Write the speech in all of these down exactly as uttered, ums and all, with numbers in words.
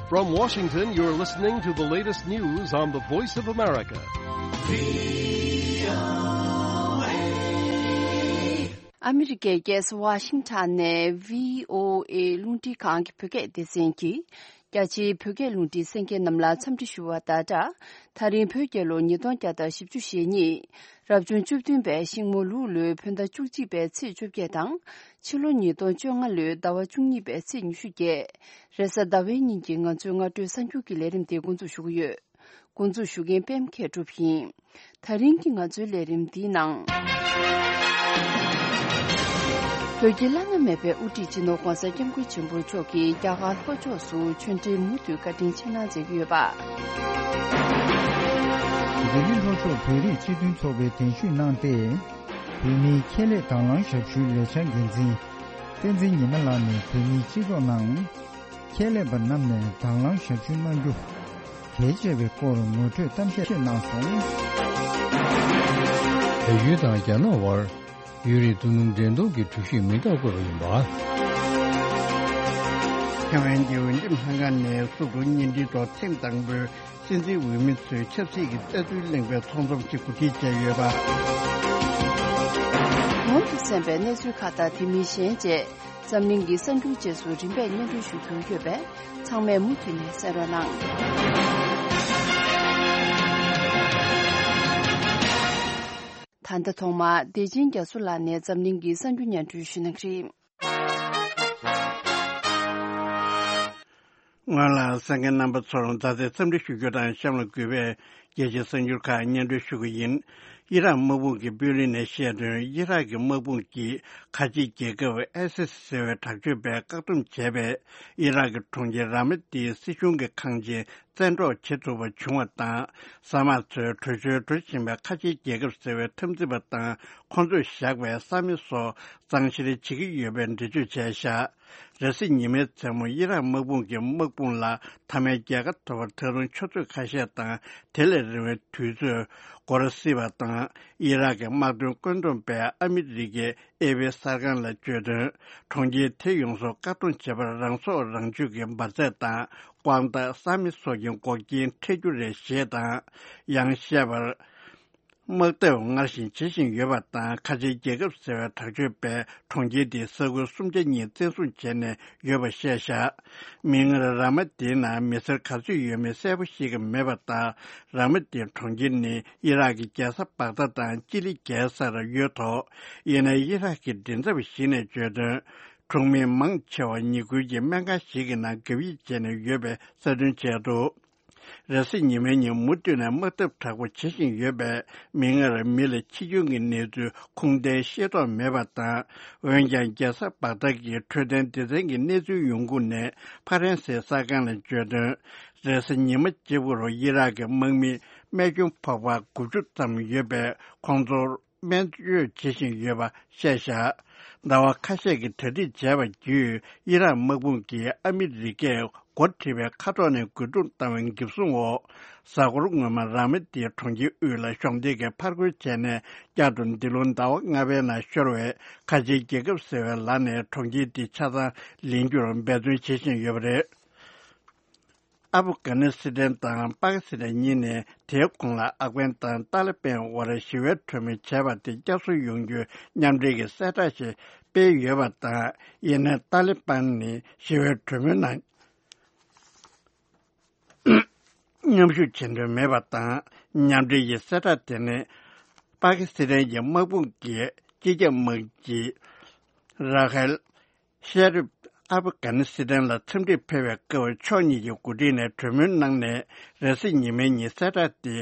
From Washington, you're listening to the latest news on the Voice of America. ཨ་མི་རི་ཀའི་རྒྱལ་ས་ཝ་ཤིང་ཊོན་ནས་བྷི་ཨོ་ཨེ་རླུང་འཕྲིན་ཁང་གི་བོད་སྐད་སྡེ་ཚན་གྱིས། རྒྱ་ཆེའི་བོད་སྐད་རླུང་འཕྲིན་གསན་མཁན་རྣམས་ལ་འཚམས་འདྲི་ཞུ་བ་དང་སྦྲགས། ད་རིང་བོད་རྒྱལ་ལོ་ཉིས་སྟོང་བརྒྱ་དང་བཞི་བཅུ་ཞེ་གཉིས། རབ་བྱུང་བཅུ་བདུན་པའི་ཤིང་མོ་ལུག་ལོའི་བོད་ཟླ་བཅུ་གཅིག་པའི་ཚེས་བཅོ་བརྒྱད་དང་། ཕྱི་ལོ་ཉིས་སྟོང་བཅོ་ལྔ་ལོའི་ཟླ་བ་བཅུ་གཉིས་པའི་ཚེས་ཉི་ཤུ་བརྒྱད། རེས་གཟའ་ཟླ་བའི་ཉིན་གྱི་ང་ཚོའི་སྔ་དྲོའི་གསར་འགྱུར་གྱི་ལས་རིམ་དེ་འགོ་འཛུགས་ཞུ་གི་ཡོད། འགོ་འཛུགས་ཞུ་མཁན་པད་མ་མཁས་གྲུབ་ཡིན། ད་རིང་གི་ང་ཚོའི་ལས་རིམ་འདིའི་ནང་། བོད་ཀྱི་བླ་ན་མེད་པའི་དབུ་ཁྲིད་སྤྱི་ནོར་༧གོང་ས་༧སྐྱབས་མགོན་ཆེན་པོ་མཆོག་གིས་རྒྱ་གར་ལྷོ་ཕྱོགས་སུ་ཆོས་འབྲེལ་མུ་མཐུད་བཀའ་དྲིན་ཆེ་གནང་མཛད་ཀྱི་ཡོད་པ། ལྡི་ལི་ལྷོ་ཕྱོགས་བོད་རིགས་སྤྱི་མཐུན་ཚོགས་པས་གདན་ཞུ་གནང་སྟེ། བོད་མིའི་ཁྱད་ལས་དང་བླངས་ཞབས་ཞུའི་ལས་འཆར་འགན་འཛིན་བསྟན་འཛིན་ཉི་མ་ལགས་ནས་བོད་མིའི་སྤྱི་ཚོགས་ནང་། ཁྱད་ལས་པ་རྣམས་ནས་དང་བླངས་ཞབས་ཞུ་གནང་རྒྱུ་གལ་ཆེ་བའི་སྐོར་ངོ་སྤྲོད་གཏམ་བཤད་གནང་སོང་། བལ་ཡུལ་དང་རྒྱ་ནག་དབར་ཡུན་རིང་དོ་སྣང་འགྲན་བསྡུར་གྱི་གྲོས་གཞི་མིང་རྟགས་བཀོད་པ་ཡིན་པ། ཐའེ་ཝན་གྱི་འོས་འདེམས་ལྷན་ཁང་ནས་སུད་ཀུ་བརྙན་འཕྲིན་ཐོག་ཐེངས་དང་པོའི་སྲིད་འཛིན་འོས་མི་ཚོའི་ཆབ་སྲིད་ཀྱི་ལྟ་ཚུལ་གླེང་བའི་ཚོགས་འཛོམས་ཤིག་གོ་སྒྲིག་བྱས་ཡོད་པ། གོང་དུ་གསན་པའི་གནས་ཚུལ་ཁག་དང་དེ་མིན་གཞན་བཅས། འཛམ་གླིང་གི་གསར་འགྱུར་རྗེས་སུ་རིམ་པས་སྙན་སྒྲོན་ཞུ་རྒྱུ་ཡོད་པས། ཚང་མས་མུ་མཐུད་ནས་གསན་རོགས་གནང་། ད་ལྟ་ཐོག་མར་བདེ་ཆེན་རྒྱ་མཚོ་ལགས་ནས་འཛམ་གླིང་གི་གསར་འགྱུར་སྙན་སྒྲོན་ཞུ་གནང་གི་རེད། སྔོན་ལ་གསན་མཁན་རྣམ་པ་ཚོར་མཛའ་བརྩེའི་འཚམས་འདྲི་ཞུ་རྒྱུ་དང་གཤམ་ལ་གུས་པས། རྒྱལ་སྤྱིའི་གསར་འགྱུར་ཁག་སྙན་སྒྲོན་ཞུ་གི་ཡིན། ཨི་རག་དམག་དཔུང་གི་དཔོན་རིགས་ནས་བཤད་དོན། ཨི་རག་གི་དམག་དཔུང་གིས་ཁ་ཆེའི་རྒྱལ་ཁབ་ཨེ་སི་སི་ཟེར་བའི་དྲག་སྤྱོད་པས་བཀག་སྡོམ་བྱས་པས། ཨི་རག་གི་གྲོང་ཁྱེར་ར་མ་ཏིའི་སྲིད་གཞུང་གི་ཁང་ཆེན་བཙན་འཕྲོག་བྱེད་ཐུབ་པ་བྱུང་བ་དང་། ས་དམག་ཚོས་བྲོས་བྱོལ་འགྲོ་བཞིན་པའི་ཁ་ཆེའི་རྒྱལ་ཁབ་ཟེར་བའི་འཐབ་འཛིང་པ་དང་། ཁོང་ཚོས་བཞག་པའི་ས་མེ་སོགས་གཙང་བཤེར་བྱེད་ཀྱི་ཡོད་པའི་འགྲེལ་བརྗོད་བྱས་བཞག་རེས་གཟའ་ཉི་མའི་མཚན་མོ་ཨི་རག་དམག་དཔུང་གིས་དམག་དཔུང་ལ་མཐའ་མའི་རྒྱལ་ཁ་ཐོབ་པར་ད་རུང་ཆུ་ཚོད་ཁ་ཤས་དང་དེ་ལས་རིང་བའི་དུས་ཚོད་འགོར་སྲིད་པ་དང་། ཨི་རག་གི་དམག་དོན་བཀོད་འདོམས་པས་ཨ་མི་རི་ཀའི་ཨེ་པི་གསར་ཁང་ལ་བརྗོད་དོན། གྲོང་ཁྱེར་དེ་ཡོངས་སུ་བཀག་སྡོམ་བྱེད་པར་རང་སྲོག་རང་གཅོད་ཀྱི་འབར་རྫས་དང་ཀོང་ཏ་ས་མེ་སོགས་ཀྱི་འགོག་རྐྱེན་འཕྲད་རྒྱུ་རེད་ཞེས་དང་། ཡང་བཤད་པར། དམག་འཐབ་སྔར་བཞིན་བྱེད་བཞིན་ཡོད་པ་དང་། ཁ་ཆེའི་རྒྱལ་ཁབ་ཟེར་བའི་དྲག་སྤྱོད་པས་གྲོང་ཁྱེར་དེའི་ས་ཁུལ་སུམ་ཆ་གཉིས་བཙན་བཟུང་བྱས་ནས་ཡོད་པ་བཤད་བཞག་མིག་སྔར་ར་མ་ཏིའི་ནང་མི་སེར་ག་ཚོད་ཡོད་མེད་གསལ་པོ་ཤེས་ཀྱི་མེད་པ་དང་། ར་མ་ཏིའི་གྲོང་ཁྱེར་ནི་ཨི་རག་གི་རྒྱལ་ས་བག་དྷ་དང་ཅི་ལི་རྒྱལ་སར་ཡོད་དོ། ཡིན་ནའི་ཨི་རག་གི་མགྲིན་ཚབ་ཞིག་ནས་བརྗོད་དོན། གྲོང་མི་མང་ཆེ་བ་ཉེ་ཁུལ་གྱི་སྨན་ཁང་ཞིག་གི་ནང་གབ་ཡིབ་བྱས་ནས་ཡོད་པའི་གསལ་སྟོན་བྱས་འདུག་རེས་གཟའ་ཉི་མའི་ཉིན་མུ་མཐུད་ནས་དམག་འཐབ་དྲག་པོ་བྱེད་བཞིན་ཡོད་པས། མིག་སྔར་མི་ལ་འཆི་སྐྱོན་གྱི་གནས་ཚུལ་ཁུངས་ལྡན་ཤེས་རྟོགས་མེད་པ་དང་། འོན་ཀྱང་རྒྱལ་ས་བག་དྷ་གི་འཕྲོད་བསྟེན་སྡེ་ཚན་གྱི་གནས་ཚུལ་ཡོང་ཁུངས་ནས་ཕ་རན་སིའི་གསར་ཁང་ལ་བརྗོད་དོན། རེས་གཟའ་ཉི་མ་གཅིག་པུར་ཨི་རག་གི་དམག་མི་རྨས་སྐྱོན་ཕོག་པ་དགུ་བཅུ་ཙམ་ཡོད་པས། ཁོང་ཚོར་སྨན་བཅོས་བྱེད་བཞིན་ཡོད་པ་བཤད་བཞག་ཟླ་བ་ཁ་ཤས་ཀྱི་གྲ་སྒྲིག་བྱས་པ་བརྒྱུད། ཨི་རག་དམག་དཔུང་གིས་ཨ་མི་རི་ཀས་འགོ་ཁྲིད་པའི་མཁའ་ཐོག་ནས་རྒོལ་རྡུང་བཏང་བའི་འགེབས་སྲུང་འོག་གཟའ་འཁོར་སྔོན་མ་ར་མ་ཏིའི་གྲོང་ཁྱེར་དབུས་ལ་གཞོགས་འདེགས་ཀྱི་ཕར་རྒོལ་བྱས་ནས། བསྐྱར་དུ་འདི་ལོ་ཟླ་བ་ལྔ་པའི་ནང་ཤོར་བའི་ཁ་ཆེའི་རྒྱལ་ཁབ་ཟེར་བའི་ལག་ནས་གྲོང་ཁྱེར་འདི་ཆ་ཚང་ལེན་རྒྱུར་འབད་བརྩོན་བྱེད་བཞིན་ཡོད་པ་རེད། ཨབ་གྷ་ནི་སི་ཐན་དང་པ་ཀི་སི་ཐན་གཉིས་ནས་དེའི་གོང་ལ་ཨབ་གྷན་དང་ཏཱ་ལི་པན་དབར་ཞི་བའི་གྲོས་མོལ་བྱས་པ་དེ་བསྐྱར་གསོ་ཡོང་རྒྱུའི་མཉམ་འབྲེལ་གྱི་གསལ་བསྒྲགས་ཤིག་སྤེལ་ཡོད་པ་དང་། ཡིན་ནའི་ཏཱ་ལི་པན་ནི་ཞི་བའི་གྲོས་མོལ་ནང་མཉམ་ཞུགས་བྱེད་འདོད་མེད་པ་དང་། མཉམ་འབྲེལ་གྱི་གསལ་བསྒྲགས་དེ་ནི་པ་ཀི་སི་ཐན་གྱི་དམག་དཔུང་གིས་སྤྱི་ཁྱབ་དམག་སྤྱི་ར་ཧེལ་ཤེ་རིབ་ཨབ་གྷ་ནི་སི་ཐན་ལ་འཚམས་འདྲིར་ཕེབས་པའི་སྐབས། ཕྱོགས་གཉིས་ཀྱི་འགོ་ཁྲིད་ནས་གྲོས་མོལ་གནང་ནས། རེས་གཟའ་ཉི་མའི་ཉིན་གསལ་བསྒྲགས་དེ་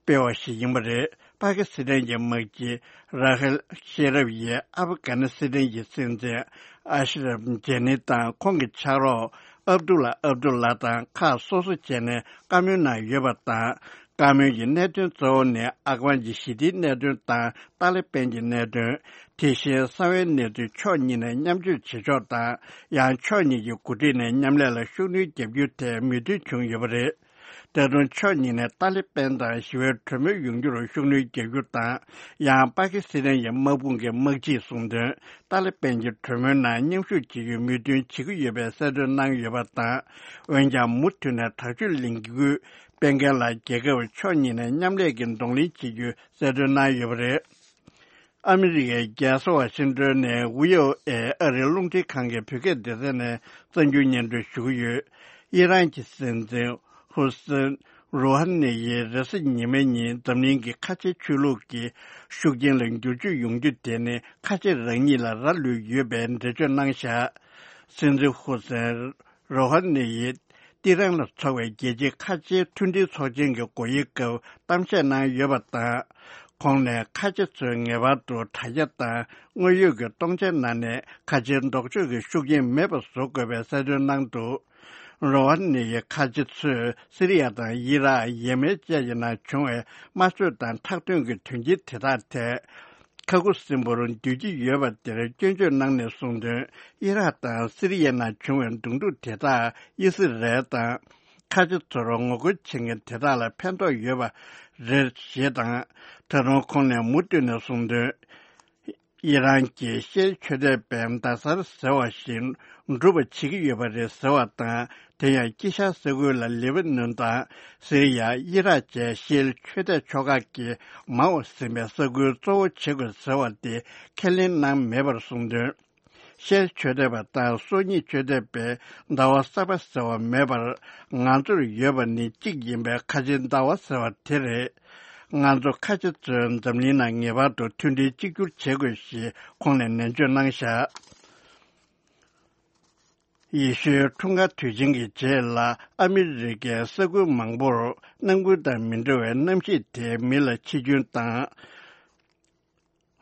སྤེལ་བ་ཞིག་ཡིན་པ་རེད། པ་ཀི་སི་ཐན་གྱི་དམག་སྤྱི་ར་ཧེལ་ཤེ་རབ་ཡིས་ཨབ་གྷ་ནི་སི་ཐན་གྱི་སྲིད་འཛིན་ཨ་ཤི་རབ་ཇེ་ནི་དང་ཁོང་གི་ཕྱག་རོགས་ཨབ་དུ་ལ་ཨབ་དུ་ལ་དང་ཁག་སོ་སོ་བྱས་ནས་བཀའ་མོལ་གནང་ཡོད་པ་དང་། བཀའ་མོལ་གྱི་གནད་དོན་གཙོ་བོ་ནི་ཨབ་གྷན་གྱི་ཞི་བདེའི་གནད་དོན་དང་ཏཱ་ལི་པན་གྱི་གནད་དོན། དེ་བཞིན་གསང་བའི་གནས་ཚུལ་ཕྱོགས་གཉིས་ནས་མཉམ་སྤྱོད་བྱེད་ཕྱོགས་དང་། ཡང་ཕྱོགས་གཉིས་ཀྱི་འགོ་ཁྲིད་ནས་མཉམ་ལས་ལ་ཤུགས་སྣོན་བརྒྱབ་རྒྱུའི་ཐད་མོས་མཐུན་བྱུང་ཡོད་པ་རེད། ད་དུང་ཕྱོགས་གཉིས་ནས་ཏཱ་ལི་པན་དང་ཞི་བའི་གྲོས་མོལ་ཡོང་རྒྱུར་ཤུགས་སྣོན་རྒྱག་རྒྱུ་དང་། ཡང་པ་ཀི་སི་ཐན་གྱི་དམག་དཔུང་གི་དམག་སྤྱིས་གསུངས་དོན། ཏཱ་ལི་པན་གྱི་གྲོས་མོལ་ནང་མཉམ་ཞུགས་བྱེད་རྒྱུའི་མོས་མཐུན་བྱེད་ཀྱི་ཡོད་པའི་གསལ་སྟོན་གནང་ཡོད་པ་དང་། འོན་ཀྱང་མུ་མཐུད་ནས་དྲག་སྤྱོད་ལས་འགུལ་སྤེལ་མཁན་ལ་རྒྱལ་ཁབ་ཕྱོགས་གཉིས་ནས་མཉམ་ལས་ཀྱི་གདོང་ལེན་བྱེད་རྒྱུའི་གསལ་སྟོན་གནང་ཡོད་པ་རེད། ཨ་མི་རི་ཀའི་རྒྱལ་ས་ཝ་ཤིང་ཏོན་ནས་བྷི་ཨོ་ཨེ་ཨ་རིའི་རླུང་འཕྲིན་ཁང་གི་བོད་སྐད་སྡེ་ཚན་ནས་གསར་འགྱུར་སྙན་སྒྲོན་ཞུ་གི་ཡོད། ཨི་རན་གྱི་སྲིད་འཛིན་ཧུ་སེན་རུ་ཧ་ནི་ཡིས་རེས་གཟའ་ཉི་མའི་ཉིན་འཛམ་གླིང་གི་ཁ་ཆེའི་ཆོས་ལུགས་ཀྱི་ཤུགས་རྐྱེན་ལ་འགྱུར་བཅོས་ཡོང་རྒྱུ་དེ་ནི་ཁ་ཆེ་རང་ཉིད་ལ་རག་ལུས་ཡོད་པའི་འགྲེལ་བརྗོད་གནང་བཞག་སྲིད་འཛིན་ཧུ་སེན་རོ་ཧ་ནི་ཡིས་ཏི་རན་ལ་འཚོགས་པའི་རྒྱལ་སྤྱིའི་ཁ་ཆེའི་མཐུན་སྒྲིལ་ཚོགས་ཆེན་གྱི་སྒོ་དབྱེའི་སྐབས་གཏམ་བཤད་གནང་ཡོད་པ་དང་། ཁོང་ནས་ཁ་ཆེ་ཚོས་ངེས་པར་དུ་དྲ་རྒྱ་དང་དངོས་ཡོད་ཀྱི་སྟོང་ཆའི་ནང་ནས་ཁ་ཆེའི་ལྡོག་ཕྱོགས་ཀྱི་ཤུགས་རྐྱེན་མེད་པར་བཟོ་དགོས་པའི་གསལ་སྟོན་གནང་འདུག་རོ་ཧ་ནི་ཡི་ཁ་ཆེ་ཚོས་སི་རི་ཡ་དང་ཡི་རག་ཡེ་མེན་བཅས་ཀྱི་ནང་བྱུང་བའི་དམར་གསོད་དང་ཁྲག་དོན་གྱི་དོན་རྐྱེན་དེ་དག་ཐད། ཁ་ཁུ་སིམ་པོར་འདོད་ཀྱི་ཡོད་པ་དེར་སྐྱོན་བརྗོད་གནང་ནས་གསུངས་དོན། ཨི་རག་དང་སི་རི་ཡའི་ནང་བྱུང་བའི་གདོང་ཐུག་དེ་དག་ཨི་སི་རལ་དང་། ཁ་ཆེ་ཚོར་ངོ་རྒོལ་བྱེད་མཁན་དེ་དག་ལ་ཕན་ཐོགས་ཡོད་པ་རེད་ཞེས་དང་། ད་དུང་ཁོང་ནས་མུ་མཐུད་ནས་གསུངས་དོན། ཨི་རན་གྱིས་ཤེལ་མཆོད་རྟེན་པའི་མདའ་གསར་ཟེར་བ་ཞིག་འགྲུབ་པ་བྱེད་ཀྱི་ཡོད་པ་རེད་ཟེར་བ་དང་། དེ་ཡང་དཀྱིལ་ཤར་ས་ཁུལ་ལ་ལེ་བྷ་ནོན་དང་སི་རི་ཡ། ཨི་རག་བཅས་ཤེལ་མཆོད་རྟེན་ཕྱོགས་ཁག་གི་མང་བ་ཟིན་པའི་ས་ཁུལ་གཙོ་བོ་བྱེད་དགོས་ཟེར་བ་དེ་ཁས་ལེན་གནང་མེད་པར་གསུངས་དོན། ཤེལ་མཆོད་རྟེན་པ་དང་སྲོག་ཉིད་མཆོད་རྟེན་པའི་ཟླ་བ་གསར་པ་ཟེར་བ་མེད་པར། ང་ཚོར་ཡོད་པ་ནི་གཅིག་ཡིན་པའི་ཁ་ཆེའི་ཟླ་བ་ཟེར་བ་དེ་རེད། ང་ཚོ་ཁ་ཆེ་ཚོས་འཛམ་གླིང་ནང་ངེས་པར་དུ་མཐུན་སྒྲིལ་གཅིག་གྱུར་བྱེད་དགོས་ཞེས་ཁོང་ནས་ནན་བརྗོད་གནང་བཞག་ཡེ་ཤུའི་འཁྲུངས་སྐར་དུས་ཆེན་གྱི་རྗེས་ལ་ཨ་མི་རི་ཀའི་ས་ཁུལ་མང་པོར་ནམ་རྒྱུན་དང་མི་འདྲ་བའི་གནམ་གཤིས་དེས་མི་ལ་འཆི་སྐྱོན་དང་།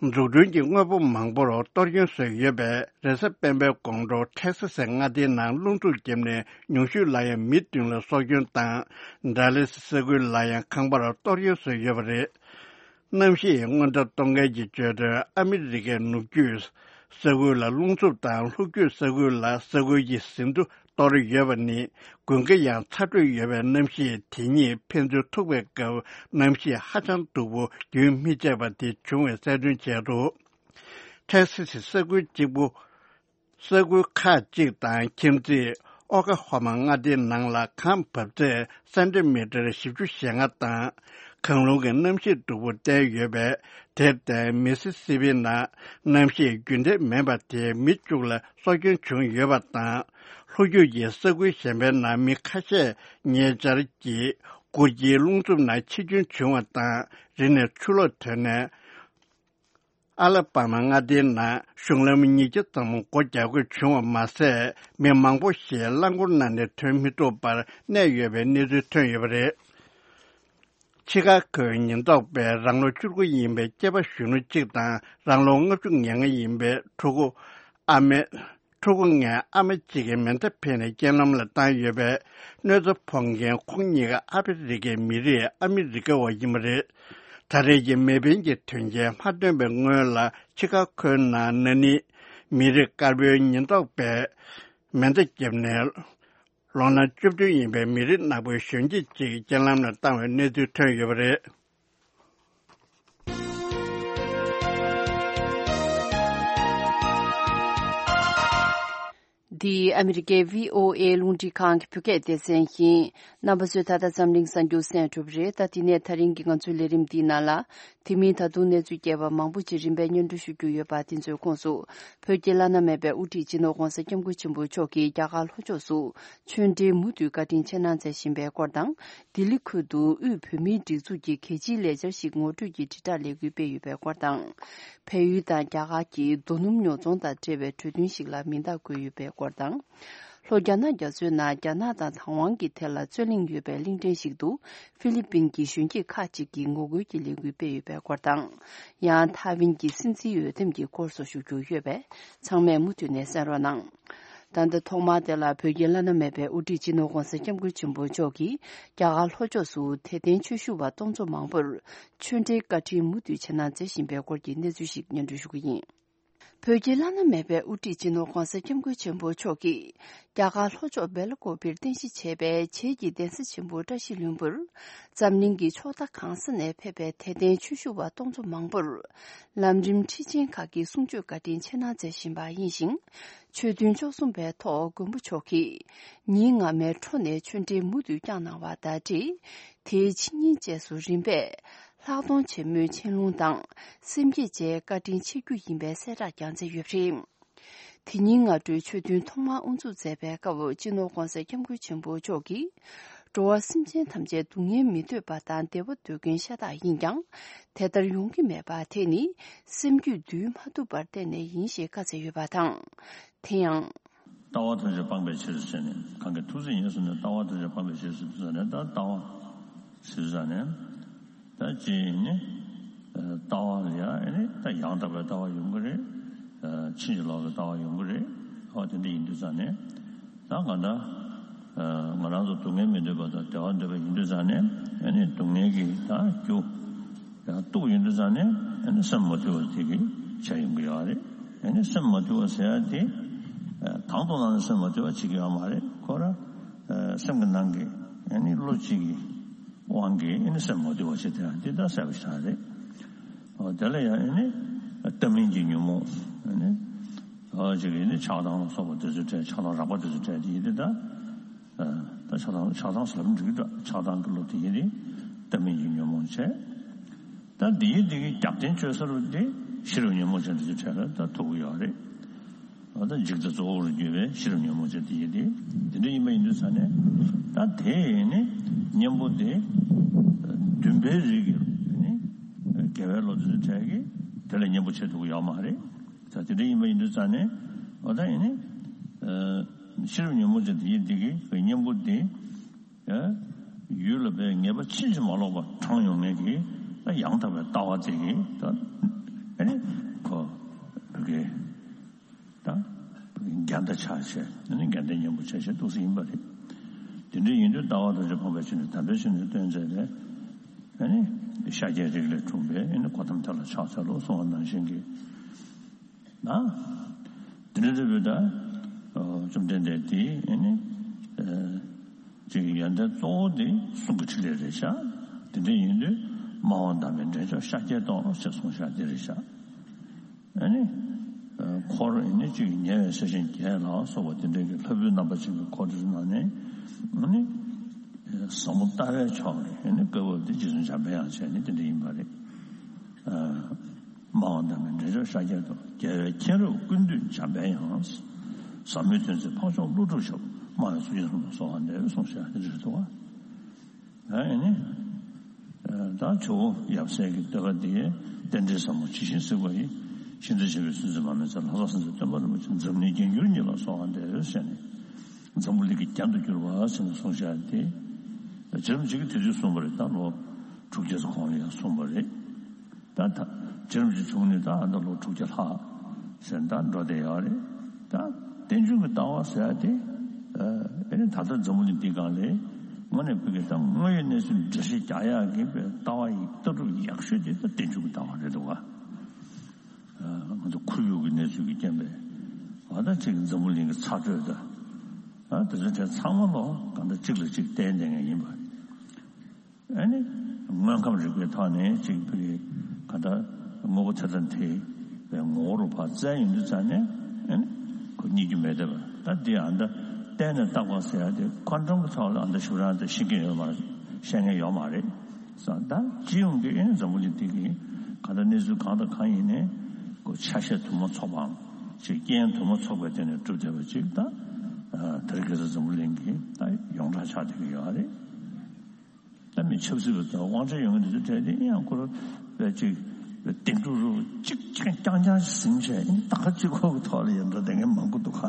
འཛུགས་སྐྲུན་གྱི་དངོས་པོ་མང་པོར་གཏོར་སྐྱོན་བཟོས་ཡོད་པས། རེས་གཟའ་སྤེན་པའི་དགོང་དྲོ་ཊེག་སི་སའི་མངའ་སྡེའི་ནང་རླུང་འཚུབ་བརྒྱབ་ནས་ཉུང་ཤོས་ལ་ཡང་མི་བདུན་ལ་སྲོག་སྐྱོན་དང་། ཌ་ལེ་སི་ས་ཁུལ་ལ་ཡང་ཁང་པར་གཏོར་སྐྱོན་བཟོས་ཡོད་པ་རེད། གནམ་གཤིས་སྔོན་བརྡ་གཏོང་མཁན་གྱིས་བརྗོད་དོན། ཨ་མི་རི་ཀའི་ནུབ་རྒྱུད་ས་ཁུལ་ལ་རླུང་འཚུབ་དང་ལྷོ་རྒྱུད་ས་ཁུལ་ལ་ས་ཁུལ་གྱི་ཟིན་ཐོ་གཏོར་ཡོད་པ་ནི། དགུན་ཁ་ཡང་ཚ་དྲོད་ཡོད་པའི་གནམ་གཤིས་དེ་ཉིད་ཕན་ཚུན་ཐུག་པའི་སྐབས་གནམ་གཤིས་ཧ་ཅང་སྡུག་པོ་རྒྱུན་མི་ཆད་པ་དེ་བྱུང་བའི་གསལ་སྟོན་བྱས་འདུག་ཊེག་སི་སི་ས་ཁུལ་གཅིག་པུ། ས་ཁུལ་ཁག་ཅིག་དང་ཁྱིམ་མཚེས་ཨོ་ཀ་ཧོ་མ་མངའ་སྡེའི་ནང་ལ་གངས་འབབ་ཚད་སེན་ཏི་མི་ཊར་བཞི་བཅུ་ཞེ་ལྔ་དང་། གངས་རླུང་གི་གནམ་གཤིས་སྡུག་པོ་བསྟན་ཡོད་པས། དེར་བརྟེན་མི་སི་སི་པི་ནང་གནམ་གཤིས་རྒྱུན་ལྡན་མིན་པ་དེས་མི་བཅུ་ལ་སྲོག་སྐྱོན་བྱུང་ཡོད་པ་དང་། ལྷོ་རྒྱུད་ཀྱི་ས་ཁུལ་གཞན་པའི་ནང་མི་ཁ་ཤས་ཉེ་ཆར་གྱི་སྐུར་གྱི་རླུང་འཚུབ་ནང་འཆི་སྐྱོན་བྱུང་བ་དང་། རི་ནས་ཆུ་ལོག་ཐོན་ནས། ཨ་ལ་པ་མ་མངའ་སྡེའི་ནང་གཞུང་ལམ་ཉིས་བརྒྱ་ཙམ་སྒོ་རྒྱག་དགོས་བྱུང་བ་མ་ཟད། མི་མང་པོ་ཞིག་རླངས་འཁོར་ནང་ནས་ཐོན་མི་ཐུབ་པར་གནས་ཡོད་པའི་གནས་ཚུལ་ཐོན་ཡོད་པ་རེད། ཆི་ཀ་གོའི་ཉེན་རྟོག་པས་རང་ལོ་བཅུ་དགུ་ཡིན་པའི་སྐྱེས་པ་གཞོན་ནུ་གཅིག་དང་རང་ལོ་ལྔ་བཅུ་ང་ལྔ་ཡིན་པའི་ཕྲུ་གུ་ཨ་མའི། ཕྲུ་གུ་ལྔའི་ཨ་མ་གཅིག་གིས་མེ་མདའ་འཕེན་ནས་རྐྱེན་ལམ་ལ་བཏང་ཡོད་པས། གནོད་འཚེ་ཕོག་མཁན་ཁོང་གཉིས་ཀ་ཨ་ཕི་རི་ཀའི་མི་རིགས་ཨ་མི་རི་ཀ་བ་ཡིན་པ་རེད། ད་རེས་ཀྱི་མེ་འཕེན་གྱི་དོན་རྐྱེན་མ་ཐོན་པའི་སྔོན་ལ་ཆི་ཀ་གོའི་ནང་ན་ནིང་མི་རིགས་དཀར་པོའི་ཉེན་རྟོག་པས་མེ་མདའ་བརྒྱབ་ནས། ལོ་ན་བཅུ་བདུན་ཡིན་པའི་མི་རིགས་ནག་པོའི་གཞོན་སྐྱེས་གཅིག་རྐྱེན་ལམ་ལ་བཏང་བའི་གནས་ཚུལ་ཐོན་ཡོད་པ་རེད། འདི་ཨ་མི་རི་ཀའི་བྷི་ཨོ་ཨེ་རླུང་འཕྲིན་ཁང་གི་བོད་སྐད་སྡེ་ཚན་ཡིན། རྣམ་པ་ཚོས་ད་ལྟ་འཛམ་གླིང་གསར་འགྱུར་གསན་གྲུབ་རེད། ད་དེ་ནས་ད་རིང་གི་ང་ཚོའི་ལས་རིམ་འདིའི་ནང་ལ། དེ་མིན་ད་དུང་གནས་ཚུལ་རྒྱས་པ་མང་པོ་ཅིག་རིམ་པས་སྙན་སྒྲོན་ཞུ་རྒྱུ་ཡོད་པ་དེ་ཚོའི་ཁོངས་སུ། བོད་ཀྱི་བླ་ན་མེད་པའི་དབུ་ཁྲིད་སྤྱི་ནོར་༧གོང་ས་༧སྐྱབས་མགོན་ཆེན་པོ་མཆོག་གིས་རྒྱ་གར་ལྷོ་ཕྱོགས་སུ་ཆོས་འབྲེལ་མུ་མཐུད་བཀའ་དྲིན་ཆེ་གནང་མཛད་བཞིན་པའི་སྐོར་དང་། ལྡི་ལི་ཁུལ་དུ་དབུས་བོད་མིའི་སྒྲིག་འཛུགས་ཀྱི་གལ་ཆེའི་ལས་འཆར་ཞིག་ངོ་སྤྲོད་ཀྱི་དྲིལ་བསྒྲགས་ལས་འགུལ་སྤེལ་ཡོད་པའི་སྐོར་དང་། བལ་ཡུལ་དང་རྒྱ་གར་གྱི་རྡོ་སྣུམ་ཉོ་ཚོང་དང་འབྲེལ་བའི་གྲོས་མཐུན་ཞིག་ལ་མིང་རྟགས་བཀོད་ཡོད་པའི་སྐོར་དང་། ལྷོ་རྒྱ་ནག་རྒྱ་མཚོའི་ནང་རྒྱ་ནག་དང་དང་ཝང་གི་ཐད་ལ་རྩོད་གླེང་ཡོད་པའི་གླིང་ཕྲན་ཞིག་ཏུ་ཧྥི་ལི་པིན་གྱི་གཞོན་སྐྱེས་ཁག་ཅིག་གིས་ངོ་རྒོལ་གྱི་ལས་འགུལ་སྤེལ་ཡོད་པའི་སྐོར་དང་། ཡང་ཐའེ་ཝན་གྱི་སྲིད་འཛིན་འོས་འདེམས་ཀྱི་སྐོར་སོགས་ཞུ་རྒྱུ་ཡོད་པས། ཚང་མས་མུ་མཐུད་ནས་གསན་རོགས་གནང་། ད་ལྟ་ཐོག་མར་དེ་ལ་བོད་ཀྱི་བླ་ན་མེད་པའི་དབུ་ཁྲིད་སྤྱི་ནོར་༧གོང་ས་༧སྐྱབས་མགོན་ཆེན་པོ་མཆོག་གིས་རྒྱ་གར་ལྷོ་ཕྱོགས་སུ་དད་ལྡན་ཆོས་ཞུ་བ་སྟོང་ཚོ་མང་པོར་ཆོས་འབྲེལ་བཀའ་དྲིན་མུ་མཐུད་ཆེ་གནང་མཛད་བཞིན་པའི་སྐོར་གྱི་གནས་ཚུལ་ཞིག་སྙན་སྒྲོན་ཞུ་གི་ཡིན། བོད་ཀྱི་བླ་ན་མེད་པའི་དབུ་ཁྲིད་སྤྱི་ནོར་༧གོང་ས་༧སྐྱབས་མགོན་ཆེན་པོ་མཆོག་གིས་རྒྱ་གར་ལྷོ་ཕྱོགས་སྦེལ་ཀོབ་པིར་རྟེན་གཞི་བྱས་པའི་བྱེས་ཀྱི་གདན་ས་ཆེན་པོ་བཀྲ་ཤིས་ལྷུན་པོར་འཛམ་གླིང་གི་ཕྱོགས་མཐའ་གང་ས་ནས་ཕེབས་པའི་དད་ལྡན་ཆོས་ཞུ་བ་སྟོང་ཚོ་མང་པོར་ལམ་རིམ་ཁྲིད་ཆེན་ཁག་གི་གསུང་ཆོས་བཀའ་དྲིན་ཆེ་གནང་མཛད་བཞིན་པ་ཡིན་ཞིང་། ཆོས་ཐུན་བཅུ་གསུམ་པའི་ཐོག་མགོན་པོ་མཆོག་གིས་ཉིན་སྔ་མའི་འཕྲོ་ནས་ཆོས་འབྲེལ་མུ་མཐུད་བསྐྱངས་གནང་བ་དང་འབྲེལ། དེའི་ཕྱི་ཉིན་བཅས་སུ་རིམ་པས་ལྷག་མཐོང་ཆེན་མོའི་ཆན་ལུང་དང་སེམས་བསྐྱེད་བཅས་བཀའ་དྲིན་ཆེ་རྒྱུ་ཡིན་པའི་གསལ་བསྒྲགས་ཀྱང་མཛད་ཡོད་པ་རེད། དེ་ཉིན་སྔ་དྲོའི་ཆོས་ཐུན་ཐོག་མར་དབུ་འཛུགས་མཛད་པའི་སྐབས་སྤྱི་ནོར་༧གོང་ས་༧སྐྱབས་མགོན་ཆེན་པོ་མཆོག་གིས། འགྲོ་བ་སེམས་ཅན་ཐམས་ཅད་སྡུག་བསྔལ་མི་འདོད་པ་དང་བདེ་བ་འདོད་མཁན་ཤ་སྟག་ཡིན་ཀྱང་། དེ་ལྟར་ཡོང་གི་མེད་པ་དེ་ནི་སེམས་རྒྱུད་འདུལ་མ་ཐུབ་པར་བརྟེན་ནས་ཡིན་ཞེས་བཀའ་སྩལ་ཡོད་པ་དང་། དེ་ཡང་། ལྟ་བ་ཐམས་ཅད་སྤངས་པའི་ཕྱིར་ཟེར་ནས་གང་གི་ཐུགས་བརྩེ་ཉེར་བཟུང་ནས་ལྟ་བ་ཐམས་ཅད་སྤངས་པའི་ཕྱིར་ཟེར་དུས་ཙ་ནས་ད་ལྟ་བ་ཟེར་དུས་ཙ་ནས་ད་ཅི་ནི་ལྟ་བ་ལ་ཡང་ནི་ད་ཡང་དག་པའི་ལྟ་བ་ཡོང་གི་རེད། ཕྱིན་ཅི་ལོག་གི་ལྟ་བ་ཡོང་གི་རེད། ཨོ་དེ་འདྲ་ཡིན་དུས་ཙ་ནས་ད་གང་ལྟར་ང་རང་ཚོ་སྡུག་བསྔལ་མི་འདོད་པ་དང་བདེ་བ་འདོད་པ་ཡིན་དུས་ཙ་ནས་ཨ་ནི་སྡུག་བསྔལ་གྱི་ད་རྒྱུ་ཡང་གཏུགས་ཡོང་དུས་ཙ་ནས་ཨ་ནི་སེམས་མ་དུལ་བ་དེ་གི་བྱ་ཡོང་གི་ཡོད་རེད། ཨ་ནི་སེམས་མ་དུལ་བ་ཟེར་ཡ་དེ་དང་དུ་བླངས་ནས་སེམས་མ་དུལ་བ་བྱེད་ཀྱི་ཡོད་མ་རེད། ཁོ་ར་སེམས་ཀྱི་ནང་གི་ཨ་ནི་བློ་གཅིག་གི་དབང་གིས་ཨ་ནི་སེམས་མ་དུལ་བ་བྱེད་དེ་ཡང་འདི་ལྟར་གསལ་པོ་ཞིག་རེད། ཨོ་དེ་ལ་ཡང་ཨ་ནི་ལྟ་མིན་གྱི་ཉོན་མོངས་ཨ་ནི་ཨོ་ཅིག་ཨ་ནི་ཆགས་སྡང་ལ་སོགས་པ་དེ་ཚོ་བྲལ། ཆགས་སྡང་རགས་པ་དེ་ཚོ་བྲལ་དེ་ཡིན་དེ་ད་ད་ཆགས་སྡང་ཆགས་སྡང་ཟེར་ལབ་འགྲིག་གི་འདྲ། ཆགས་སྡང་གི་བློ་དེ་ཡིན་དེ་ལྟ་མིན་གྱི་ཉོན་མོངས་བྱས། ད་འདི་ཡིན་འདི་གི་རྒྱབ་རྟེན་བཅོལ་ས་རུ་འདི་ཤེས་རབ་ཉོན་མོངས་ཅན་དེ་ཚོ་བྲལ་ལ་ད་ཐུག་གི་ཡོད་རེད། ད་འཇིག་ལྟ་གཙོ་བོར་གྱུར་པའི་ཤེས་རབ་ཉོན་མོངས་ཅན་དེ་ཡིན་ཏེ། དེ་འདྲ་ཡིན་པ་ཡིན་དུས་ཙ་ནས་ད་དེ་ནི་གཉེན་པོ་དེ་འདུན་པའི་རིགས་ཀྱི་ནི་དགེ་བའི་བློ་དེ་ཚོ་བྲལ་གི་དེ་ལ་གཉེན་པོ་བྱེད་ཐུབ་ཀྱི་ཡོད་མ་རེད། ད་དེ་འདྲ་ཡིན་པ་ཡིན་དུས་ཙ་ནས་འོ་ད་ཡིན་ནི་ཤེས་རབ་ཉོན་མོངས་ཅན་དེ་ཡིན་དེ་གི་གཉེན་པོ་དེ་ཡུལ་ལ་པའི་ངེས་པ་ཕྱིན་ཅི་མ་ལོག་པ་དྲངས་ཡོང་མཁན་གྱི་ད་ཡང་དག་པའི་ལྟ་བ་དེ་གི་ད་ཨེ་ནི་ཁོ་བོད་ཀྱི་ད་རྒྱ་མཐའ་ཆགས་བྱས་ཨེ་ནི་རྒྱ་མཐའི་གཉེན་པོ་བྱས་བྱས་འདུག་སེ་ཡིན་པ་རེད། དེ་འདྲ་ཡིན་དུས་ལྟ་བ་ཐམས་ཅད་སྤངས་པའི་ཕྱིར་ནི་དམ་པའི་ཆོས་ནི་སྟོན་མཛད་པའི་ཨེ་ནི་ཤཱཀྱའི་རིགས་ལས་འཁྲུངས་པའི་ཨེ་ནི་གོ་ཏམ་དེ་ལ་ཕྱག་འཚལ་ལོ་གསུངས་པ་ནང་བཞིན་གྱི། ན། དེ་འདྲ་རེད་པས་ད། བཅོམ་ལྡན་འདས་དེ་ཨེ་ནི། ཅིག་ཡོན་ཏན་གཙོ་བོ་དེ་གསུང་གི་ཕྲིན་ལས་རེད་ཤག་དེ་འདྲ་ཡིན་དུས་སྨྲ་བ་བདག་མེད་འདྲེན་མཆོག་ཤཱཀྱའི་ཏོག་ཅེས་གསུངས་ཤག་དེ་རེད་ཤག་ཨེ་ནི། འཁོར་ཨེ་ནི་ཅིག་ཉེ་བའི་ས་ཞིང་བརྒྱད་ལ་སོགས་པ་དེ་འདྲ་གི་ལྷ་བུའི་རྣམ་པ་ཅན་གྱི་འཁོར་དེ་ཚོ་ནང་ནས་ཨེ་ནི། ཟབ་མོ་ལྟ་བའི་ཕྱོགས་ནས་ཨེ་ནི་བཀའ་བབས་དེ་རྗེ་བཙུན་འཇམ་དཔལ་དབྱངས་བྱས་ནས་དེ་འདྲ་ཡིན་པ་རེད། སྨྲ་བ་བདག་མེད་འདྲེན་མཆོག་ཤཱཀྱའི་ཏོག་རྒྱལ་བའི་མཁྱེན་རབ་ཀུན་བཏུས་འཇམ་པའི་དབྱངས། ཟབ་མོའི་དོན་མཛད་འཕགས་མཆོག་ཀླུ་སྒྲུབ་ཞབས། སྨྲ་བའི་གཙུག་རྒྱན་གསུམ་ལ་གསོལ་བ་འདེབས་གསུངས་ཤག་དེ་འདྲ་རེད་འདུག་ག་ཨེ་ནི། ད་ཇོ་བོ་ཡབ་སྲས་ཀྱི་བསྟོད་པ་འདི་རྟེན་འབྲེལ་ཟབ་མོ་ཇི་བཞིན་གཟིགས་པ་ཡི། ཤིན་ཏུ་རྗེ་བའི་གསུང་ཚིག་མ་སྨིན་ཚེ། ལྷ་ས་སེམས་ཅན་སྟོན་པ་རིན་པོ་ཆེ། འཛམ་གླིང་རྒྱན་གྱུར་ཉིད་ལ་གསོལ་བ་འདེབས་ཞེས་ནས། འཛམ་བུ་གླིང་གི་རྒྱན་དུ་གྱུར་པ་ཟེར་ནས་གསུངས་བཞག་སྟེ། རྗེ་རིན་པོ་ཆེ་གིས་དེ་དུས་གསུངས་པ་རེད། ད་ལོ་དྲུག་བརྒྱ་ཙམ་གོང་ལ་ཡང་གསུངས་པ་རེད། ད་ད་རྗེ་རིན་པོ་ཆེ་བྱུང་ནས་ད་ཨ་ད་ལོ་དྲུག་བརྒྱ་ལྷག་ཟེར་ད་འགྲོ་བསྡད་ཡོད་རེད། ད་རྟེན་འབྱུང་གི་ལྟ་བ་ཟེར་ཡ་དེ་ཨེ་ནི་ད་ལྟ་འཛམ་བུ་གླིང་འདི་སྒང་ལ་དངོས་གནས་བོད་ཀྱི་ད་དངོས་ཡོད་གནས་ཚུལ་འགྲེལ་བཤད་རྒྱག་ཡག་གི་ལྟ་བ་ཡི་ལྟ་གྲུབ་ཡག་ཤོས་དེ་ད་རྟེན་འབྱུང་གི་ལྟ་བ་རེད་འདུག་ག་ང་ཚོ་ཁོར་ཡུག་གི་གནས་ཚུལ་གྱི་རྐྱེན་པས་ཨ་ད་ཅིག་འཛམ་བུ་གླིང་གི་ཚ་དྲོད་དང་ཨ་དེ་ཚོ་དེ་ཚང་མ་ལོ་གང་ལྟར་གཅིག་ལ་གཅིག་བརྟེན་བསྡད་མཁན་ཡིན་པ། ཨ་ནི་དངོས་ཁམས་རིག་པའི་ཐོག་ནས་གཅིག་པུའི་གང་ལྟར་དངོས་པོ་ཐེ་ཚོམ་ཐེ་བའི་ངོ་བོ་རུ་ཕར་བཙལ་ཡོང་དུས་ཙང་ནས་ཨ་ནི་ཁོ་རྙེད་རྒྱུ་མེད་བསྡད་པ། ད་འདི་ཨ་ད་བལྟས་ནས་བརྟག་པ་ཟེར་ཡ་དེ་ཁོ་འདྲ་གི་ཐོག་ལ་ཨ་ད་ཞུ་རང་དེ་ཤེས་མཁན་ཡོད་མ་རེད། ཤེས་མཁན་ཡོད་མ་རེད། ད་སྤྱི་ཡོངས་ཀྱི་ཨེ་འཛམ་བུ་གླིང་འདི་གི་གང་ལྟར་གནས་ཚུལ་གང་དང་གང་ཡིན་ནའི་ཁོ་ཆ་ཤས་དུ་མ་ཚོགས་པའམ་ཅིག་རྐྱེན་དུ་མ་ཚོགས་པའི་སྟེང་ནས་གྲུབ་བསྡད་པ་ཅིག་ད་དེ་རིང་ཁ་སང་འཛམ་བུ་གླིང་གི་ད་ཡོངས་གྲགས་ཆགས་བསྡད་ཀྱི་ཡོད་རེད། ད་མི་ཆབ་སྲིད་པ་ཚོ་དབང་ཆ་ཡོད་མཁན་དེ་ཚོ་གྲས་དེ་ཡང་ཁོ་རང་བས་ཅིག་བདེན་གྲུབ་རུ་ཅིག་ཅིག་རྐྱང་རྐྱང་ཟིན་བྱས་ད་ག་གཅིག་ཁོག་གི་ཐོག་ལ་ཡང་འགྲོ་བསྡད་མཁན་མང་པོ་འདུག་ག་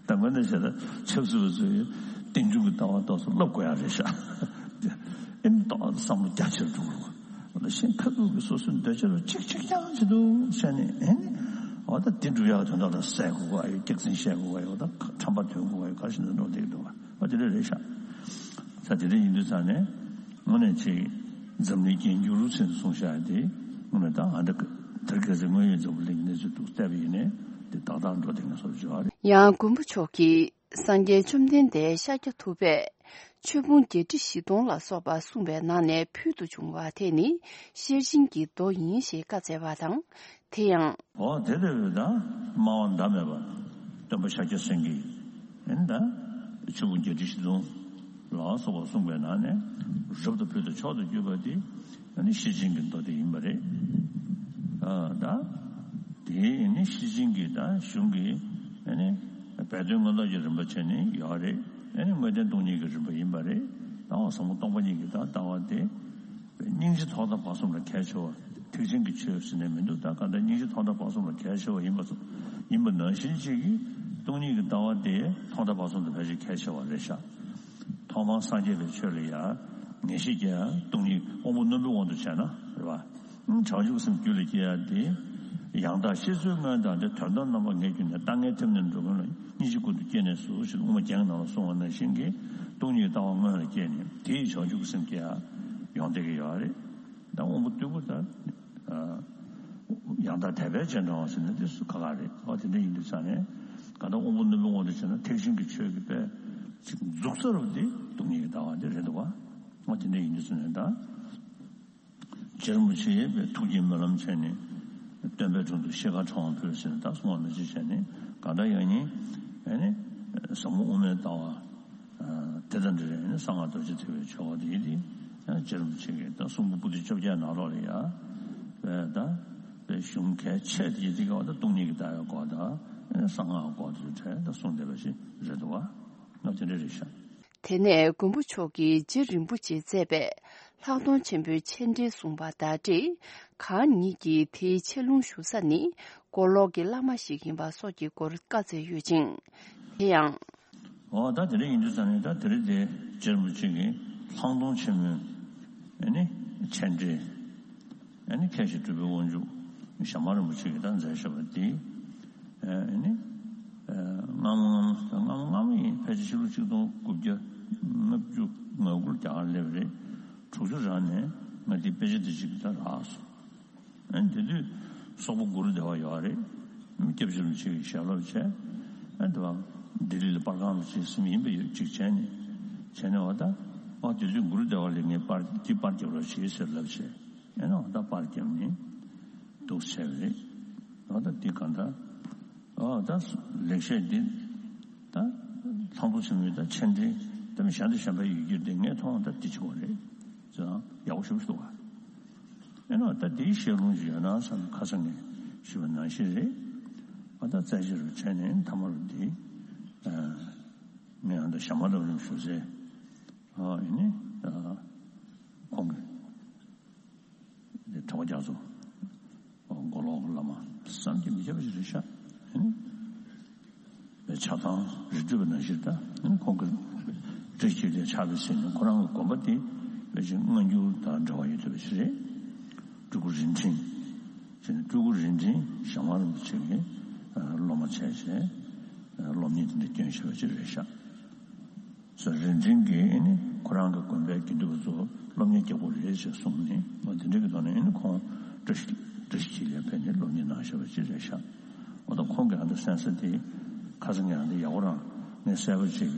ད་དངོས་གནས་བྱས་ན་ཆབ་སྲིད་པ་ཚོས་རྟེན་འབྱུང་གི་ལྟ་བ་ཏོག་ཙམ་བསླབ་དགོས་ཡ་རེད་ཤག་ཨེ་ནི་ཏོག་ཙམ་བསམ་བློ་རྒྱ་ཆེར་འགྲོ་དགོས། འོ་ད་གཞན་ཁ་ཐུག་གི་སོ་སོའི་འདོད་ཆ་རུ་ཅིག་ཅིག་རྐྱང་བྱེད་འདུག་བྱས་ནས་ཨེ་ནི་འོ་ད་དེ་འགྲུབ་ཡག་དོན་དག་ལ་ཟས་དགོས་ག་ཡོད། སྐྱག་རྫུན་བཤད་དགོས་ག་ཡོད། ད་ཁྲམ་པ་ཐོན་དགོས་ག་ཡོད། ག་ཞིག་ན་འགྲོ་བསྡད་འདུག་ག་འོ་དེ་འདྲ་རེད་ཤག་ད་དེ་འདྲ་ཡིན་དུས་ཙང་ནས་དངོས་གནས་ཅིག་འཛམ་གླིང་རྒྱན་གྱུར་ཟེར་ནས་གསུངས་བཞག་ཡ་དེ་དངོས་གནས་ད་ཨ་འདྲ་ དེར་གལ་སྲིད་དངོས་ཡོད་འཛམ་བུ་གླིང་གི་གནས་ཚུལ་འདུག་བལྟས་པ་ཡིན་ནའི་དེ་ཏག་ཏག་འགྲོ་བསྡད་མཁན་བཟོ་འདྲ་ཅིག་ཡོད་རེད། ཡང་མགོན་པོ་མཆོག་གིས་སངས་རྒྱས་བཅོམ་ལྡན་འདས་ཤཱཀྱ་ཐུབ་པས་ཆོས་ཕུང་བརྒྱད་ཁྲི་བཞི་སྟོང་ལ་སོགས་པ་གསུངས་པའི་ནང་ནས་ཕུལ་དུ་བྱུང་བ་དེ་ནི་ཤེར་ཕྱིན་གྱི་མདོ་ཡིན་ཞེས་བཀའ་སྩལ་བ་དང་། དེ་ཡང་། འོ་དེ་ལྟ་བུའི་ད་སྨྲ་བ་ཟླ་མེད་པ་སྟོན་པ་ཤཱཀྱ་སེང་གེས་ཨེ་ད་ཆོས་ཕུང་བརྒྱད་ཁྲི་བཞི་སྟོང་ལ་སོགས་པ་གསུངས་པའི་ནང་ནས་རབ་ཏུ་ཕུལ་དུ་མཆོག་ཏུ་གྱུར་པ་དེ་ཨ་ནི་ཤེར་ཕྱིན་གྱི་མདོ་དེ་ཡིན་པ་རེད། ཨ་ད་དེ་ནི་ཤེར་ཕྱིན་གྱི་ད་གཞུང་གི་ཨ་ནི་སྦས་དོན་མངོན་རྟོགས་ཀྱི་རིམ་པ་བྱས་ནས་ཡོད་རེད། ཨ་ནི་དངོས་བསྟན་སྟོང་ཉིད་ཀྱི་རིམ་པ་ཡིན་པ་རེད། ད་འོ་ཟབ་མོ་སྟོང་པ་ཉིད་ཀྱི་ད་ལྟ་བ་དེ། སྙིང་རྗེ་ཐོག་མཐའ་བར་གསུམ་ལ་གལ་ཆེ་བ། ཐེག་ཆེན་གྱི་ཆོས་ཟེར་ནས་མི་འདུག་ད་ག་འདྲ་སྙིང་རྗེ་ཐོག་མཐའ་བར་གསུམ་ལ་གལ་ཆེ་བ་ཡིན་པ་ཚོ་ཡིན་པ་ནང་བཞིན་གཅིག་གིས་སྟོང་ཉིད་ཀྱི་ལྟ་བ་དེ་ཐོག་མཐའ་བར་གསུམ་དུ་ཕལ་ཆེར་གལ་ཆེ་བ་རེད་ཤག་ཐོག་མར་སངས་རྒྱས་པའི་ཆོས་ལ་ཡང་ངེས་ཤེས་སྐྱེ་ཡ་སྟོང་ཉིད་དབང་པོ་རྣོན་པོའི་དབང་དུ་བྱས་ན་རེད་བ། བྱང་ཆུབ་སེམས་རྒྱུད་ལ་སྐྱེ་ཡ་དེ། ཡང་དག་ཤེས་ཚོལ་མངོན་དང་དེ་དོན་དམ་རྣམ་པ་ངེས་གྱུར་ནས་ལྟ་ངན་ཐེབས་ནས་འགྲོ་ཀུན་ལ་སྙིང་རྗེ་ཀུན་ཏུ་སྐྱེས་ནས་སུ་ཞེས་དབུ་མ་རྒྱན་གྱི་ནང་ལ་གསུངས་པ་ནང་བཞིན་གྱི་སྟོང་ཉིད་ཀྱི་ལྟ་བ་སྔོན་ལ་སྐྱེས་ནས་དེ་ཡི་བྱང་ཆུབ་ཀྱི་སེམས་སྐྱེ་ཡ་ཡོང་བསྡད་ཀྱི་ཡོད་རེད། ད་དབང་པོ་རྟུལ་པོ་ད་ཡང་དག་དད་པས་རྗེས་འབྲང་བ་ཟེར་ན་དེ་སུ་ཁག་ཁག་རེད། ཨོ་དེ་འདྲ་ཡིན་དུས་ཙང་ནས་གང་ལྟར་དབང་པོ་རྣོན་པོའི་དབང་དུ་བྱས་ན་ཐེག་ཆེན་གྱི་ཆོས་ཀྱི་དཔེ་ཅིག་འཛུགས་ས་རུ་དེ་སྟོང་ཉིད་ཀྱི་ལྟ་བ་དེ་རེད་འདུག་བ། ཨོ་དེ་འདྲ་ཡིན་དུས་ཙང་ནས་ད། རྗེ་རིན་པོ་ཆེ་ཡིས་ཐུགས་ཀྱི་སྨོན་ལམ་བྱས་ནས་སྟོན་པའི་དྲུང་དུ་ཤེལ་དཀར་ཕྲེང་བ་ཕུལ་ཟེར་ནས་ད་གསུང་བ་མི་བརྗེད་བྱས་ནས་གང་ལྟར་ཡང་ཉིན་ཨེ་ནི་ཟབ་མོ་དབུ་མའི་ལྟ་བ་དེ་དང་འབྲེལ་ནས་གསང་སྔགས་རྡོ་རྗེ་ཐེག་པའི་ཆོས་འཁོར་དེ་ཡིན་ཏེ། རྗེ་རིན་པོ་ཆེ་གིས་ད་གསུང་འབུམ་པོ་ཏི་བཅོ་བརྒྱད་ནང་ལོགས་ལ་ཡ་བས་ད་བས་གཞུང་གལ་ཆེ་དེ་ཡི་དེ་ག་བ་ད་སྟོང་ཉིད་ཀྱི་ལྟ་བའི་སྐོར་དང་གསང་སྔགས་སྐོར་དེ་ཚོའི་གྲས་ད་གསུངས་བསྡད་པ་ཞིག་རེད་འདུག་བ། ང་དེ་འདྲ་རེད་ཤག་དེ་ནས་མགོན་པོ་མཆོག་གིས་རྗེ་རིན་པོ་ཆེས་མཛད་པའི་ལྷག་མཐོང་ཆེན་པོའི་མཆན་འགྲེལ་གསུངས་པ་དང་འབྲེལ། གང་ཉིད་ཀྱིས་དེའི་ཆེ་ལུང་ཞུ་ས་ནི་མགོ་ལོག་གི་བླ་མ་ཞིག་ཡིན་པ་སོགས་ཀྱི་སྐོར་བཀའ་སྩལ་ཡོད་ཅིང་། དེ་ཡང་། འོ་ད་དེ་འདྲ་ཡིན་དུས་ཙང་ནས་ད་དེ་རིང་དེ་རྗེ་རིན་པོ་ཆེ་གིས་ལྷག་མཐོང་ཆེན་མོའི་ཨ་ནི་མཆན་འགྲེལ། ཨ་ནི་མཁས་ཤིང་གྲུབ་པའི་དབང་ཕྱུག་ཞྭ་དམར་རིན་པོ་ཆེ་གིས་ད་མཛད་བཞག་པ་འདི། ཨ་ནི། སྔ་མོ་སྔ་མོ་སྔ་མོ་ཡིན་ཕལ་ཆེར་ཕྱི་ལོ་ཆིག་སྟོང་དགུ་བརྒྱ་ལྔ་བཅུ་ང་དགུ་ལ་རྒྱ་གར་སླེབས་རེད། དྲུག་ཅུ་རང་ནས་ང་འདི་དཔེ་ཆ་འདི་གཅིག་ད་རག་སོང་། ཨ་ནི་དེ་དུས་སོག་པོ་གུ་རུ་བདེ་བ་ཡོད་རེད། སྐྱབས་རྗེ་རིན་པོ་ཆེ་གིས་ཞལ་སློབ་བྱས། ཨ་ནི་དེ་བ་ལྡི་ལི་ལ་པར་ཁང་ལ་ཅིག་སེམས་ཡིན་པ་ཡོད་ཅིག་བྱས་ནས། བྱས་ནས་འོ་ད་ཨ་དེ་དུས་གུ་རུ་བདེ་བ་ལ་ངས་པར་འདི་པར་རྒྱབ་རོགས་བྱེད་ཟེར་ལབ་བྱས། ཨེ་ནོ་ད་པར་བརྒྱབ་ནས་འདུག་བྱས་པ་རེད། ཨ་ད་འདི་གང་ལྟར། ཨ་ད་ལེགས་བཤད་འདི་ད་ལྷག་མཐོང་ཆེན་མོའི་ད་མཆན་འགྲེལ་ད་མི་གཞན་དང་གཞན་པའི་ཡི་གེར་འདི་ངས་མཐོང་ད་འདི་ཆེ་བ་རེད། ཙང་ཡག་པོ་ཞེ་པོ་འདུག་ག་ཨེ་ནོ་ད་འདིའི་བཤད་ལུང་ཞིག་ཡོད་ན་བསམ་ཁ་སང་ངས་ཞུས་པ་ནང་བཞིན་རེད། ཨ་ད་རྩ་ཆེ་རུ་བྱས་ནས་མཐའ་མ་རུ་འདི་ངས་ཨ་ད་ཞྭ་དམར་རབ་རིམ་ཞུ་ཚེ་ཨ་ཡིན་ནི་ད་ཁོང་གི། དེ་གྲྭ་པ་རྒྱ་མཚོ། མགོ་ལོག་གི་བླ་མ་བསམ་གྱིས་མི་ཁྱབ་པ་ཞིག་རེད་ཤག་ཨེ་ནི། པའི་ཆགས་སྡང་རི་ཁྲོད་པ་ནང་བཞིན་ད་ཨེ་ནི་ཁོང་གི་བཀྲ་ཤིས་འཁྱིལ་ལས་ཆགས་པའི་ཚེ་ནི་ཁོ་རང་གི་དགོན་པ་དེ་པེ་ཅིང་སྔ་འགྱུར་དང་འབྲེལ་བ་ཡོད་བསྡད་པ་ཞིག་རེད། སྤྲུལ་སྐུ་རིན་ཆེན། ཟེར་ནས་སྤྲུལ་སྐུ་རིན་ཆེན་ཞྭ་དམར་རིན་པོ་ཆེ་གི་སློབ་མ་བྱས་བྱས་སློབ་གཉེར་དེ་འདྲ་སྐྱོན་ཤེས་པ་ཅིག་རེད་ཤག་སོ་རིན་ཆེན་གྱིས་ཨེ་ནི་ཁོ་རང་གི་དགོན་པའི་དགེ་འདུན་པ་ཚོ་སློབ་གཉེར་རྒྱག་དགོས་རེད་ཅེས་གསུངས་ནས་འོ་དེ་འདྲ་གི་ཐོག་ནས་ཨེ་ནི་ཁོང་བཀྲ་ཤིས་བཀྲ་ཤིས་འཁྱིལ་ལ་ཕེབས་ནས་སློབ་གཉེར་གནང་བཞག་པ་ཅིག་རེད་ཤག་འོ་ད་ཁོང་གི་ཨ་འདི་གསན་ས་དེ་ཁ་སང་གི་ཨ་འདི་ཡག་པོ་རང་ངས་གསལ་པོ་ཅིག་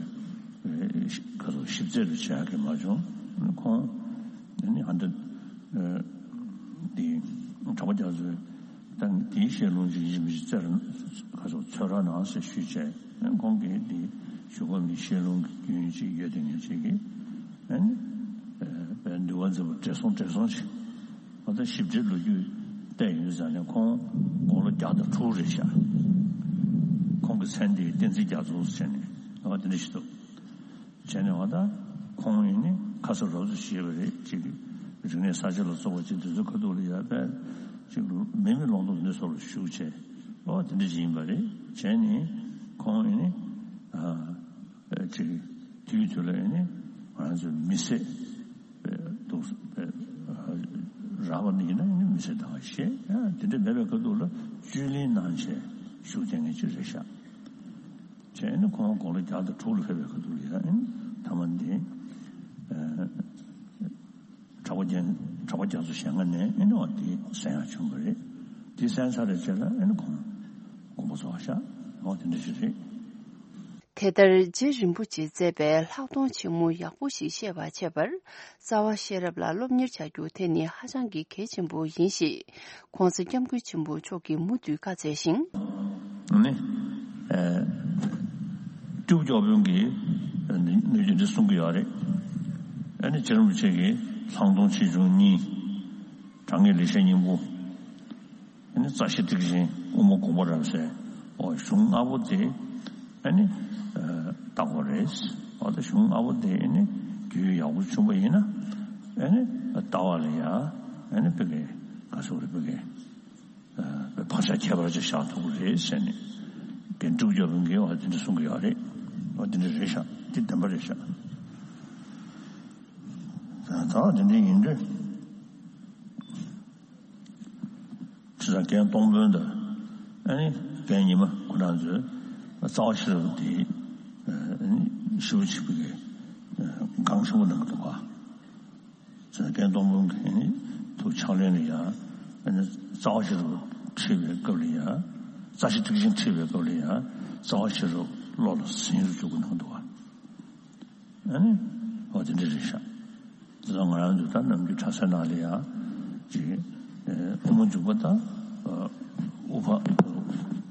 ཁ་སང་ཞིབ་རྩད་རུ་བྱེད་ཡག་གི་མ་བྱུང་། ཁོང་ཨེ་ནི་ཨ་འདི་འདི་གྲྭ་པ་རྒྱ་མཚོའི་ད་དེའི་བཤད་ལུང་ཅིག་ཡིན་མི་ཅིག་རྩད་ཁ་སང་འཚོལ་རོགས་གནང་ཟེར་ཞུས་བྱས། ཁོང་གིས་འདི་ཞུ་གོ་མི་བཤད་ལུང་གི་རྒྱུན་ཅིག་ཡོད་དེ་ངས་ཅིག་གིས་ཨ་ནི་པའི་འདུལ་བ་མཛད་པ་བགྲེས་སོང་བགྲེས་སོང་ཅིག་ཨ་ད་ཞིབ་ཕྲའི་ལོ་རྒྱུས་བལྟས་ཡོང་དུས་ཙང་ནས་ཁོང་དགུང་ལོ་བརྒྱ་དང་དྲུག་རེད་ཤག་ཁོང་གི་མཚན་དེ་བསྟན་འཛིན་རྒྱ་མཚོ་ཟེར་ནས་ཨ་དེ་འདྲ་ཞིག་འདུག་བྱས་ནས་བ་ད་ཁོང་ཡིན་ནི་ཁ་ས་རོབ་ཙམ་ཞེས་པ་རེད་ཅིག་རིག་གནས་གསར་བརྗེ་ལ་སོགས་པ་ཅིག་དེ་ཚོའི་ཁ་ཐུག་ལ་ཡ་པས་ཅིག་མི་མི་ལོང་ཏོག་འདི་སོགས་ལ་ཞུགས་བྱས་ཨོ་དེ་འདྲ་ཅིག་ཡིན་པ་རེད། བྱས་ནས་ཁོང་ཡིན་ནི་ཨ་ཅིག་དུས་དུས་ལ་ཡིན་ནི་ང་ཚོའི་མི་སེར་འདུག་རག་པ་ནི་ཡིན་ན་ཡིན་ནི་མི་སེར་དང་ཞེས་དེ་འདྲ་མེད་པའི་ཁ་ཐུག་ལ་བཅུད་ལེན་གནང་བྱས་ཞུགས་བསྡད་མཁན་ཅིག་རེད་ཤག་བྱས་ནས་ཁོང་དགུང་ལོ་བརྒྱ་དང་དྲུག་ལ་ཕེབས་པའི་ཁ་ཐུག་ལ་ཡང་ཨེ་ནི་མཐའ་མ་འདི་གྲྭ་པ་རྒྱ་གྲྭ་པ་རྒྱ་མཚོ་ཞལ་སྔ་ནས་ཨེ་ནི་བ་འདི་གསན་ཡག་བྱུང་བ་རེད། དེ་གསན་ཚར་བའི་རྗེས་ལ་ཨ་ནི་ཁོང་དགོངས་པ་རྫོགས་པ་བཞག་འོ་དེ་འདྲ་ཞིག་རེད། དེ་ལྟར་རྗེ་རིན་པོ་ཆེས་མཛད་པའི་ལྷག་མཐོང་ཆེན་མོ་ཡག་པོ་ཞིག་ཤེས་པར་བྱེད་པར་རྩ་བ་ཤེས་རབ་ལ་སློབ་གཉེར་བྱ་རྒྱུ་དེ་ནི་ཧ་ཅང་གི་གལ་ཆེན་པོ་ཡིན་ཞེས་༸གོང་ས་༸སྐྱབས་མགོན་ཆེན་པོ་མཆོག་གིས་མུ་མཐུད་བཀའ་སྩལ་ཞིང་། ནི། ཨེ། སྤྲེའུ་སྐྱོགས་དཔོན་གྱིས་ནུས་ཀྱི་འདི་གསུང་གི་ཡོད་རེད། ཨ་ནི་རྗེ་རིན་པོ་ཆེ་གིས་ལྷག་མཐོང་ཆེ་ཆུང་གཉིས། དྲང་ངེས་ལེགས་བཤད་སྙིང་པོ། ཨ་ནི་རྩ་ཤེ་ཊཱིཀ་ཆེན་དབུ་མ་དགོངས་པ་རབ་གསལ། འོ་གཞུང་ལྔ་པོ་དེ་ཨ་ནི་ཨ་བརྟག་དགོས་རེད། འོ་ད་གཞུང་ལྔ་པོ་དེ་ཨ་ནི་རྒྱུས་ཡག་པོ་བྱུང་པ་ཡིན་ན་ཨ་ནི་ལྟ་བ་ལ་ཡ་ཨ་ནི་ཕ་གི་ག་ཚོད་རེད་ཕ་གི་ཨ་བག་ཆགས་ཁྱད་པར་ཅན་བཞག་ཐུབ་ཀྱི་རེད་ཟེར་ནས་རྒན་སྤྲེའུ་སྐྱོགས་དཔོན་གྱིས་འོ་དེ་འདྲ་གསུང་གི་ཡོད་རེད། འོ་དེ་འདྲ་རེད་ཤག་དེ་བདེན་པ་རེད་ཤག་ད་དེ་འདྲ་ཡིན་དུས། ཁྲི་སྲོང་རྒན་སྟོང་དཔོན་དང་ཨ་ནི་རྒན་ཉི་མ་ཁོ་རང་ཚོས་རྩ་བ་ཤེས་རབ་དེ་ཨ་ནི་ཞེ་པོ་ཅིག་པའི་གི་སྒང་ཆེན་པོ་གནང་གི་འདུག་ག་ཁྲི་སྲོང་རྒན་སྟོང་དཔོན་གྱིས་ཨ་ནི་ཐུགས་ཕྱག་ལེན་ལ་ཡ་ཨ་ནི་རྩ་བ་ཤེས་རབ་ཁྲིད་པའི་སྐབས་ལ་ཡ་རྩ་ཤེ་ཊཱིཀ་ཆེན་ཁྲིད་པའི་སྐབས་ལ་ཡ་རྩ་བ་ཤེས་རབ་བློ་ལ་ཟིན་རུ་བཅུག་གི་གནང་འདུག་ག་ཨ་ནི་འོ་དེ་འདྲ་རེད་ཤག་དེ་ཚོ་ང་རང་ཚོ་ད་ནམ་རྒྱུན་གྲྭ་སའི་ནང་ལ་ཡང་ཅིག་ཨེ་དབུ་མ་འཇུག་པ་དང་ཨ་དབུ་འཕང་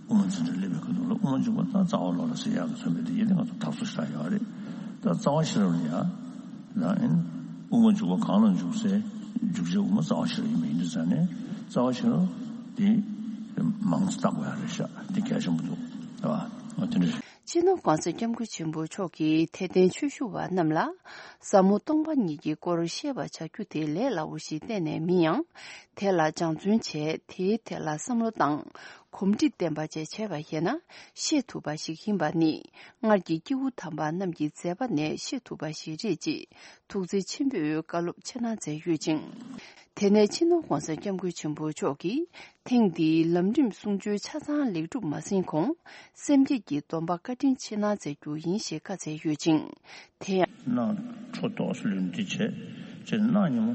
དབུ་མ་འཛིན་གྲྭ་སླེབས་པའི་སྐབས་དུ་ལ་དབུ་མ་འཇུག་པ་དང་རྩ་བ་བློ་ལ་ཟེར་ཡག་གི་མཚོན་པའི་དེ་ཡིན་ཏེ་ང་ཚོ་ཐག་གཅོད་བཞག་ཡོད་རེད། ད་རྩ་བ་ཤེས་རབ་ལ་ཡང་ད་ཨེ་དབུ་མ་འཇུག་པ་གང་ལ་འཇུག་སའི་འཇུག་བྱའི་དབུ་མ་རྩ་བ་ཤེས་རབ་ཡིན་པ་ཡིན་དུས་ཙང་ནས་རྩ་བ་ཤེས་རབ་དེ་མང་ཙམ་བརྟག་དགོས་ཡག་རེད་ཤག་དེ་གལ་ཆེན་པོ་འདུག་རེད་བ། འོ་དེ་འདྲ་རེད། སྤྱི་ནོར་༸གོང་ས་༸སྐྱབས་མགོན་ཆེན་པོ་མཆོག་གིས་དད་ལྡན་ཆོས་ཞུ་བ་རྣམས་ལ་ཟབ་མོ་སྟོང་པ་ཉིད་ཀྱི་སྐོར་བཤད་པར་བྱ་རྒྱུ་དེ་ལས་སླ་བོ་ཞིག་གཏན་ནས་མིན་ཡང་། དེ་ལ་སྦྱང་བརྩོན་བྱས་དེའི་ཐད་ལ་བསམ་བློ་དང་གོམས་འདྲིས་ལྡན་པ་བཅས་བྱས་པ་ཡིན་ན་ཤེས་ཐུབ་པ་ཞིག་ཡིན་པ་ནི་སྔར་གྱི་སྐྱེས་བུ་དམ་པ་རྣམས་ཀྱི་མཛད་པ་ནས་ཤེས་ཐུབ་པ་ཞིག་རེད་ཅེས་ཐུགས་བརྩེ་ཆེན་པོས་བཀའ་སློབ་ཆེ་གནང་མཛད་ཡོད་ཅིང་། དེ་ནས་སྤྱི་ནོར་༸གོང་ས་༸སྐྱབས་མགོན་ཆེན་པོ་མཆོག་གིས་ཐེངས་འདིའི་ལམ་རིམ་གསུང་ཆོས་ཆ་ཚང་ལེགས་གྲུབ་མ་ཟིན་གོང་སེམས་བསྐྱེད་ཀྱི་སྡོམ་པ་བཀའ་དྲིན་ཆེ་གནང་མཛད་རྒྱུ་ཡིན་ཞེས་བཀའ་སྩལ་ཡོད་ཅིང་། དེ་ཡང་། གནང་འཕྲོ་ཏོག་ཙམ་ལུས་འདི་བྱས་ཅེས་གནང་ཉིན་མོ་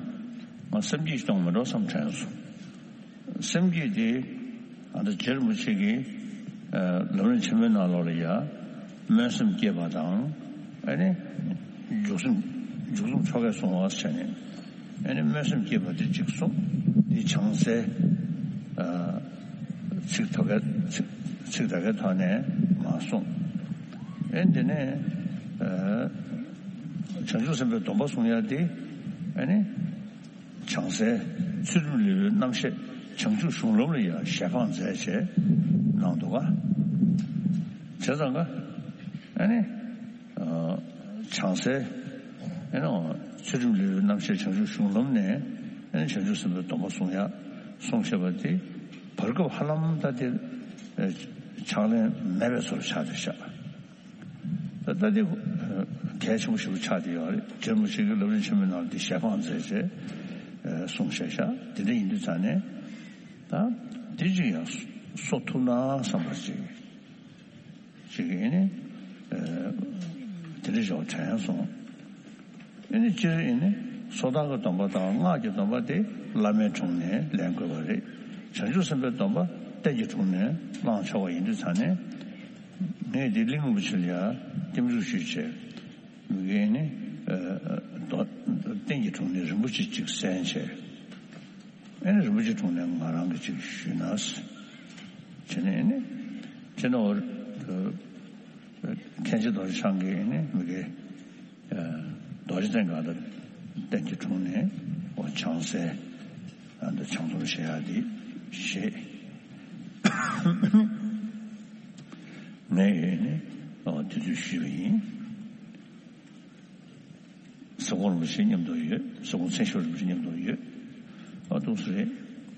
ང་སེམས་བསྐྱེད་གཏོང་མི་འགྲོ་བསམ་དྲན་སོང་། སེམས་བསྐྱེད་དེ་ཨ་ད་རྗེ་རིན་པོ་ཆེ་གིས་ལམ་རིམ་ཆེན་མོའི་ནང་ལོགས་ལ་ཡ་སྨོན་སེམས་བསྐྱེད་པ་དང་ཨ་ནི་འཇུག་སེམས་འཇུག་སེམས་ཆོ་གས་བཟུང་བ་བྱས་ནས། ཨ་ནི་སྨོན་སེམས་བསྐྱེད་པ་དེ་གཅིག་གསུངས། དེ་བྱང་སའི་ཨ་ཚིག་ཐོག་གའི་ཚིག་ཚིག་དག་གའི་ཐོག་ནས་མ་གསུངས། ཨ་ནི་དེ་ནས་ཨ་བྱང་ཆུབ་སེམས་དཔའི་སྡོམ་པ་གསུང་ཡ་དེ་ཨ་ནི་བྱང་སའི་ཚུལ་ཁྲིམས་ལེའུའི་རྣམ་བཤད་བྱང་ཆུབ་གཞུང་ལམ་ལ་ཡང་ཞལ་འཕངས་མཛད་བྱས་གནང་འདུག་ག་བྱས་ཙང་ཀ་ཨ་ནི། བྱང་སའི་ཨེ་ནོ་ཚུལ་ཁྲིམས་ལེའུའི་རྣམ་བཤད་བྱང་ཆུབ་གཞུང་ལམ་ནས་ཨེ་ནོ་བྱང་ཆུབ་སེམས་དཔའི་སྡོམ་པ་གསུང་ཡ་གསུང་བཤད་པ་དེ་བར་སྐབས་ཧ་ལམ་ད་དེ་ཕྱག་ལེན་མེད་པའི་བཟོ་འདྲ་ཆགས་བསྡད་ཤག་ད་ལྟ་དེ་གལ་ཆེན་པོ་ཞིག་ཆགས་བསྡད་ཡོད་རེད། རྗེ་རིན་པོ་ཆེ་གིས་ལམ་རིམ་ཆེན་མོའི་ནང་དེ་ཞལ་འཕངས་མཛད་བྱས་གསུང་བཤད་ཤག་དེ་འདྲ་ཡིན་དུས་ཙང་ནས་ད་དེ་ཅིག་ཡང་གསོ་ཐུབ་ན་བསམ་པ་ཅིག་ཅིག་ཨེ་ནི། དེ་འདྲ་ཞོག་དྲན་སོང་། ཨེ་ནི་སྤྱིར་ཨེ་ནི་སོ་ཐར་གྱི་སྡོམ་པ་དང་སྔགས་ཀྱི་སྡོམ་པ་དེ་བླ་མའི་དྲུང་ནས་ལེན་དགོས་པ་རེད། བྱང་ཆུབ་སེམས་དཔའི་སྡོམ་པ་རྟེན་གྱི་དྲུང་ནས་བླང་ཆོག་པ་ཡིན་དུས་ཙང་ནས། ངས་འདི་གླིང་རིན་པོ་ཆེ་ལ་ཡ་བསྟན་འཛུགས་ཞུས་བྱས། མི་གིས་ཨེ་ནི། རྟེན་གྱི་དྲུང་ནས་རིན་པོ་ཆེ་གཅིག་གསན་བྱས། ཨེ་ནི་རིན་པོ་ཆེ་དྲུང་ནས་ང་རང་གི་ཅིག་ཞུས་ན། བྱས་ནས་ཨེ་ནི་ཅི་ནོར་མཁན་ཆེན་རྡོ་རྗེ་འཆང་གིས་ཨེ་ནི་མི་གི་རྡོ་རྗེ་གདན་སྒང་ལ་རྟེན་གྱི་དྲུང་ནས་འོ་བྱང་སའི་ཨ་ནི་བྱང་སྡོམ་བཞེས་ཡག་འདི་བཞེས། ངས་ཨེ་ནི་འོ་དེ་དུས་ཞུས་པ་ཡིན། ཟབ་དགོངས་རིན་པོ་ཆེ་མཉམ་དུ་ཡོད། ཟབ་དགོངས་མཚན་བཤད་རིན་པོ་ཆེ་མཉམ་དུ་ཡོད། ཨ་ཏོག་ཙམ་རེད།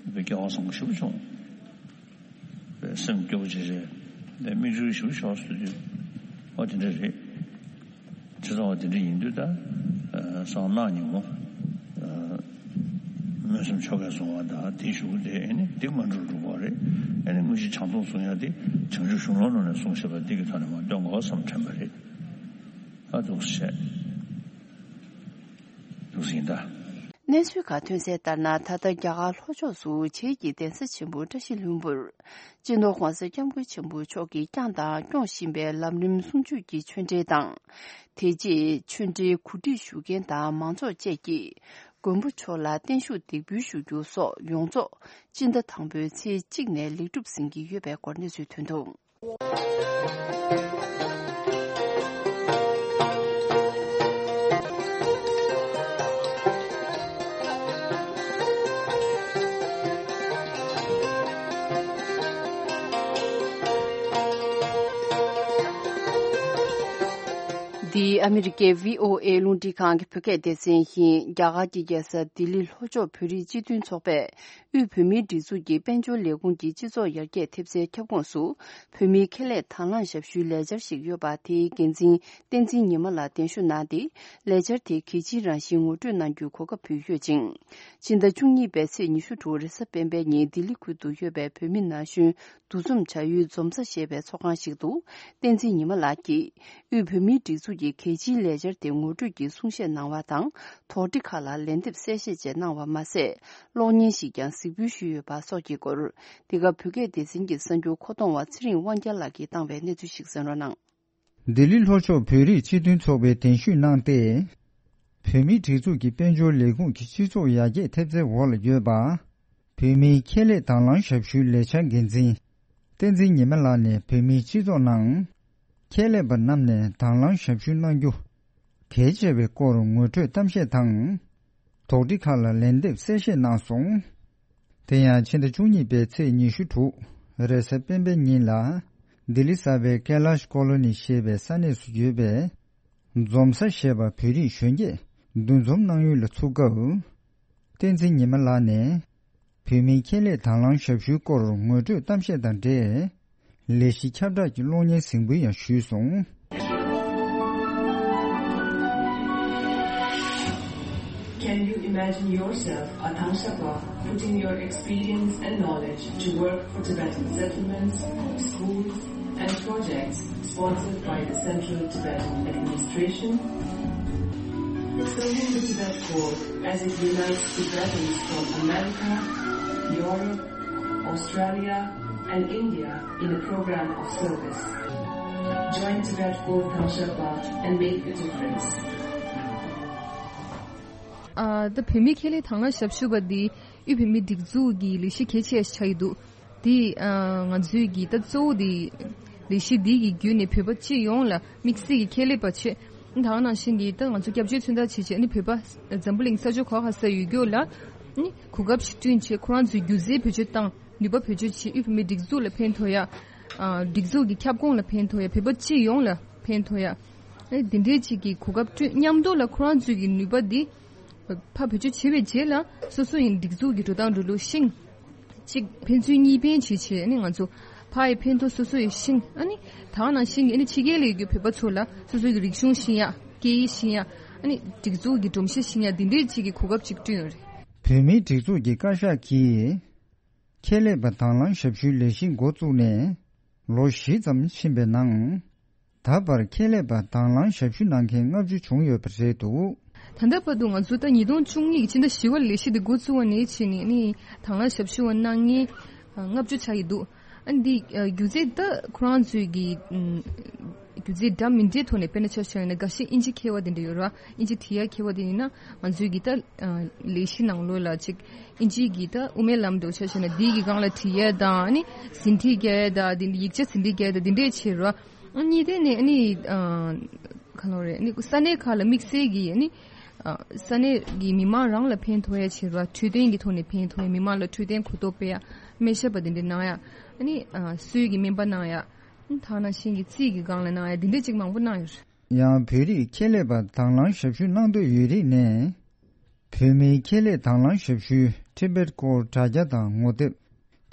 དཔེ་སྐལ་བ་བཟང་པོ་ཞེ་པོ་བྱུང་། དཔེ་སེམས་སྐྱོ་པོ་ཅིག་རེད། དཔེ་མིག་ཆུ་ཞེ་པོ་ཤོར་སོང་དུས། ཨ་དེ་འདྲ་རེད། བྱས་ཙང་བ་དེ་འདྲ་ཡིན་དུས་ད། གསང་སྔགས་ཉིན་མོ། སྨོན་སེམས་ཆོ་གས་བཟུང་བ་དང་དེའི་གཞུག་གུ་དེ་ཨེ་ནི་དེ་སྔོན་འགྲོར་འགྲོ་དགོས་རེད། ཨེ་ནི་དངོས་གཞི་བྱང་སྡོམ་བཟུང་ཡ་དེ་བྱང་ཆུབ་གཞུང་ལམ་ནང་ནས་གསུངས་བཞག་པ་འདི་གི་ཐོག་ནས་མར་སྟོན་དགོས་བསམ་དྲན་པ་རེད། ཨ་འདུག་སེ་བྱས། འདུག་སེ་ཡིན་ད། གནས་ཚུལ་ཁག་ཐོན་གསལ་ལྟར་ན། ད་ལྟ་རྒྱ་གར་ལྷོ་ཕྱོགས་སུ་བྱེས་ཀྱི་གདན་ས་ཆེན་པོ་བཀྲ་ཤིས་ལྷུན་པོར་སྤྱི་ནོར་༧གོང་ས་༧སྐྱབས་མགོན་ཆེན་པོ་མཆོག་གིས་བསྐྱངས་དང་སྐྱོང་བཞིན་པའི་ལམ་རིམ་གསུམ་བཅུ་གི་ཆོས་འབྲེལ་དང་། དེ་རྗེས་ཆོས་འབྲེལ་གོ་སྒྲིག་ཞུ་མཁན་དང་མང་ཚོགས་བཅས་ཀྱིས་མགོན་པོ་མཆོག་ལ་བརྟན་བཞུགས་འདེགས་འབུལ་ཞུ་རྒྱུ་སོགས་ཡོངས་རྫོགས་སྤྱི་ཟླ་དང་པོའི་ཚེས་གཅིག་ནས་ལེགས་གྲུབ་ཟིན་གྱི་ཡོད་པའི་སྐོར་གནས་ཚུལ་ཐོན་འདུག། འདི་ཨ་མི་རི་ཀའི་བྷི་ཨོ་ཨེ་རླུང་འཕྲིན་ཁང་གི་བོད་སྐད་སྡེ་ཚན་ཡིན། རྒྱ་གར་གྱི་རྒྱལ་ས་ལྡི་ལི་ལྷོ་ཕྱོགས་བོད་རིགས་སྤྱི་མཐུན་ཚོགས་པས་དབུས་བོད་མིའི་སྒྲིག་འཛུགས་ཀྱི་དཔལ་འབྱོར་ལས་ཁུངས་ཀྱི་སྤྱི་ཚོགས་ཡར་རྒྱས་ཐེབས་རྩའི་ཁྱབ་ཁོངས་སུ་བོད་མིའི་ཁེ་ལས་དང་བླངས་ཞབས་ཞུའི་ལས་འཆར་ཞིག་ཡོད་པ། དེའི་འགན་འཛིན་བསྟན་འཛིན་ཉི་མ་ལགས་གདན་ཞུ་གནང་སྟེ། ལས་འཆར་དེ་གལ་ཆེའི་རང་བཞིན་ངོ་སྤྲོད་གནང་རྒྱུའི་གོ་སྐབས་ཕུལ་ཡོད་ཅིང་། ཕྱི་ཟླ་བཅུ་གཉིས་པའི་ཚེས་ཉི་ཤུ་དྲུག་རེས་གཟའ་སྤེན་པའི་ཉིན་ལྡི་ལི་ཁུལ་དུ་ཡོད་པའི་བོད་མི་ན་གཞོན་འདུ་འཛོམས་བྱ་ཡུལ་འཛོམས་ས་ཞེས་པའི་ཚོགས་ཁང་ཞིག་ཏུ། བསྟན་འཛིན་ཉི་མ་ལགས་ཀྱིས་དབུས་བོད་མིའི་སྒྲིག་འཛུགས་ཀྱི་གལ་ཆེའི་ལས་འཆར་དེ་ངོ་སྤྲོད་ཀྱི་གསུང་བཤད་གནང་བ་དང་། དོགས་འདྲི་ཁག་ལ་ལན་འདེབས་གསལ་བཤད་བཅས་གནང་བ་མ་ཟད། གློག་བརྙན་ཞིག་ཀྱང་གཟིགས་འབུལ་ཞུས་ཡོད་པ་སོགས་ཀྱི་སྐོར། འདི་ག་བོད་སྐད་སྡེ་ཚན་གྱི་གསར་འགྱུར་མཁོ་གཏོང་བ་ཚེ་རིང་དབང་རྒྱལ་ལགས་ཀྱིས་བཏང་བའི་གནས་ཚུལ་ཞིག་གསན་རོགས་གནང་། ལྡི་ལི་ལྷོ་ཕྱོགས་བོད་རིགས་སྤྱི་མཐུན་ཚོགས་པའི་གདན་ཞུས་གནང་སྟེ། བོད་མིའི་སྒྲིག་འཛུགས་ཀྱི་དཔལ་འབྱོར་ལས་ཁུངས་ཀྱི་སྤྱི་ཚོགས་ཡར་རྒྱས་ཐེབས་རྩའི་འོག་ལ་ཡོད་པ། བོད་མིའི་ཁེ་ལས་དང་བླངས་ཞབས་ཞུའི་ལས་འཆར་འགན་འཛིན། བསྟན་འཛིན་ཉི་མ་ལགས་ནས་བོད་མིའི་སྤྱི་ཚོགས་ནང་། ཁེ་ལས་པ་རྣམས་ནས་དང་བླངས་ཞབས་ཞུ་གནང་རྒྱུ། གལ་ཆེ་བའི་སྐོར་ངོ་སྤྲོད་གཏམ་བཤད་དང་། དོགས་འདྲི་ཁག་ལ་ལན་འདེབས་གསལ་བཤད་གནང་སོང་། དེ་ཡང་ཕྱི་ཟླ་བཅུ་གཉིས་པའི་ཚེས་ཉི་ཤུ་དྲུག་རེས་གཟའ་སྤེན་པའི་ཉིན་ལ། ལྡི་ལི་གསར་པའི་ཀེ་ལཱཤ་ཀོ་ལོ་ནི་ཞེས་པའི་ས་གནས་སུ་ཡོད་པའི། འཛོམས་ས་ཞེས་པ་བོད་རིགས་གཞོན་སྐྱེས་འདུ་འཛོམས་གནང་ཡུལ་ལ་ཚུགས་སྐབས། བསྟན་འཛིན་ཉི་མ་ལགས་ནས། བོད་མིའི་ཁེ་ལས་དང་བླངས་ཞབས་ཞུའི་སྐོར་ངོ་སྤྲོད་གཏམ་བཤད་དང་འབྲེལ། ལས་གཞི་ཁྱབ་བསྒྲགས་ཀྱི་གློག་བརྙན་གཟིགས་འབུལ་ཡང་ཞུས་སོང་། Can you imagine yourself, a Tangshapa, putting your experience and knowledge to work for Tibetan settlements, schools, and projects sponsored by the Central Tibetan Administration? Serving the Tibet Corps as it unites Tibetans from America, Europe, Australia, and India in a program of service. Join Tibet Corps Tangshapa and make a difference. ཨ། ད་བོད་མིའི་ཁེ་ལས་དང་བླངས་ཞབས་ཞུ་བ་འདི་དབུས་བོད་མིའི་སྒྲིག་འཛུགས་ཀྱི་ལས་གཞི་གལ་ཆེ་ཆགས་ཀྱི་འདུག། འདི་ཨ་ང་ཚོའི་གི་ད་གཙོ་བོ་འདི་ལས་གཞི་འདི་གི་བརྒྱུད་ནས་བོད་པ་སྤྱི་ཡོངས་ལ་དམིགས་བསལ་གྱི་ཁེ་ལས་པ་བྱས། ད་ག་ནང་བཞིན་གྱི་ད་ང་ཚོ་སྐྱབས་བཅོལ་མཚོན་རྟགས་བྱས་བྱས་ནི་བོད་པ་འཛམ་བུ་གླིང་ས་ཕྱོགས་ག་པར་ས་ཡོད་རྒྱུ་ལ་ནི་གོ་སྐབས་ཤིག་བསྐྲུན་བྱས། ཁོ་རང་ཚོའི་སྒྱུ་རྩལ་བེད་སྤྱོད་བཏང་། ནུས་པ་བེད་སྤྱོད་བྱས། དབུས་བོད་མིའི་སྒྲིག་འཛུགས་ལ་ཕན་ཐོགས་ཡ། ཨ་སྒྲིག་འཛུགས་ཀྱི་ཁྱབ་ཁོངས་ལ་ཕན་ཐོགས་ཡ། བོད་པ་སྤྱི་ཡོངས་ལ་ཕན་ཐོགས་ཡ། ཨེ་འདི་འདྲའི་ཅིག་གི་གོ་སྐབས་བསྐྲུན། མཉམ་དུ་ལ་ཁོ་རང་ཚོའི་གི་ནུས་པ་འདི་ཕར་བེད་སྤྱོད་བྱས་པའི་རྗེས་ལ་སོ་སོ་ཡི་སྒྲིག་འཛུགས་ཀྱི་འགྲོ་སྟངས་འགྲོ་ལུགས་ཤེས། གཅིག་ཕན་ཚུན་གཉིས་ཕན་བྱེད་བྱེད་ནི་ང་ཚོ་ཕ་ཡི་ཕན་ཐོགས་སོ་སོ་ཡི་ཤིང་། ཨ་ནི་ད་ག་ནང་བཞིན་གྱི་ཨ་ནི་ཕྱི་རྒྱལ་ལ་ཡོད་རྒྱུ་བོད་པ་ཚོ་ལ་སོ་སོ་གི་རིག་གཞུང་ཤེས་ཡ། སྐད་ཡིག་ཤེས་ཡ། ཨ་ནི་སྒྲིག་འཛུགས་ཀྱི་སྒྲོམ་གཞི་ཤེས་ཡ། འདི་འདྲའི་ཅིག་གི་གོ་སྐབས་ཅིག་བསྐྲུན་ཡོད་རེད། བོད་མིའི་སྒྲིག་འཛུགས་ཀྱི་བཀའ་ཤག་གིས། ཁེ་ལས་པ་དང་བླངས་ཞབས་ཞུའི་ལས་གཞི་འགོ་བཙུགས་ནས་ལོ་བཞི་ཙམ་ཕྱིན་པའི་ནང་། ད་བར་ཁེ་ལས་པ་དང་བླངས་ཞབས་ཞུ་གནང་མཁན་ལྔ་བཅུ་བྱུང་ཡོད་པ་རེད་འདུག། ད་ལྟ་བར་དུ་ང་ཚོ་ད་ཉིས་སྟོང་བཅུ་གཉིས་ཀྱི་ཕྱི་ཟླ་བཞི་པ་ལ་ལས་གཞི་འདི་འགོ་བཙུགས་པ་ནས་བྱས་ནས་ནི་དང་བླངས་ཞབས་ཞུ་བ་གནང་མཁན་ལྔ་བཅུ་ཆགས་ཀྱི་འདུག། ཨ་འདི་སྒྱུ་རྩལ་ད་ཁོ་རང་ཚོའི་གི་སྒྱུ་རྩལ་འདྲ་མི་འདྲའི་ཐོག་ནས། དཔེར་ན་ཆ་བཞག་ན་འགའ་ཤས་ཨིན་ཇི་མཁས་པ་དེ་འདྲ་ཡོད་ར། ཨིན་ཇི་འབྲི་ཡ་མཁས་པ་དེ་ཡིན་ན་ང་ཚོའི་གི་ད་ལས་གཞི་ནང་ལོགས་ལ་ཅིག་ཨིན་ཇི་གི་ད་དབུ་མའི་ལམ་འདྲ་ཆ་བཞག་ན་འདི་གི་སྒང་ལ་འབྲི་ཡ་དང་། ཨ་ནི་ཟིན་བྲིས་རྒྱག་ཡ་དང་། འདི་ཡིག་ཆ་ཟིན་བྲིས་རྒྱག་ཡ་དང་། འདི་འདྲས་བྱེད་ར། ཨ་གཉིས་དེ་ནས་ཨ་ནི་ག་ལོ་རེད། ཨ་ནི་ས་གནས་ཁག་ལ་དམིགས་བསལ་གྱི་ཨ་ནི་ས་གནས་ཀྱི་མི་མང་རང་ལ་ཕན་ཐོགས་ཡ་བྱེད་ར། འཕྲོད་བསྟེན་གྱི་ཐོག་ནས་ཕན་ཐོགས་ཡ། མི་མང་ལ་འཕྲོད་བསྟེན་གོ་རྟོགས་སྤེལ་ཡ། སྨན་ཞབས་པ་དེ་འདྲས་གནང་ཡ། ཨ་ནི་གསོས་ཀྱི་སྨན་པ་གནང་ཡ། ད་ནང་བཞིན་གྱི་རྩིས་ཀྱི་སྒང་ལ་གནང་ཡ། འདི་འདྲས་ཅིག་མང་པོ་གནང་ཡོད་རེད། ཡང་བོད་རིགས་ཁེ་ལས་པ་དང་བླངས་ཞབས་ཞུ་གནང་འདོད་ཡོད་རིགས་ནས། བོད་མིའི་ཁེ་ལས་དང་བླངས་ཞབས་ཞུའི་Tibet Core་དྲ་རྒྱ་དང་ངོ་དེབ།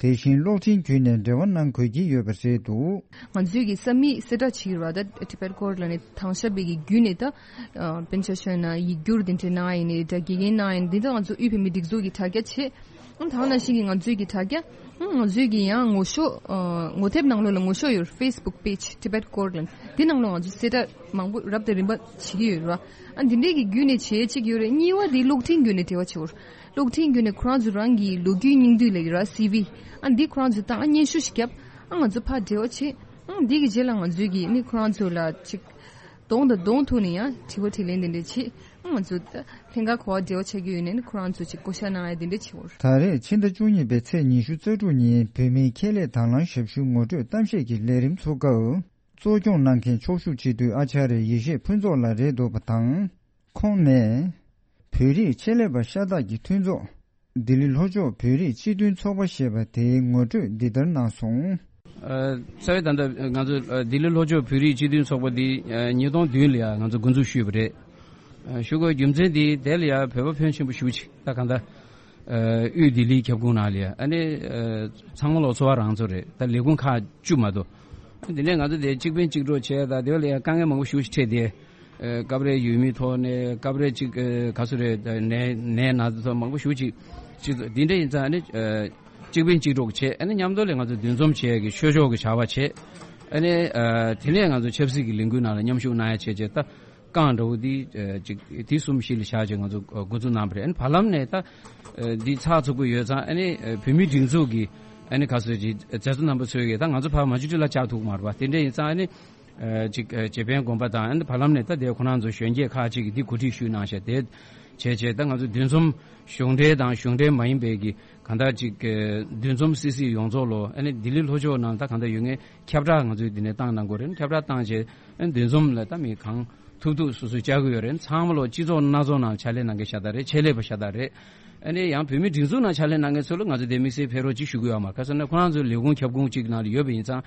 དེ་བཞིན་གློག་འཕྲིན་བརྒྱུད་ནས་འབྲེལ་བ་གནང་དགོས་ཀྱི་ཡོད་པ་རེད་འདུག། ང་ཚོའི་གི་ས་མིག་གསལ་བསྒྲགས་བྱེད་ཀྱི་རེད་པ། ད་Tibet Core་ལ་ནི་དང་ཞབས་པའི་གི་བརྒྱུད་ནས་ད་དཔེར་ན་ཆ་བཞག་ན་ཡིག་སྒྱུར་དེ་འདྲས་གནང་ཡ་ཡིན་ནའི་འདྲ། དགེ་རྒན་གནང་ཡ་ཡིན་ནའི་འདི་ད་ང་ཚོ་དབུས་བོད་མིའི་སྒྲིག་འཛུགས་ཀྱི་དྲ་རྒྱ་བྱས། ཨང་། ད་ག་ནང་བཞིན་གྱི་ང་ཚོའི་གི་དྲ་རྒྱ་ ང་ཚོས་ཀྱི་ཡང་ངོ་ཤོག་ཨ། ངོ་དེབ་ནང་ལོགས་ལ་ངོ་ཤོག་ཡོད། Facebook page Tibet Corkland། འདི་ནང་ལོགས་ང་ཚོ་གསལ་བསྒྲགས་མང་པོ་རབ་དང་རིམ་པ་བྱེད་ཀྱི་ཡོད་རེད་བ། ཨ། འདི་འདྲའི་གི་བརྒྱུད་ནས་བྱེད་ཅིག་ཡོད་རེད། གཉིས་པ་འདི་གློག་འཕྲིན་བརྒྱུད་ནས་འབྲེལ་བ་བྱེད་འོར། གློག་འཕྲིན་བརྒྱུད་ནས་ཁོ་རང་ཚོ་རང་གི་ལོ་རྒྱུས་སྙིང་བསྡུས་ལབ་ཀྱི་རེད་བ། སི་ཝི། ཨ། འདི་ཁོ་རང་ཚོ་བཏང་། ཨ། སྙན་ཞུ་ཞིག་བརྒྱབ། ཨ། ང་ཚོ་ཕར་འབྲེལ་བ་བྱེད། ཨ། འདི་གི་རྗེས་ལ་ང་ཚོས་ཀྱི་ནི་ཁོ་རང་ཚོ་ལ་ཅིག་གདོང་དང་གདོང་ཐུག་ནས་ཡང་དྲི་བ་དྲིས་ལན་དེ་འདྲ་བྱེད། ང་ཚོ་ད་ལྷན་ཁག་ག་པར་འབྲེལ་བ་བྱ་རྒྱུ་ཡོད་ནའི་ཁོ་རང་ཚོ་ཅིག་བསྐོ་བཞག་གནང་ཡ་དེ་འདྲ་བྱེད་འོར། ད་རེས་ཕྱི་ཟླ་བཅུ་གཉིས་པའི་ཚེས་ཉི་ཤུ་རྩ་དྲུག་ཉིན་བོད་མིའི་ཁྱད་ལས་དང་བླངས་ཞབས་ཞུ་ངོ་སྤྲོད་གཏམ་བཤད་ཀྱི་ལས་རིམ་ཚོགས་སྐབས། གཙོ་སྐྱོང་གནང་མཁན་ཕྱོགས་བཞུགས་སྤྱི་འཐུས་ཨ་ཅཱརྱ་ཡེ་ཤེས་ཕུན་ཚོགས་ལགས་རེད་འདུག་པ་དང་། ཁོང་ནས། བོད་རིགས་ཆེད་ལས་པ་ཤ་སྟག་གི་མཐུན་ཚོགས། ལྡི་ལི་ལྷོ་ཕྱོགས་བོད་རིགས་སྤྱི་མཐུན་ཚོགས་པ་ཞེས་པ་དེའི་ངོ་སྤྲོད་འདི་ལྟར་གནང་སོང་། ཨ། རྩ་བའི་ད་ལྟ་ང་ཚོ་ཨ། ལྡི་ལི་ལྷོ་ཕྱོགས་བོད་རིགས་སྤྱི་མཐུན་ཚོགས་པ་འདི་ཨ། ཉིས་སྟོང་བདུན་ལ་ཡང་ང་ཚོ་འགོ་འཛུགས་ཞུས་པ་རེད། ཨ། ཞུ་དགོས་རྒྱུ་མཚན་འདི་དེ་ལ་ཡང་བོད་པ་ཕོན་ཆེན་པོ་ཞེ་པོ་ཅིག་ད་གང་ལྟར་ཨ། དབུས་ལྡི་ལིའི་ཁྱབ་ཁོངས་ནང་ལ་ཡང་ཨ་ནི་ཨ། ཚང་མ་ལོ་ཚོ་བ་རང་ཚོ་རེད། ད་ལས་ཁུངས་ཁག་བཅུ་མ་གཏོགས། དེ་ནས་ང་ཚོ་དེ་གཅིག་ཕན་གཅིག་གྲོགས་བྱས། ད་དེ་ལ་ཡང་དཀའ་ངལ་མང་པོ་ཞེ་པོ་ཅིག་འཕྲད་དེ། ཨ། སྐབས་རེ་ཡུལ་མིའི་ཐོག་ནས། སྐབས་རེ་གཅིག་ཨ། ག་ཚོད་རེད། ནད་ནད་ན་ཚ་མང་པོ་ཞེ་པོ་ཅིག་ཅིག་འདི་འདྲ་ཡིན་ཙང་ཨ་ནི་ཨ། གཅིག་ཕན་གཅིག་གྲོགས་བྱས། ཨ་ནི་མཉམ་དུ་ལ་ང་ཚོ་འདུ་འཛོམས་བྱས་ཀྱི་ཆོས་ཕྱོགས་ཀྱི་བྱ་བ་བྱས། ཨ་ནི་ཨ། དེ་ནས་ང་ཚོ་ཆབ་སྲིད་ཀྱི་ལས་འགུལ་ནང་ལ་མཉམ་ཞུགས་གནང་ཡ་བྱས་བྱས། ད་རྐང་འདྲ་བོ་འདི་ཨ། ཅིག་དེ་གསུམ་གཞི་ལ་བཞག་བྱས་ང་ཚོ་འགོ་འཛུགས་གནང་བ་རེད། ཨ་ནི་བར་ལམ་ནས་ད་ཨ། འདི་ཚགས་ཚུད་པོ་ཡོད་ཙང་ཨ་ནི་ཨ། བོད་མིའི་སྒྲིག་འཛུགས་ཀྱི་ཨ་ནི་ག་ཚོད་ཅིག་མཛད་གཙོ་རྣམ་པ་ཚོས་ཀྱིས་ད་ང་ཚོ་ཕར་མ་ཇུ་ཊི་ལ་བཅར་ཐུབ་ཀྱི་མ་རེད་པ། དེ་འདྲ་ཡིན་ཙང་ཨ་ནི་ཨ། ཅིག་ཨ། རྗེ་དཔོན་དགོངས་པ་དང་། ཨ་ནི་བར་ལམ་ནས་ད་དེ་ཁོ་རང་ཚོ་གཞོན་སྐྱེས་ཁག་ཅིག་གིས་འདི་གོ་སྒྲིག་ཞུས་གནང་བཞག་དེ་བྱས་བྱས་ད་ང་ཚོ་འདུ་འཛོམས་གཞུང་འབྲེལ་དང་གཞུང་འབྲེལ་མ་ཡིན་པའི་གི་གང་ལྟར་ཅིག་ཨ། འདུ་འཛོམས་སི་སི་ཡོངས་རྫོགས་ལོ། ཨ་ནི་ལྡི་ལི་ལྷོ་ཕྱོགས་ནང་ད་གང་ལྟར་ཡོད་མཁན་ཁྱབ་བསྒྲགས་ང་ཚོས་འདི་ནས་བཏང་གནང་དགོས་རེད། ཁྱབ་བསྒྲགས་བཏང་བྱས། ཨ་ནི་འདུ་འཛོམས་ལ་ད་མི་གང་ཐུབ་ཐུབ་སོ་སོས་བཅར་གྱི་ཡོད་རེད། ཚང་མ་ལོ་སྤྱི་ཚོགས་སྣ་ཚོགས་ནང་ཕྱག་ལས་གནང་མཁན་ཤ་སྟག་རེད། ཆེད་ལས་པ་ཤ་སྟག་རེད། ཨ་ནི་ཡང་བོད་མིའི་སྒྲིག་འཛུགས་ནང་ཕྱག་ལས་གནང་མཁན་ཚོ་ལ་ང་ཚོ་དེ་དམིགས་བསལ་ཕེབས་རོགས་ཅིག་ཞུ་གི་ཡོད་མ་རེད། ག་ཟེར་ན་ཁོ་རང་ཚོའི་ལས་ཁུངས་ཁྱབ་ཁོངས་གཅིག་ནང་ལ་ཡོད་པ་ཡིན་ཙང་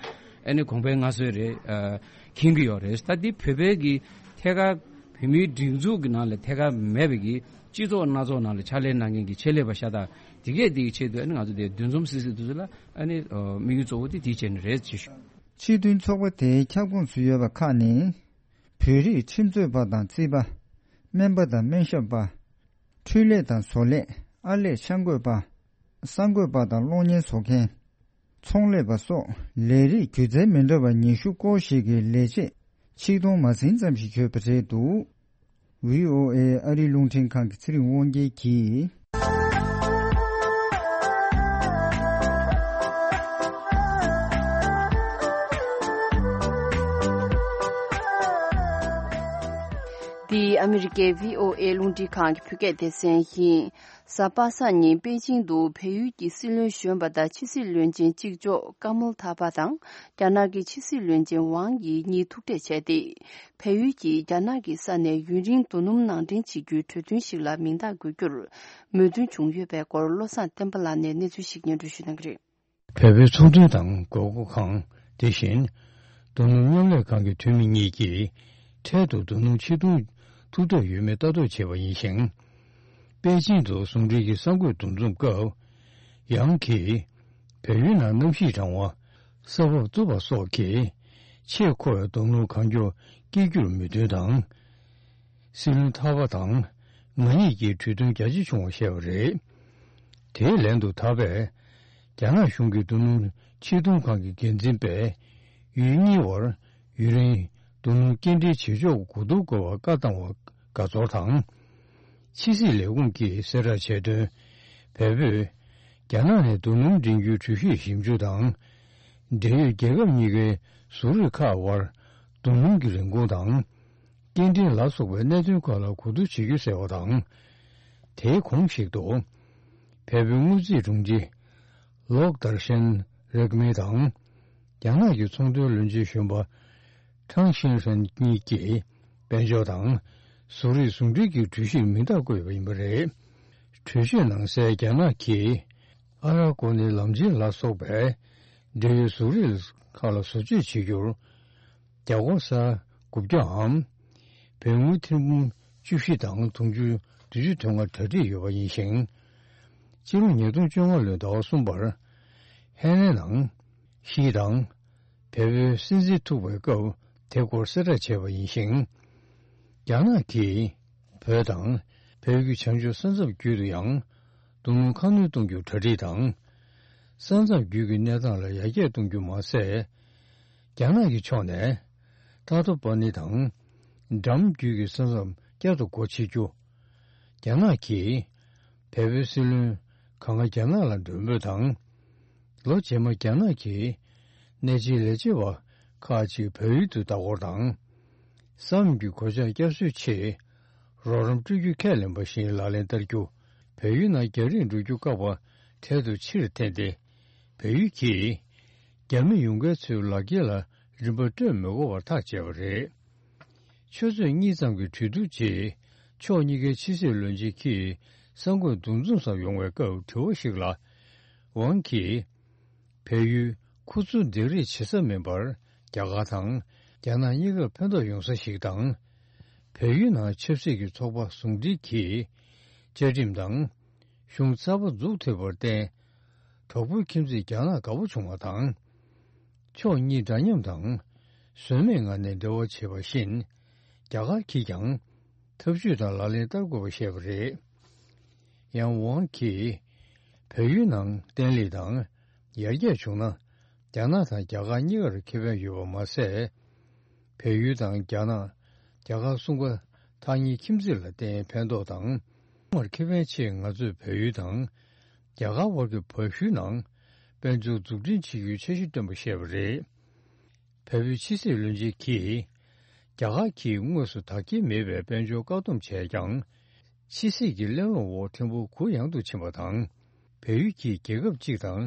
ཨ་ནི་གོང་འཕེལ་སྔ་སོས་རེད། ཨ། མཁྱེན་གྱི་ཡོད་རེད། ད་འདི་བོད་པའི་གི་ཐད་ཀར་བོད་མིའི་སྒྲིག་འཛུགས་ཀྱི་ནང་ལ་ཐད་ཀར་མེད་པའི་གི་སྤྱི་ཚོགས་སྣ་ཚོགས་ནང་ལ་ཕྱག་ལས་གནང་མཁན་གྱི་ཆེད་ལས་པ་ཤ་སྟག་དེ་གས་དེའི་ཆེད་དུ་ཨ་ནི་ང་ཚོ་དེ་འདུ་འཛོམས་སི་སི་དེ་ཚོ་ལ་ཨ་ནི་དམིགས་ཡུལ་གཙོ་བོ་དེ་དེའི་ཆེད་ནས་རེད་ཅེས་ཞུ། སྤྱི་མཐུན་ཚོགས་པ་དེའི་ཁྱབ་ཁོངས་སུ་ཡོད་པ་ཁག་ནི། བོད་རིགས་ཁྲིམས་རྩོད་པ་དང་རྩིས་པ། སྨན་པ་དང་སྨན་ཞབས་པ། འཕྲུལ་ལས་དང་བཟོ་ལས། ཨར་ལས་འཆར་འགོད་པ། གསར་འགོད་པ་དང་གློག་བརྙན་བཟོ་མཁན། ཚོང་ལས་པ་སོགས་ལས་རིགས་སྒྱུ་རྩལ་མི་འདྲ་བ་ཉི་ཤུ་སྐོར་ཞིག་གི་ལས་བྱེད་ཆིག་སྟོང་མ་ཟིན་ཙམ་ཞིག་ཡོད་པ་རེད་འདུག། ཝི་ཨོ་ཨེ་ཨ་རིའི་རླུང་འཕྲིན་ཁང་གི་ཚེ་རིང་དབང་རྒྱལ་གྱིས། འདི་ཨ་མི་རི་ཀའི་ཝི་ཨོ་ཨེ་རླུང་འཕྲིན་ཁང་གི་བོད་སྐད་སྡེ་ཚན་ཡིན། གཟའ་པ་སངས་ཉིན་པེ་ཅིང་དུ་བལ་ཡུལ་གྱི་སྲིད་བློན་གཞོན་པ་དང་ཕྱི་སྲིད་བློན་ཆེན་གཅིག་ལྕོགས་ཀ་མལ་ཐ་པ་དང་རྒྱ་ནག་གི་ཕྱི་སྲིད་བློན་ཆེན་ཝང་ཡི་གཉིས་ཐུག་འཕྲད་བྱས་ཏེ། བལ་ཡུལ་གྱིས་རྒྱ་ནག་གི་ས་ནས་ཡུན་རིང་རྡོ་སྣུམ་ནང་འདྲེན་བྱེད་རྒྱུའི་གྲོས་མཐུན་ཞིག་ལ་མིང་རྟགས་འགོད་རྒྱུར་མོས་མཐུན་བྱུང་ཡོད་པའི་སྐོར་བློ་བཟང་བསྟན་པ་ལགས་ནས་གནས་ཚུལ་ཞིག་སྙན་སྒྲོན་ཞུ་གནང་གི་རེད། བལ་པོའི་ཚོང་དོན་དང་དགོས་མཁོ་ཁང་། དེ་བཞིན་རྡོ་སྣུམ་མཉམ་ལས་ཁང་གི་འཐུས་མི་གཉིས་ཀྱིས་འཕྲལ་དུ་རྡོ་སྣུམ་ཕྱིར་གཏོང་ཐུབ་ཐབས་ཡོད་མེད་ལྟ་རྟོག་བྱས་པ་ཡིན་ཞིང་། པེ་ཅིང་དུ་ཟུང་འབྲེལ་གྱི་གསར་འགོད་འདུ་འཛོམས་སྐབས། ཡང་གིས་བལ་ཡུལ་ནང་གནམ་གཤིས་གྲང་བ། ས་བབ་རྩུབ་པ་སོགས་ཀྱིས་ཆེས་མཁོ་བའི་རྡོ་སྣུམ་གང་མགྱོགས་སྐྱེལ་རྒྱུར་མོས་མཐུན་དང་། སྲིད་བློན་ཐར་པ་དང་ང་གཉིས་ཀྱིས་གྲོས་མཐུན་རྒྱ་ཆེ་བྱུང་བ་བཤད་པ་རེད། དེའི་ལན་དུ་ཐར་པས། རྒྱ་ནག་གཞུང་གི་རྡོ་སྣུམ་ཕྱིར་གཏོང་ཁང་གི་འགན་འཛིན་པས། ཡུལ་གཉིས་བར་ཡུན་རིང་རྡོ་སྣུམ་སྐྱེལ་འདྲེན་བྱེད་ཕྱོགས་གོ་བསྡུར་དགོས་པར་བཀའ་བཏང་བར་དགའ་ཚོར་དང་། ཕྱི་སྲིད་ལས་ཁུངས་ཀྱིས་གསལ་བསྒྲགས་བྱས་དོན། བལ་པོས་རྒྱ་ནག་ནས་རྡོ་སྣུམ་འདྲེན་རྒྱུའི་གྲོས་གཞི་ཞིབ་འཇུག་དང་། འབྲེལ་ཡོད་རྒྱལ་ཁབ་གཉིས་ཀའི་བཟོ་རིགས་ཁག་དབར་རྡོ་སྣུམ་གྱི་རིན་གོང་དང་། སྐྱེལ་འདྲེན་ལ་སོགས་པའི་གནད་དོན་ཁག་ལ་གོ་བསྡུར་བྱེད་རྒྱུ་ཟེར་བ་དང་། དེའི་གོང་ཞིག་ཏུ། བལ་པོའི་དངུལ་རྩིས་དྲུང་ཆེ་ལོག་དར་ཤན་རེག་མེ་དང་། རྒྱ་ནག་གི་ཚོང་དོན་བློན་ཆེན་གཞོན་པ་ཁྲང་ཤིན་ཧྲན་གཉིས་ཀྱིས་དཔལ་འབྱོར་དང་བཟོ་རིག་ཟུང་འབྲེལ་གྱི་གྲོས་གཞིར་མིང་རྟགས་བཀོད་པ་ཡིན་པ་རེད། གྲོས་ཆོད་ནང་གསལ། རྒྱ་ནག་གིས་ཨ་རག་གོ་ནི་ལམ་ཆེན་ལ་སོགས་པའི་འབྲེལ་ཡོད་བཟོ་རིགས་ཁག་ལ་བཟོ་བཅོས་བྱེད་རྒྱུར། རྒྱ་སྒོར་ས་དགུ་བརྒྱའམ། བལ་དངུལ་ཐེར་འབུམ་བཅུ་བཞི་དང་དུང་ཕྱུར་བདུན་ཅུ་དོན་ལྔ་གྲ་སྒྲིག་ཡོད་པ་ཡིན་ཞིང་། ཕྱི་ལོ་ཉིས་སྟོང་བཅོ་ལྔ་ལོའི་ཟླ་བ་གསུམ་པར། ཧེ་ནན་ནང་ཞི་དང་བལ་པོའི་སྲིད་འཛིན་ཐུག་པའི་སྐབས་དེ་སྐོར་གསལ་བསྒྲགས་བྱས་པ་ཡིན་ཞིང་། རྒྱ་ནག་གིས་བོད་དང་བལ་ཡུལ་གྱི་བྱང་ཕྱོགས་ས་མཚམས་བརྒྱུད་དུ་ཡང་རྡོ་སྣུམ་ཁ་སྣོན་གཏོང་རྒྱུར་གྲ་སྒྲིག་དང་། ས་མཚམས་བརྒྱུད་ཀྱི་གནས་སྟངས་ལ་ཡར་རྒྱས་གཏོང་རྒྱུ་མ་ཟད། རྒྱ་ནག་གི་ཕྱོགས་ནས་ཏཱ་ཏོ་པ་ནི་དང་འགྲམ་བརྒྱུད་ཀྱི་ས་མཚམས་བསྐྱར་དུ་སྒོ་ཕྱེ་རྒྱུ། རྒྱ་ནག་གིས་བལ་པོའི་སྲིད་བློན་གང་ག་རྒྱ་ནག་ལ་མགྲོན་འབོད་དང་། ལོ་རྗེས་མ་རྒྱ་ནག་གིས་གནད་ཆེའི་ལས་བྱེད་པ་ཁག་ཅིག་བལ་ཡུལ་དུ་ལྟ་སྐོར་དང་། ས་མཚམས་ཀྱི་གོད་ཆག་བསྐྱར་གསོའི་ཆེད་རོགས་རམ་སྤྲོད་རྒྱུ་ཁས་ལེན་པ་བཞིན་ལག་ལེན་བསྟར་རྒྱུ། བལ་ཡུལ་ནང་རྒྱ་རིགས་འགྲོ་རྒྱུ་བཀག་པ་འཕྲལ་དུ་ཕྱིར་འཐེན་ཏེ། བལ་ཡུལ་གྱིས་རྒྱ་མི་ཡོང་མཁན་ཚོའི་ལག་འཁྱེར་ལ་རིན་པ་སྤྲོད་མི་དགོས་པར་ཐག་བཅད་པ་རེད། ཆུ་ཚོད་གཉིས་ཙམ་གྱི་གྲོས་བསྡུར་རྗེས། ཕྱོགས་གཉིས་ཀའི་ཕྱི་སྲིད་བློན་ཆེན་གྱིས་གསར་འགོད་འདུ་འཛོམས་སུ་ཡོང་བའི་སྐབས་དྲི་བ་ཞིག་ལ། ཝང་གིས། བལ་ཡུལ་ཁུ་ཚུར་འདེགས་རེས་བྱེད་ས་མིན་པར། རྒྱ་གར་དང་རྒྱ་ནག་གཉིས་ཀར་ཕན་ཐོགས་ཡོང་ས་ཞིག་དང་། བལ་ཡུལ་ནང་ཆབ་སྲིད་ཀྱི་ཚོགས་པ་ཟུང་འབྲེལ་གྱིས་བཅའ་ཁྲིམས་དང་གཞུང་གསར་པ་འཛུགས་ཐུབ་པར་བརྟེན། གྲོགས་པོའི་ཁྱིམ་མཚེས་རྒྱ་ནག་དགའ་པོ་བྱུང་བ་དང་། ཕྱོགས་གཉིས་འདྲ་མཉམ་དང་ཟོལ་མེད་ངང་ནས་འབྲེལ་བ་བྱེད་པ་བཞིན། རྒྱ་གར་གྱིས་ཀྱང་ཐབས་ཇུས་དང་ལག་ལེན་བསྟར་དགོས་པ་བཤད་པ་རེད། ཡང་ཝང་གིས་བལ་ཡུལ་ནང་བརྟན་ལྷིང་དང་ཡར་རྒྱས་བྱུང་ན། རྒྱ་ནག་དང་རྒྱ་གར་གཉིས་ཀར་ཁེ་ཕན་ཡོད་པ་མ་ཟད། བལ་ཡུལ་དང་རྒྱ་ནག་རྒྱ་གར་གསུམ་ཀ་ཐག་ཉེའི་ཁྱིམ་མཚེས་ལ་བརྟེན་ཕན་ཐོགས་དང་། མར་ཁེ་ཕན་ཆེད་ང་ཚོས་བལ་ཡུལ་དང་རྒྱ་གར་དབར་གྱི་བར་ཞུའི་ནང་དཔལ་འབྱོར་འཛུགས་སྐྲུན་བྱེད་རྒྱུའི་འཆར་གཞི་བཏོན་པ་བཤད་པ་རེད། བལ་པོའི་ཕྱི་སྲིད་བློན་ཆེན་གྱིས། རྒྱ་གར་གྱིས་དངོས་སུ་དག་སྐྱེལ་མེད་པའི་དཔལ་འབྱོར་བཀག་སྡོམ་བྱས་ཀྱང་། ཕྱི་སྲིད་ཀྱི་གླེང་སློང་འོག་ཕྲན་བུ་གུ་ཡངས་དུ་ཕྱིན་པ་དང་། བལ་ཡུལ་གྱིས་རྒྱལ་ཁབ་གཅིག་དང་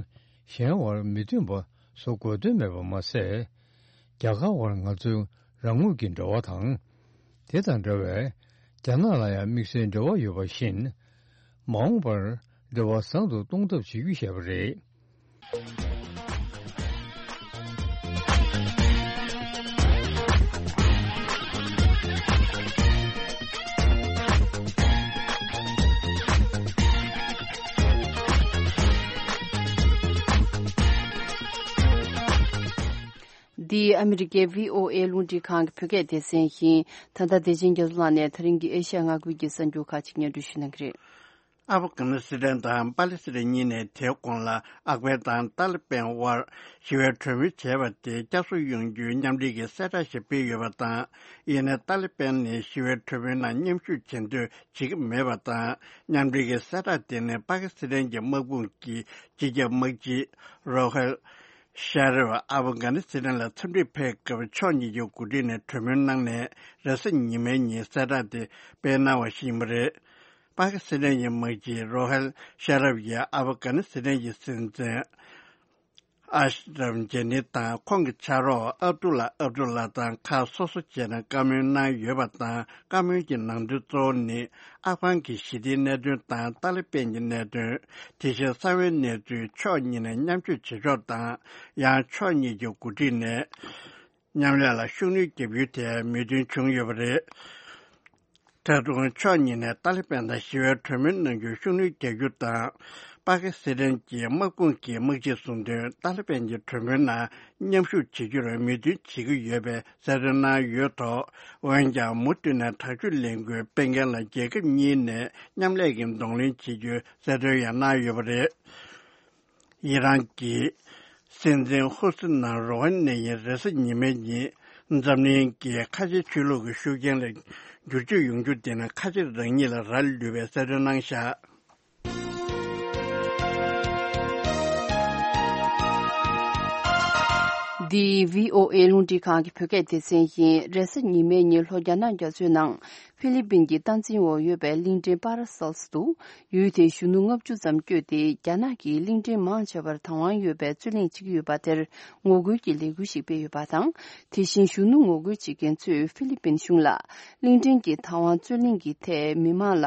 གཞན་བར་མི་མཐུན་པ་བཟོ་དགོས་དོན་མེད་པ་མ་ཟད། རྒྱ་གར་བར་ང་ཚོའི་རང་ངོས་ཀྱི་འབྲེལ་བ་དང་། དེ་དང་འདྲ་བའི་རྒྱ་ནག་ལ་ཡང་དམིགས་བསལ་འབྲེལ་བ་ཡོད་པ་བཞིན། མ་འོངས་པར་འབྲེལ་བ་བཟང་དུ་གཏོང་ཐབས་བྱེད་རྒྱུ་ཞེས་པ་རེད། འདི་ཨ་མི་རི་ཀའི་བྷི་ཨོ་ཨེ་རླུང་འཕྲིན་ཁང་གི་བོད་སྐད་སྡེ་ཚན་ཡིན། ད་ལྟ་བདེ་ཆེན་རྒྱ་མཚོ་ལགས་ནས་ད་རིང་གི་ཨེ་ཤ་ཡ་མངའ་ཁུལ་གྱི་གསར་འགྱུར་ཁག་ཅིག་སྙན་སྒྲོན་ཞུ་གནང་གི་རེད། ཨབ་གྷ་ནི་སི་ཐན་དང་པ་ལི་སི་ཐན་གཉིས་ནས་དེའི་གོང་ལ་ཨབ་གྷན་དང་ཏཱ་ལི་པན་དབར་ཞི་བའི་གྲོས་མོལ་བྱས་པ་དེ་བསྐྱར་གསོ་ཡོང་རྒྱུའི་མཉམ་འབྲེལ་གྱི་གསལ་བསྒྲགས་ཤིག་སྤེལ་ཡོད་པ་དང་། ཡིན་ནའི་ཏཱ་ལི་པན་ནས་ཞི་བའི་གྲོས་མོལ་ནང་མཉམ་ཞུགས་བྱེད་འདོད་བྱེད་ཀྱི་མེད་པ་དང་། མཉམ་འབྲེལ་གྱི་གསལ་བསྒྲགས་དེ་ནི་པ་ཀི་སི་ཐན་གྱི་དམག་དཔུང་གི་སྤྱི་ཁྱབ་དམག་སྤྱི་རོ་ཧེལ་ཤ་རབ་ཨབ་གྷ་ནི་སི་ཐན་ལ་འཚམས་འདྲིར་ཕེབས་སྐབས་ཕྱོགས་གཉིས་ཀྱི་འགོ་ཁྲིད་ནས་གྲོས་མོལ་གནང་ནས་རེས་གཟའ་ཉི་མའི་ཉིན་གསལ་བསྒྲགས་དེ་སྤེལ་གནང་བ་ཞིག་ཡིན་པ་རེད། པ་ཀི་སི་ཐན་གྱི་དམག་སྤྱི་རོ་ཧེལ་ཤ་རབ་ཀྱིས་ཨབ་གྷ་ནི་སི་ཐན་གྱི་སྲིད་འཛིན་ཨ་ཤ་རབ་ཇེ་ནི་དང་ཁོང་གི་ཕྱག་རོགས་ཨབ་ཏུ་ལ་ཨབ་ཏུ་ལ་དང་ཁག་སོ་སོ་བྱས་ནས་བཀའ་མོལ་གནང་ཡོད་པ་དང་། བཀའ་མོལ་གྱི་ནང་དོན་གཙོ་བོ་ནི་ཨབ་གྷན་གྱི་ཞི་བདེའི་གནད་དོན་དང་ཏཱ་ལི་པན་གྱི་གནད་དོན། དེ་བཞིན་གསང་བའི་གནས་ཚུལ་ཕྱོགས་གཉིས་ནས་མཉམ་སྤྱོད་བྱེད་ཕྱོགས་དང་། ཡང་ཕྱོགས་གཉིས་ཀྱི་འགོ་ཁྲིད་ནས། མཉམ་ལས་ལ་ཤུགས་སྣོན་བརྒྱབ་རྒྱུའི་ཐད་མོས་མཐུན་བྱུང་ཡོད་པ་རེད། ད་དུང་ཕྱོགས་གཉིས་ནས་ཏཱ་ལི་པན་དང་ཞི་བའི་གྲོས་མོལ་གནང་རྒྱུར་ཤུགས་སྣོན་རྒྱག་རྒྱུ་དང་། པ་ཀི་སི་ཐན་གྱི་དམག་དཔུང་གི་དམག་སྤྱིས་གསུངས་དོན། ཏཱ་ལི་པན་གྱི་གྲོས་མོལ་ནང་མཉམ་ཞུགས་བྱེད་རྒྱུར་མོས་མཐུན་བྱེད་ཀྱི་ཡོད་པའི་གསལ་སྟོན་གནང་ཡོད་ཐོག་འོན་ཀྱང་མུ་མཐུད་ནས་དྲག་སྤྱོད་ལས་འགུལ་སྤེལ་མཁན་ལ་རྒྱལ་ཁབ་གཉིས་ནས་མཉམ་ལས་ཀྱི་གདོང་ལེན་བྱེད་རྒྱུའི་གསལ་སྟོན་ཡང་གནང་ཡོད་པ་རེད། ཡི་རང་གི་སྲིད་འཛིན་ཧུ་སི་ནང་རོ་ཧན་ནས་ཡིན་རེས་གཟའ་ཉི་མའི་ཉིན་འཛམ་གླིང་གི་ཁ་ཆེ་ཆོས་ལུགས་ཀྱི་ཤུགས་རྐྱེན་ལ་འགྱུར་བཅོས་ཡོང་རྒྱུ་དེ་ནི་ཁ་ཆེ་རང་ཉིད་ལ་རག་ལུས་པའི་གསལ་སྟོན་གནང་བཞག་འདི་བྷི་ཨོ་ཨེ་རླུང་འཕྲིན་ཁང་གི་བོད་སྐད་སྡེ་ཚན་ཡིན། རེས་གཟའ་ཉི་མའི་ཉིན་ལྷོ་རྒྱ་ནག་རྒྱ་མཚོའི་ནང་། ཧྥི་ལི་པིན་གྱི་སྟངས་འཛིན་འོག་ཡོད་པའི་གླིང་ཕྲན་པ་ར་སེལ་སི་དུ། ཡུལ་དེའི་གཞོན་ནུ་ལྔ་བཅུ་ཙམ་བསྐྱོད་དེ། རྒྱ་ནག་གིས་གླིང་ཕྲན་མང་ཆེ་བར་བདག་དབང་ཡོད་པའི་རྩོད་གླེང་བྱེད་ཀྱི་ཡོད་པ་དེར་ངོ་རྒོལ་གྱི་ལས་འགུལ་ཞིག་སྤེལ་ཡོད་པ་དང་། དེ་བཞིན་གཞོན་ནུ་ངོ་རྒོལ་བྱེད་མཁན་ཚོས་ཧྥི་ལི་པིན་གཞུང་ལ། གླིང་ཕྲན་གྱི་བདག་དབང་རྩོད་གླེང་གི་ཐད་མི་མང་ལ་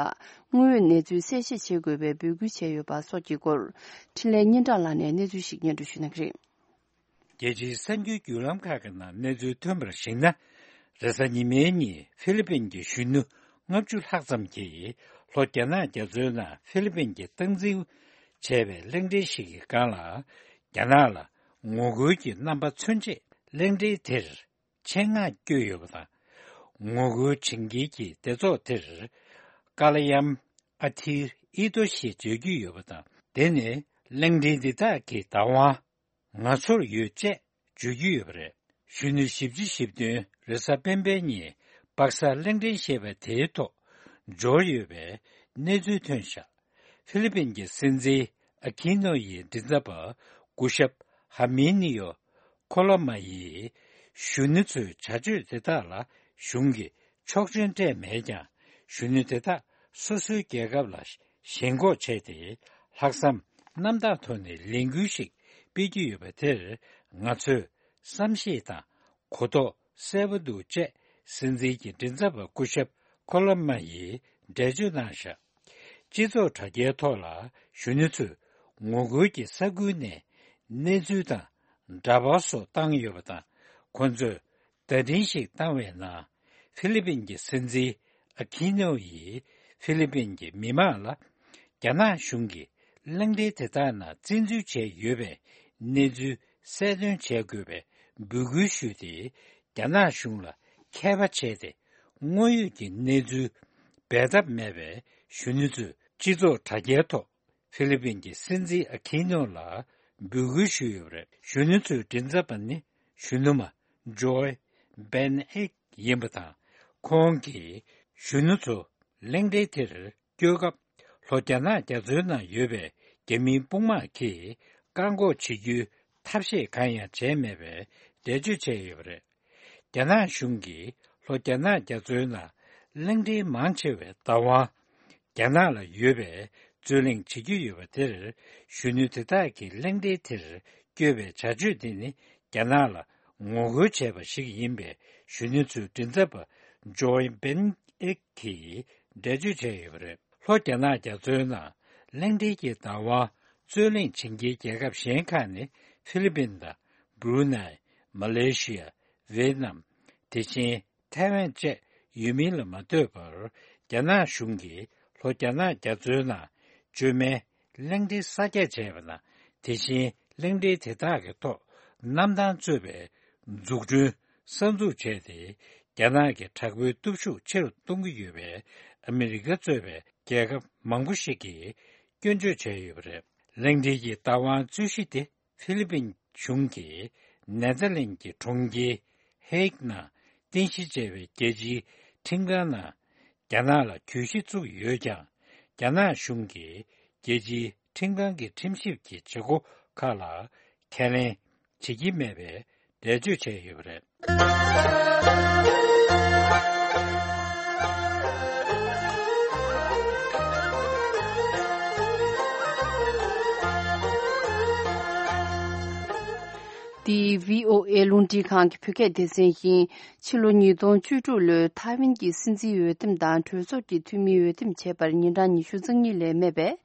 དངོས་ཡོད་གནས་ཚུལ་གསལ་བཤད་བྱེད་དགོས་པའི་འབོད་སྐུལ་བྱས་ཡོད་པ་སོགས་ཀྱི་སྐོར། འཕྲིན་ལས་སྙན་གྲགས་ལགས་ནས་གནས་ཚུལ་ཞིག་སྙན་སྒྲོན་ཞུ་གནང་གི་རེད། རྒྱལ་སྤྱིའི་གསར་འགྱུར་བརྒྱུད་ལམ་ཁག་གི་ནང་གནས་ཚུལ་ཐོན་པར་གཞིགས་ན། རེས་གཟའ་ཉི་མའི་ཉིན་ཧྥི་ལི་པིན་གྱི་གཞོན་ནུ་ལྔ་བཅུ་ལྷག་ཙམ་གྱིས་ལྷོ་རྒྱ་ནག་རྒྱ་མཚོའི་ནང་ཧྥི་ལི་པིན་གྱིས་སྟངས་འཛིན་བྱས་པའི་གླིང་ཕྲན་ཞིག་གི་སྒང་ལ། རྒྱ་ནག་ལ་ངོ་རྒོལ་གྱི་རྣམ་པ་མཚོན་ཆེད་གླིང་ཕྲན་དེར་ཆེད་མངགས་བསྐྱོད་ཡོད་པ་དང་། ངོ་རྒོལ་བྱེད་མཁན་གྱི་སྡེ་ཚོགས་དེར་ཀ་ལ་ཡམ་ཨ་ཐིར་ཨི་ཏོ་ཞེས་བརྗོད་ཀྱི་ཡོད་པ་དང་། དེ་ནི་ གླིང་ཕྲན་འདི་དག་གི་བདག་དབང་ང་ཚོར་ཡོད་ཅེས་བརྗོད་ཀྱི་ཡོད་པ་རེད། གཞོན་ནུ་བཞི་བཅུ་ཞེ་བདུན་རེས་གཟའ་སྤེན་པའི་ཉིན་པག་གསར་གླིང་ཕྲན་ཞེས་པ་དེའི་ཐོག་འབྱོར་ཡོད་པའི་གནས་ཚུལ་ཐོན་བཞག་ཧྥི་ལི་པིན་གྱི་སྲིད་འཛིན་ཨ་ཁི་ནོ་ཡི་མགྲིན་ཚབ་པ་སྐུ་ཞབས་ཧ་མི་ནི་ཡོ་ཁོ་ལོ་མ་ཡིས་གཞོན་ནུ་ཚོའི་བྱ་སྤྱོད་དེ་དག་ལ་གཞུང་གིས་ཆོག་མཆན་སྤྲད་མེད་ཀྱང་། གཞོན་ནུ་དེ་དག་སོ་སོའི་རྒྱལ་ཁབ་ལ་ཞེན་ཁོག་བྱས་ཏེ། ལྷག་བསམ་རྣམ་དག་ཐོག་ནས་ལས་འགུལ་ཞིག་སྤེལ་གྱི་ཡོད་པ་དེར། ང་ཚོས་བསམ་ཤེས་དང་གོ་རྟོགས་གསལ་པོ་འདུག་ཅེས་སྲིད་འཛིན་གྱི་མགྲིན་ཚབ་པ་སྐུ་ཞབས་ཁོ་ལོ་མ་ཡིས་འགྲེལ་བརྗོད་གནང་བཞག་སྤྱི་ཚོགས་དྲ་རྒྱའི་ཐོག་ལ་གཞོན་ནུ་ཚོས་ངོ་རྒོལ་གྱི་ས་ཁུལ་ནས་གནས་ཚུལ་དང་འདྲ་པར་སོགས་བཏང་ཡོད་པ་དང་། ཁོ་ཚོས་བརྡ་འཕྲིན་ཞིག་བཏང་བའི་ནང་། ཧྥི་ལི་པིན་གྱི་སྲིད་འཛིན་ཨ་ཁི་ནོ་ཡིས་ཧྥི་ལི་པིན་གྱི་མི་མང་ལ། རྒྱ་ནག་གཞུང་གིས་གླིང་ཕྲན་དེ་དག་ནང་བཙན་འཛུལ་བྱས་ཡོད་པའི་གནས་ཚུལ་གསལ་སྟོན་བྱེད་དགོས་པའི་འབོད་སྐུལ་ཞུས་ཏེ། རྒྱ་ནག་གཞུང་ལ་མཁས་པ་བྱས་ཏེ། དངོས་ཡོད་ཀྱི་གནས་ཚུལ་འབད་ཐབས་མེད་པའི་གཞོན་ནུ་ཚོས་སྤྱི་ཚོགས་དྲ་རྒྱའི་ཐོག་ཧྥི་ལི་པིན་གྱི་སྲིད་འཛིན་ཨ་ཁི་ནོ་ལ་འབོད་སྐུལ་ཞུས་ཡོད་པ་རེད། གཞོན་ནུ་ཚོའི་མགྲིན་ཚབ་པ་ནི་གཞོན་ནུ་མ་ཇོའི་བེན་ཨེག་ཡིན་པ་དང་། ཁོང་གིས་གཞོན་ནུ་ཚོ་གླིང་ཕྲན་དེར་སྐྱོད་སྐབས། ལྷོ་རྒྱ་ནག་རྒྱ་མཚོའི་ནང་ཡོད་པའི་རྒྱ་མིའི་དཔུང་དམག་གིས་བཀག་འགོག་བྱེད་རྒྱུའི་ཐབས་ཤེས་གང་ཡང་བྱས་མེད་པའི་འགྲེལ་བརྗོད་བྱས་ཡོད་པ་རེད། རྒྱ་ནག་གཞུང་གིས་ལྷོ་རྒྱ་ནག་རྒྱ་མཚོའི་ནང་གླིང་ཕྲན་མང་ཆེ་བའི་བདག་དབང་རྒྱ་ནག་ལ་ཡོད་པའི་རྩོད་གླེང་བྱེད་ཀྱི་ཡོད་པ་དེར། གཞོན་ནུ་དེ་དག་གིས་གླིང་ཕྲན་དེར་བསྐྱོད་པའི་བྱ་སྤྱོད་དེ་ནི་རྒྱ་ནག་ལ་ངོ་རྒོལ་བྱས་པ་ཞིག་ཡིན་པའི་གཞོན་ནུ་ཚོའི་མགྲིན་ཚབ་པ་ཇོའི་བེན་ཨེག་གིས་འགྲེལ་བརྗོད་བྱས་ཡོད་པ་རེད། ལྷོ་རྒྱ་ནག་རྒྱ་མཚོའི་ནང་གླིང་ཕྲན་གྱི་བདག་དབང་རྩོད་གླེང་བྱེད་མཁན་རྒྱལ་ཁབ་གཞན་ཁག་ནི་ཧྥི་ལི་པིན་དང་། སྦྲུ་ནའི། མ་ལེ་ཤི་ཡ། ཝེ་ཏི་ནམ། དེ་བཞིན་ཐའེ་ཝན་བཅས་ཡོད་མིན་ལ་མ་ལྟོས་པར། རྒྱ་ནག་གཞུང་གིས་ལྷོ་རྒྱ་ནག་རྒྱ་མཚོའི་ནང་བཅོས་མའི་གླིང་ཕྲན་གསར་རྒྱག་བྱས་པ་དང་། དེ་བཞིན་གླིང་ཕྲན་དེ་དག་གི་ཐོག་གནམ་ཐང་གཙོས་པའི་འཛུགས་སྐྲུན་གསར་འཛུགས་བྱས་ཏེ། རྒྱ་ནག་གི་དྲག་པོའི་སྟོབས་ཤུགས་ཆེ་རུ་གཏོང་གི་ཡོད་པའི་ཨ་མི་རི་ཀ་གཙོས་པའི་རྒྱལ་ཁབ་མང་པོ་ཞིག་གིས་སྐྱོན་བརྗོད་བྱས་ཡོད་པ་རེད། གླིང་ཕྲན་གྱི་བདག་དབང་རྩོད་གཞི་དེ། ཧྥི་ལི་པིན་གཞུང་གིས་ནེ་ཐར་ལེན་གྱི་གྲོང་ཁྱེར་ཧེག་ནང་རྟེན་གཞི་བྱས་པའི་རྒྱལ་སྤྱིའི་ཁྲིམས་ཁང་ནང་རྒྱ་ནག་ལ་གྱོད་གཞི་བཙུགས་ཡོད་ཀྱང་། རྒྱ་ནག་གཞུང་གིས་རྒྱལ་སྤྱིའི་ཁྲིམས་ཁང་གི་ཁྲིམས་ཞིབ་ཀྱི་བྱེད་སྒོ་ཁག་ལ་ཁས་ལེན་བྱེད་ཀྱི་མེད་པའི་འགྲེལ་བརྗོད་བྱས་ཡོད་པ་རེད། འདི་བྷི་ཨོ་ཨེ་རླུང་འཕྲིན་ཁང་གི་བོད་སྐད་སྡེ་ཚན་ཡིན། ཕྱི་ལོ་ཉིས་སྟོང་བཅུ་དྲུག་ལོའི་ཐའེ་ཝན་གྱི་སྲིད་འཛིན་འོས་འདེམས་དང་གྲོས་ཚོགས་ཀྱི་འཐུས་མི་འོས་འདེམས་བྱས་པར་ཉིན་གྲངས་ཉི་ཤུ་རྩ་གཉིས་ལས་མེད་པས།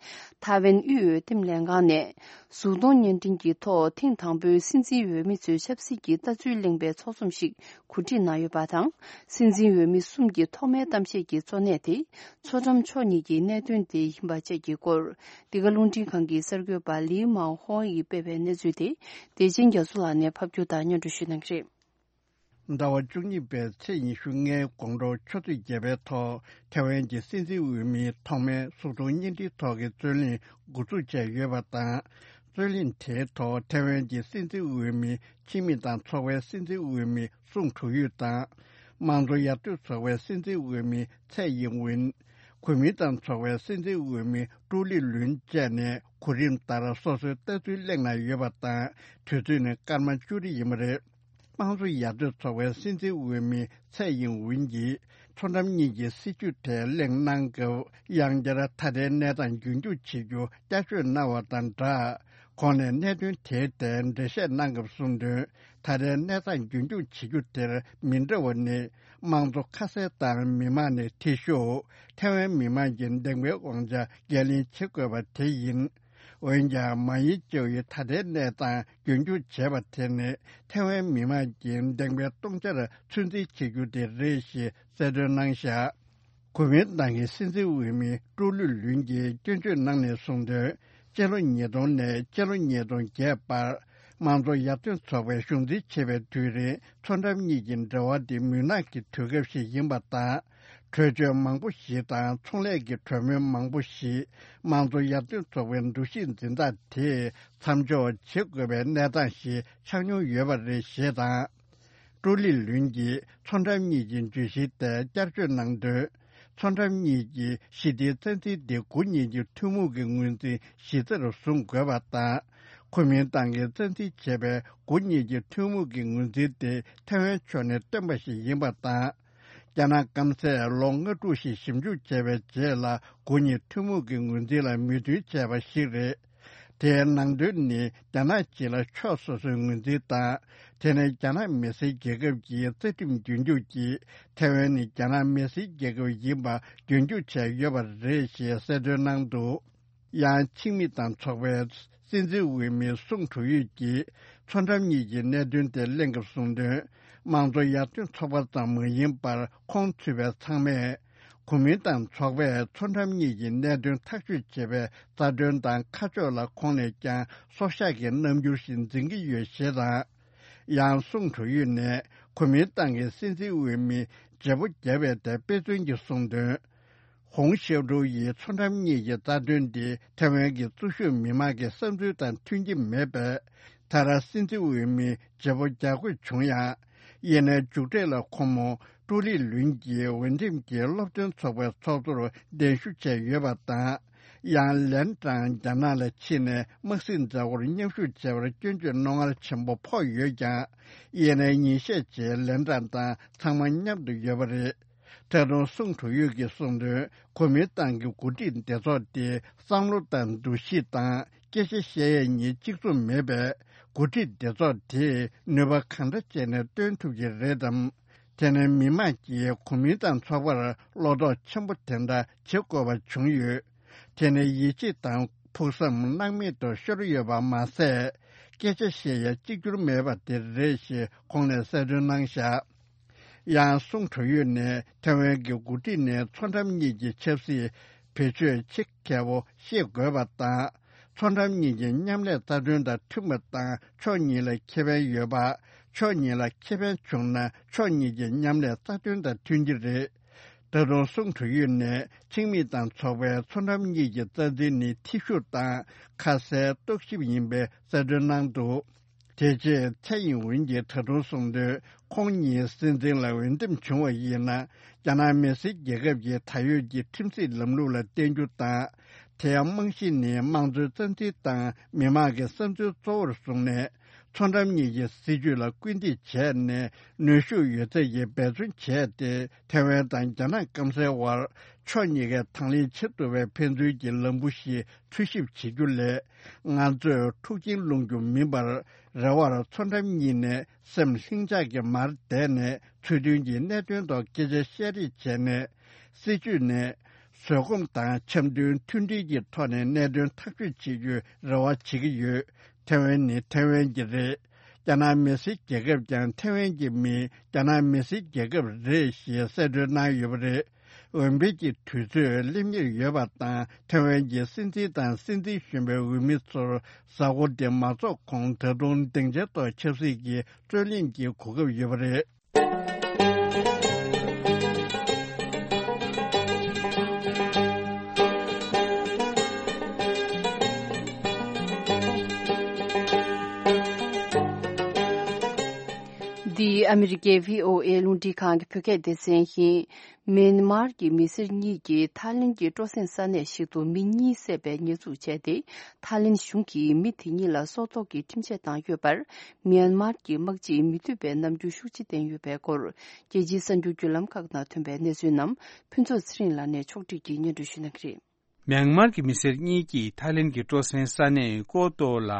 ཐའེ་ཝན་དབུས་འོས་འདེམས་ལྷན་ཁང་ནས་གཟུགས་མཐོང་བརྙན་འཕྲིན་གྱི་ཐོག་ཐེངས་དང་པོའི་སྲིད་འཛིན་འོས་མི་ཚོའི་ཆབ་སྲིད་ཀྱི་ལྟ་ཚུལ་གླེང་བའི་ཚོགས་འཛོམས་ཤིག་གོ་སྒྲིག་གནང་ཡོད་པ་དང་། སྲིད་འཛིན་འོས་མི་གསུམ་གྱི་ཐོག་མའི་གཏམ་བཤད་ཀྱི་གཙོ་གནད་དེ་མཚོ་འགྲམ་ཕྱོགས་གཉིས་ཀྱི་གནད་དོན་དེ་ཡིན་པ་བཅས་ཀྱི་སྐོར། འདི་ག་རླུང་འཕྲིན་ཁང་གི་གསར་འགོད་པ་ལི་མའོ་ཧོ་ཡིས་སྤེལ་བའི་གནས་ཚུལ་དེ། བདེ་ཆེན་རྒྱ་མཚོ་ལགས་ནས་ཕབ་སྒྱུར་དང་སྙན་སྒྲོན་ཞུ་གནང་གི་རེད། ཟླ་བ་བཅུ་གཉིས་པའི་ཚེས་ཉི་ཤུ་ལྔའི་དགོང་དྲོ་ཆུ་ཚོད་བརྒྱད་པའི་ཐོག་ཐའེ་ཝན་གྱི་སྲིད་འཛིན་འོས་མིའི་ཐོག་མའི་གཟུགས་མཐོང་བརྙན་འཕྲིན་ཐོག་གི་རྩོད་གླེང་འགོ་འཛུགས་བྱས་ཡོད་པ་དང་། རྩོད་གླེང་དེའི་ཐོག་ཐའེ་ཝན་གྱི་སྲིད་འཛིན་འོས་མི་ཕྱི་མི་དང་ཚོགས་པའི་སྲིད་འཛིན་འོས་མི་སུང་ཁྲུའུ་ཡུས་དང་། དམངས་གཙོ་ཡར་ཐོན་ཚོགས་པའི་སྲིད་འཛིན་འོས་མི་ཚའེ་ཡིང་ཝུན། གུས་མིང་ཏང་ཚོགས་པའི་སྲིད་འཛིན་འོས་མི་ཀྲུའུ་ལི་ལུན་བཅས་ནས་གོ་རིམ་ལྟར་སོ་སོའི་ལྟ་ཚུལ་གླེང་གནང་ཡོད་པ་དང་། དུས་ཚོད་ནི་སྐར་མ་བཅུ་རེ་ཡིན་པ་རེད། དམངས་གཙོ་ཡར་ཐོན་ཚོགས་པའི་སྲིད་འཛིན་འོས་མི་ཚའེ་ཡིང་ཝུན་གྱིས་མཚོ་འགྲམ་གཉིས་ཀྱི་སྲིད་བྱུས་ཐད་གླེང་གནང་སྐབས། ཡང་བསྐྱར་ད་ལྟའི་གནས་སྟངས་རྒྱུན་འཁྱོངས་བྱེད་རྒྱུ་བསྐྱར་བརྗོད་གནང་བ་དང་སྦྲགས། ཁོང་ནས་གནད་དོན་དེའི་ཐད་འགྲེལ་བཤད་གནང་སྐབས་གསུངས་དོན། ད་ལྟའི་གནས་སྟངས་རྒྱུན་འཁྱོངས་བྱེད་རྒྱུ་དེར་མི་འདྲ་བ་ནི། དམངས་གཙོ་ཁ་གསལ་དང་མི་དམངས་ནས་འཐུས་ཤོར། ཐའེ་ཝན་མི་དམངས་ཀྱི་འདེམས་པའི་དབང་ཆ་འགན་ལེན་བྱེད་དགོས་པ་དེ་ཡིན། འོན་ཀྱང་། མ་ཡིན་ཅའོ་ཡིས་ད་ལྟའི་གནས་སྟངས་རྒྱུན་འཁྱོངས་བྱས་པ་དེ་ནི། ཐའེ་ཝན་མི་དམངས་ཀྱི་འདེམས་པའི་སྟོང་ཆར་ཚོད་འཛིན་བྱེད་རྒྱུ་དེ་རེད་ཞེས་གསལ་སྟོན་གནང་བཞག་གུས་མིང་ཏང་གི་སྲིད་འཛིན་འོས་མི་ཀྲུའུ་ལུ་ལུན་གྱིས་སྐྱོན་བརྗོད་གནང་ནས་གསུངས་དོན། སྤྱི་ལོ་ཉིས་སྟོང་ནས་སྤྱི་ལོ་ཉིས་སྟོང་བརྒྱད་བར། དམངས་གཙོ་ཡར་ཐོན་ཚོགས་པའི་གཞུང་འཛིན་བྱེད་པའི་དུས་རིང་མཚོ་འགྲམ་གཉིས་ཀྱི་འབྲེལ་བ་དེ་མུན་ནག་གི་དུས་སྐབས་ཤིག་ཡིན་པ་དང་། གྲོས་ཆོད་མང་པོ་ཞིག་དང་ཚོང་ལས་ཀྱི་གྲོས་མོལ་མང་པོ་ཞིག་དམངས་གཙོ་ཡར་ཐོན་ཚོགས་པའི་འདུ་ཤེས་འཛིན་སྟངས་དེས་མཚམས་འཇོག་བྱེད་དགོས་པའི་གནས་སྟངས་ཤིག་ཆགས་མྱོང་ཡོད་པ་རེད་ཞེས་དང་། ཀྲུའུ་ལི་ལུན་གྱིས་མཚོ་འགྲམ་གཉིས་ཀྱི་བརྗོད་གཞི་དེར་བསྐྱར་བརྗོད་གནང་དོན། མཚོ་འགྲམ་གཉིས་ཀྱི་ཞི་བདེའི་རྩ་འཛིན་དེ་འགོ་གཉིས་ཀྱི་ཐུན་མོང་གི་ངོས་འཛིན་གཞི་རྩར་བཟུང་དགོས་པ་དང་། གོ་མིན་ཏང་གིས་རྩ་འཛིན་བྱས་པའི་འགོ་གཉིས་ཀྱི་ཐུན་མོང་གི་ངོས་འཛིན་དེ་ཐའེ་ཝན་ཕྱོགས་ནས་བཏོན་པ་ཞིག་ཡིན་པ་དང་། རྒྱ་ནག་སྐམ་སས་ལོ་ལྔ་དྲུག་ཞིག་ཞིབ་འཇུག་བྱས་པའི་རྗེས་ལ་འགོ་གཉིས་ཐུན་མོང་གི་ངོས་འཛིན་ལ་མོས་མཐུན་བྱས་པ་ཞིག་རེད། དེའི་ནང་དོན་ནི་རྒྱ་ནག་སྤྱི་ལ་ཕྱོགས་སོ་སོའི་ངོས་འཛིན་དང་། དེ་ནི་རྒྱ་ནག་མི་སེར་རྒྱལ་ཁབ་ཀྱི་རྩ་ཁྲིམས་རྒྱུན་སྐྱོང་གིས་ཐའེ་ཝན་ནི་རྒྱ་ནག་མི་སེར་རྒྱལ་ཁབ་ཡིན་པ་རྒྱུན་འཁྱོངས་བྱས་ཡོད་པ་རེད་ཞེས་གསལ་སྟོན་གནང་འདུག་ཡང་ཆིང་མི་དང་ཚོགས་པའི་སྲིད་འཛིན་འོས་མི་སུང་ཁྲུའུ་ཡུས་ཀྱིས་མཚོ་འགྲམ་གཉིས་ཀྱི་གནད་དོན་དེ་གླེང་སྐབས་གསུངས་དོན། དམངས་གཙོ་ཡར་ཐོན་ཚོགས་པ་ཙམ་མ་ཡིན་པར་ཁོང་ཚུད་པའི་ཚང་མས། གོ་མིན་ཏང་ཚོགས་པས་མཚོ་འགྲམ་གཉིས་ཀྱི་གནད་དོན་ཐག་གཅོད་བྱེད་པའི་རྩ་དོན་དང་ཁ་ཕྱོགས་ལ་ཁོང་ནས་ཀྱང་སྲོག་ཤག་གི་རྣམ་འགྱུར་ཞིག་འཛིན་གྱི་ཡོད་ཞེས་དང་། ཡང་སུང་ཁྲུའུ་ཡུས་ནས་གོ་མིན་ཏང་གི་སྲིད་འཛིན་འོས་མི་བརྗེ་པོ་བརྒྱབ་པའི་ཐད་དཔེ་མཚོན་གྱིས་གསུངས་དོན། ཧོང་ཤེའུ་ཀྲུའུ་ཡིས་མཚོ་འགྲམ་གཉིས་ཀྱི་རྩ་དོན་འདི་ཐའེ་ཝན་གྱི་གཙོ་ཤུགས་མི་མང་གི་བསམ་ཚུལ་དང་མཐུན་གྱི་མེད་པས། ད་ར་སྲིད་འཛིན་འོས་མི་བརྗེ་པོ་རྒྱག་དགོས་བྱུང་ཡང་། ཡིན་ནའི་མཇུག་འབྲས་ལ་ཁོ་མོ་ཀྲུའུ་ལི་ལུན་གྱིས་འོས་འདེམས་ཀྱི་སློབ་སྟོན་ཚོགས་པའི་ཚོགས་གཙོར་གདན་ཞུ་བྱས་ཡོད་པ་དང་། ཡང་ལན་ཀྲང་རྒྱ་ནག་ལ་ཕྱིན་ནས་དམག་སྲིད་མཛའ་བོར་མཉམ་ཞུགས་བྱས་པར་སྐྱོན་བརྗོད་རྣོ་ངར་ཆེན་པོ་ཕོག་ཡོད་ཀྱང་། ཡིན་ནའི་ཉིན་ཤས་རྗེས་ལན་ཀྲང་དང་ཚང་མ་མཉམ་དུ་ཡོད་པ་རེད། ད་དུང་སུང་ཁྲུའུ་ཡུས་ཀྱིས་གསུངས་དོན། གོ་མིན་ཏང་གི་འགོ་ཁྲིད་སྡེ་ཚོགས་དེ་བསམ་བློ་དང་འདུ་ཤེས་དང་སྐད་ཆ་བཤད་ཡས་གཉིས་གཅིག་མཚུངས་མེད་པས། འགོ་ཁྲིད་སྡེ་ཚོགས་དེས་ནུས་པ་གང་འདྲ་བྱས་ནས་བཏོན་ཐུབ་ཀྱི་རེད་དམ། དེ་ནས་མི་མང་གིས་གོ་མིན་ཏང་ཚོགས་པར་བློ་དོགས་ཆེན་པོ་དེ་འདྲ་བྱེད་དགོས་པ་བྱུང་ཡོད། དེ་ནི་ཡིད་ཆེས་དང་ཕུགས་བསམ་སྣང་མེད་དུ་ཤོར་ཡོད་པ་མ་ཟད། སྐད་ཆ་བཤད་ཡ་གཅིག་གྱུར་མེད་པ་དེ་རེད་ཞེས་ཁོང་ནས་གསལ་སྟོན་གནང་བཞག་ཡང་སུང་ཁྲུའུ་ཡུས་ནས་ཐའེ་ཝན་གྱི་འགོ་ཁྲིད་ནས་མཚོ་འགྲམ་གཉིས་ཀྱི་ཆབ་སྲིད་བེད་སྤྱོད་ཆེད་མཁས་པོ་ཤེས་དགོས་པ་དང་། མཚོ་འགྲམ་གཉིས་ཀྱི་མཉམ་ལས་རྩ་དོན་དང་མཐུན་པ་དང་ཕྱོགས་གཉིས་ལ་ཁེ་ཕན་ཡོད་པ། ཕྱོགས་གཉིས་ལ་ཁེ་ཕན་བྱུང་ན་ཕྱོགས་གཉིས་ཀྱི་མཉམ་ལས་རྩ་དོན་དང་མཐུན་གྱི་རེད། ད་དུང་སུང་ཁྲུའུ་ཡུས་ནས་ཆིང་མི་དང་ཚོགས་པའི་མཚོ་འགྲམ་གཉིས་ཀྱི་རྩ་འཛིན་ནི་ཐེ་ཞུགས་དང་ཁ་གསལ་རྟོག་ཞིབ་ཡིན་པའི་གསལ་སྟོན་གནང་འདུག་དེ་རྗེས་ཚའེ་ཡིན་ཝུན་གྱིས་ད་དུང་གསུངས་དོན། ཁོང་ཉིད་སྲིད་འཛིན་ལ་འོས་འདེམས་བྱུང་བ་ཡིན་ན། རྒྱ་ནག་མི་སེར་རྒྱལ་ཁབ་ཀྱི་ད་ཡོད་ཀྱི་ཁྲིམས་སྲིད་ལམ་ལུགས་ལ་བརྟེན་རྒྱུ་དང་། དེའི་རྨང་གཞི་ནི་དམངས་གཙོའི་རྩ་འཛིན་དང་མི་མང་གི་བསམ་ཚུལ་གཙོ་བོར་བཟུང་ནས། མཚོ་འགྲམ་གཉིས་ཀྱི་སྲིད་ཇུས་ལ་སྐུལ་འདེད་བྱས་ནས་ནུས་ཤུགས་ཡོད་ཚད་ཀྱིས་འབད་བརྩོན་བྱས་ཏེ། ཐའེ་ཝན་དང་རྒྱ་ནག་སྐམ་སའི་དབར་ཕྱོགས་གཉིས་ཀས་དང་ལེན་བྱེད་ཐུབ་པའི་ཕན་ཚུན་གྱི་ལམ་བུ་ཞིག་འཚོལ་ཞིབ་བྱེད་རྒྱུ་ལས། ང་ཚོས་འཁྲུག་ཆེན་སློང་རྒྱུ་མིན་པར། རེ་བར་མཚོ་འགྲམ་གཉིས་ནས་སེམས་ལྷིང་འཇགས་ཀྱིས་མར་བསྡད་ནས། ཚུལ་མཐུན་གྱིས་གནད་དོན་ཐོག་སྐད་ཆ་བཤད་རེས་བྱས་ནས། སྲིད་ཇུས་ནས། བཟོད་སྒོམ་དང་འཆམ་མཐུན་མཐུན་སྒྲིལ་གྱི་ཐོག་ནས་གནད་དོན་ཐག་གཅོད་བྱེད་རྒྱུའི་རེ་བ་བྱེད་ཀྱི་ཡོད། ཐའེ་ཝན་ནི་ཐའེ་ཝན་གྱི་རེད། རྒྱ་ནག་མི་སེར་རྒྱལ་ཁབ་ཀྱང་ཐའེ་ཝན་གྱི་མིས་རྒྱ་ནག་མི་སེར་རྒྱལ་ཁབ་རེད་ཞེས་གསལ་སྟོན་གནང་ཡོད་པ་རེད། འོས་འཕེན་གྱི་དུས་ཚོད་སླེབས་ཉེར་ཡོད་པ་དང་། ཐའེ་ཝན་གྱི་སྲིད་འཛིན་དང་སྲིད་འཛིན་གཞོན་པའི་འོས་མི་ཚོར་གཟའ་འཁོར་འདི་མ་རྫོགས་གོང་ད་དུང་སྡིངས་ཆའི་ཐོག་ཆབ་སྲིད་ཀྱི་རྩོད་གླེང་གི་གོ་སྐབས་ཡོད་པ་རེད། འདི་ཨ་མི་རི་ཀའི་བྷི་ཨོ་ཨེ་རླུང་འཕྲིན་ཁང་གི་བོད་སྐད་སྡེ་ཚན་ཡིན། མེན་མར་གྱི་མི་སེར་གཉིས་ཀྱིས་ཐའི་ལེན་གྱི་སྤྲོ་གསེང་ས་གནས་ཤིག་ཏུ་མི་གཉིས་བསད་པའི་ཉེས་འཛུགས་བྱས་ཏེ། ཐའི་ལེན་གཞུང་གིས་མི་དེ་གཉིས་ལ་སྲོག་ཐོག་གི་ཁྲིམས་ཆད་བཏང་ཡོད་པར། མེན་མར་གྱི་དམག་སྤྱིས་མི་འདོད་པའི་རྣམ་འགྱུར་ཤུགས་ཆེ་བསྟན་ཡོད་པའི་སྐོར། རྒྱལ་སྤྱིའི་གསར་འགྱུར་བརྒྱུད་ལམ་ཁག་ནང་ཐོན་པའི་གནས་ཚུལ་རྣམས་ཕུན་ཚོགས་ཚེ་རིང་ལགས་ནས་ཕྱོགས་སྒྲིག་གིས་སྙན་སྒྲོན་ཞུ་གནང་གི་རེད། མེན་མར་གྱི་མི་སེར་གཉིས་ཀྱིས་ཐའི་ལེན་གྱི་སྤྲོ་གསེང་ས་གནས་ཀོ་ཏོ་ལ་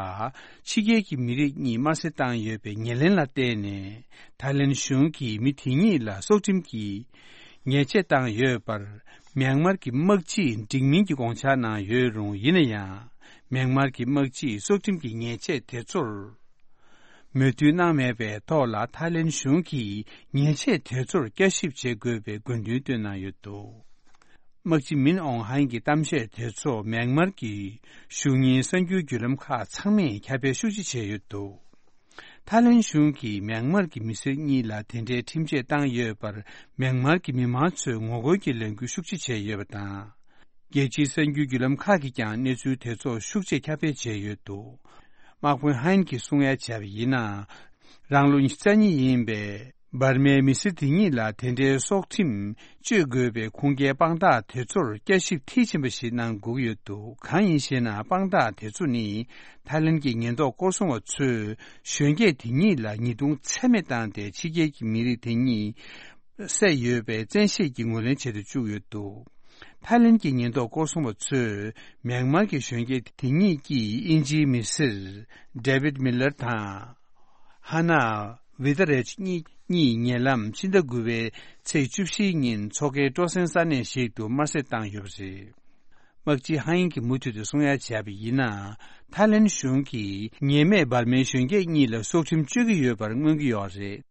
ཕྱི་རྒྱལ་གྱི་མི་རིགས་གཉིས་དམར་གསོད་བཏང་ཡོད་པའི་ཉེར་ལེན་ལ་བརྟེན་ནས། ཐའི་ལེན་གཞུང་གིས་མི་དེ་གཉིས་ལ་སྲོག་ཁྲིམས་ཀྱི་ཉེས་ཆད་བཏང་ཡོད་པར། མེན་མར་གྱི་དམག་སྤྱིས་འགྲིག་མིན་གྱི་དགོངས་འཆར་གནང་ཡོད་རུང་། ཡིན་ན་ཡང་། མེན་མར་གྱི་དམག་སྤྱིས་སྲོག་ཁྲིམས་ཀྱི་ཉེས་ཆད་དེ་ཚོར་མོས་མཐུན་གནང་མེད་པའི་ཐོག་ལ། ཐའི་ལེན་གཞུང་གིས་ཉེས་ཆད་དེ་ཚོར་བསྐྱར་ཞིབ་བྱེད་དགོས་པའི་དགོས་འདུན་བཏོན་གནང་ཡོད་འདུག་དམག་སྤྱི་མིན་ཨོང་ཧན་གྱི་གཏམ་བཤད་དེ་ཚོ་མེན་མར་གྱི་གཞུང་གཉེར་གསར་འགྱུར་བརྒྱུད་ལམ་ཁག་ཚང་མས་ཁྱབ་སྤེལ་ཤུགས་ཆེ་བྱས་ཡོད་འདུག་ཐའི་ལེན་གཞུང་གིས་མྱན་མར་གྱི་མི་སེར་གཉིས་ལ་དེ་འདྲའི་ཁྲིམས་ཆད་བཏང་ཡོད་པར། མྱན་མར་གྱི་མི་མང་ཚོས་ངོ་རྒོལ་གྱི་ལས་འགུལ་ཤུགས་ཆེ་བྱས་ཡོད་པ་དང་། རྒྱལ་སྤྱིའི་གསར་འགྱུར་བརྒྱུད་ལམ་ཁག་གིས་ཀྱང་གནས་ཚུལ་དེ་ཚོ་ཤུགས་ཆེ་ཁྱབ་སྤེལ་བྱས་ཡོད་འདུག། དམག་དཔོན་ཧན་གྱིས་གསུང་ཡ་བྱས་པ་ཡིན་ན། རང་ལོ་ཉི་ཤུ་རྩ་གཉིས་ཡིན་པའི་འབར་མའི་མི་སེར་དེ་གཉིས་ལ་དེ་འདྲའི་སྲོག་ཁྲིམས་གཅོད་དགོས་པའི་ཁུངས་སྐྱེལ་དཔང་རྟགས་དེ་ཚོར་བསྐྱར་ཞིབ་མཐིལ་ཕྱིན་པ་ཞིག་གནང་དགོས་ཀྱི་ཡོད་འདུག། གང་ཡིན་ཞེ་ན། དཔང་རྟགས་དེ་ཚོ་ནི་ཐའི་ལེན་གྱི་ཉེན་རྟོག་སྐོར་སྲུང་བ་ཚོས་གཞོན་སྐྱེས་དེ་གཉིས་ལ་ཉེས་རྡུང་ཚད་མེད་བཏང་སྟེ། ཕྱི་རྒྱལ་གྱི་མི་རིགས་དེ་གཉིས་བསད་ཡོད་པའི་བཙན་ཤེད་ཀྱིས་ངོས་ལེན་བྱེད་དུ་བཅུག་ཡོད་འདུག། ཐའི་ལེན་གྱི་ཉེན་རྟོག་སྐོར་སྲུང་བ་ཚོས་མྱན་མར་གྱི་གཞོན་སྐྱེས་དེ་གཉིས་ཀྱིས་དབྱིན་ཇིའི་མི་སེར་ཌེ་བིད་མི་ལར་དང་། ཧ་ན་ཝི་ད་རེཇ་གཉིས་གཉིས་ཉེ་ལམ་ཕྱི་ཟླ་དགུ་པའི་ཚེས་བཅུ་བཞི་ཉིན་མཚོ་ཁའི་སྤྲོ་གསེང་ས་གནས་ཤིག་ཏུ་དམར་གསོད་བཏང་ཡོད་པ་རེད། དམག་སྤྱི་ཧ་ཡིན་གྱིས་མུ་མཐུད་དུ་གསུང་ཡ་བྱས་པ་ཡིན་ན། ཐའི་ལེན་གཞུང་གིས་ཉེས་མེད་འབར་མའི་གཞོན་སྐྱེས་གཉིས་ལ་སྲོག་ཁྲིམས་གཅོད་ཀྱི་ཡོད་པར་མངོན་གྱི་ཡོད་རེད།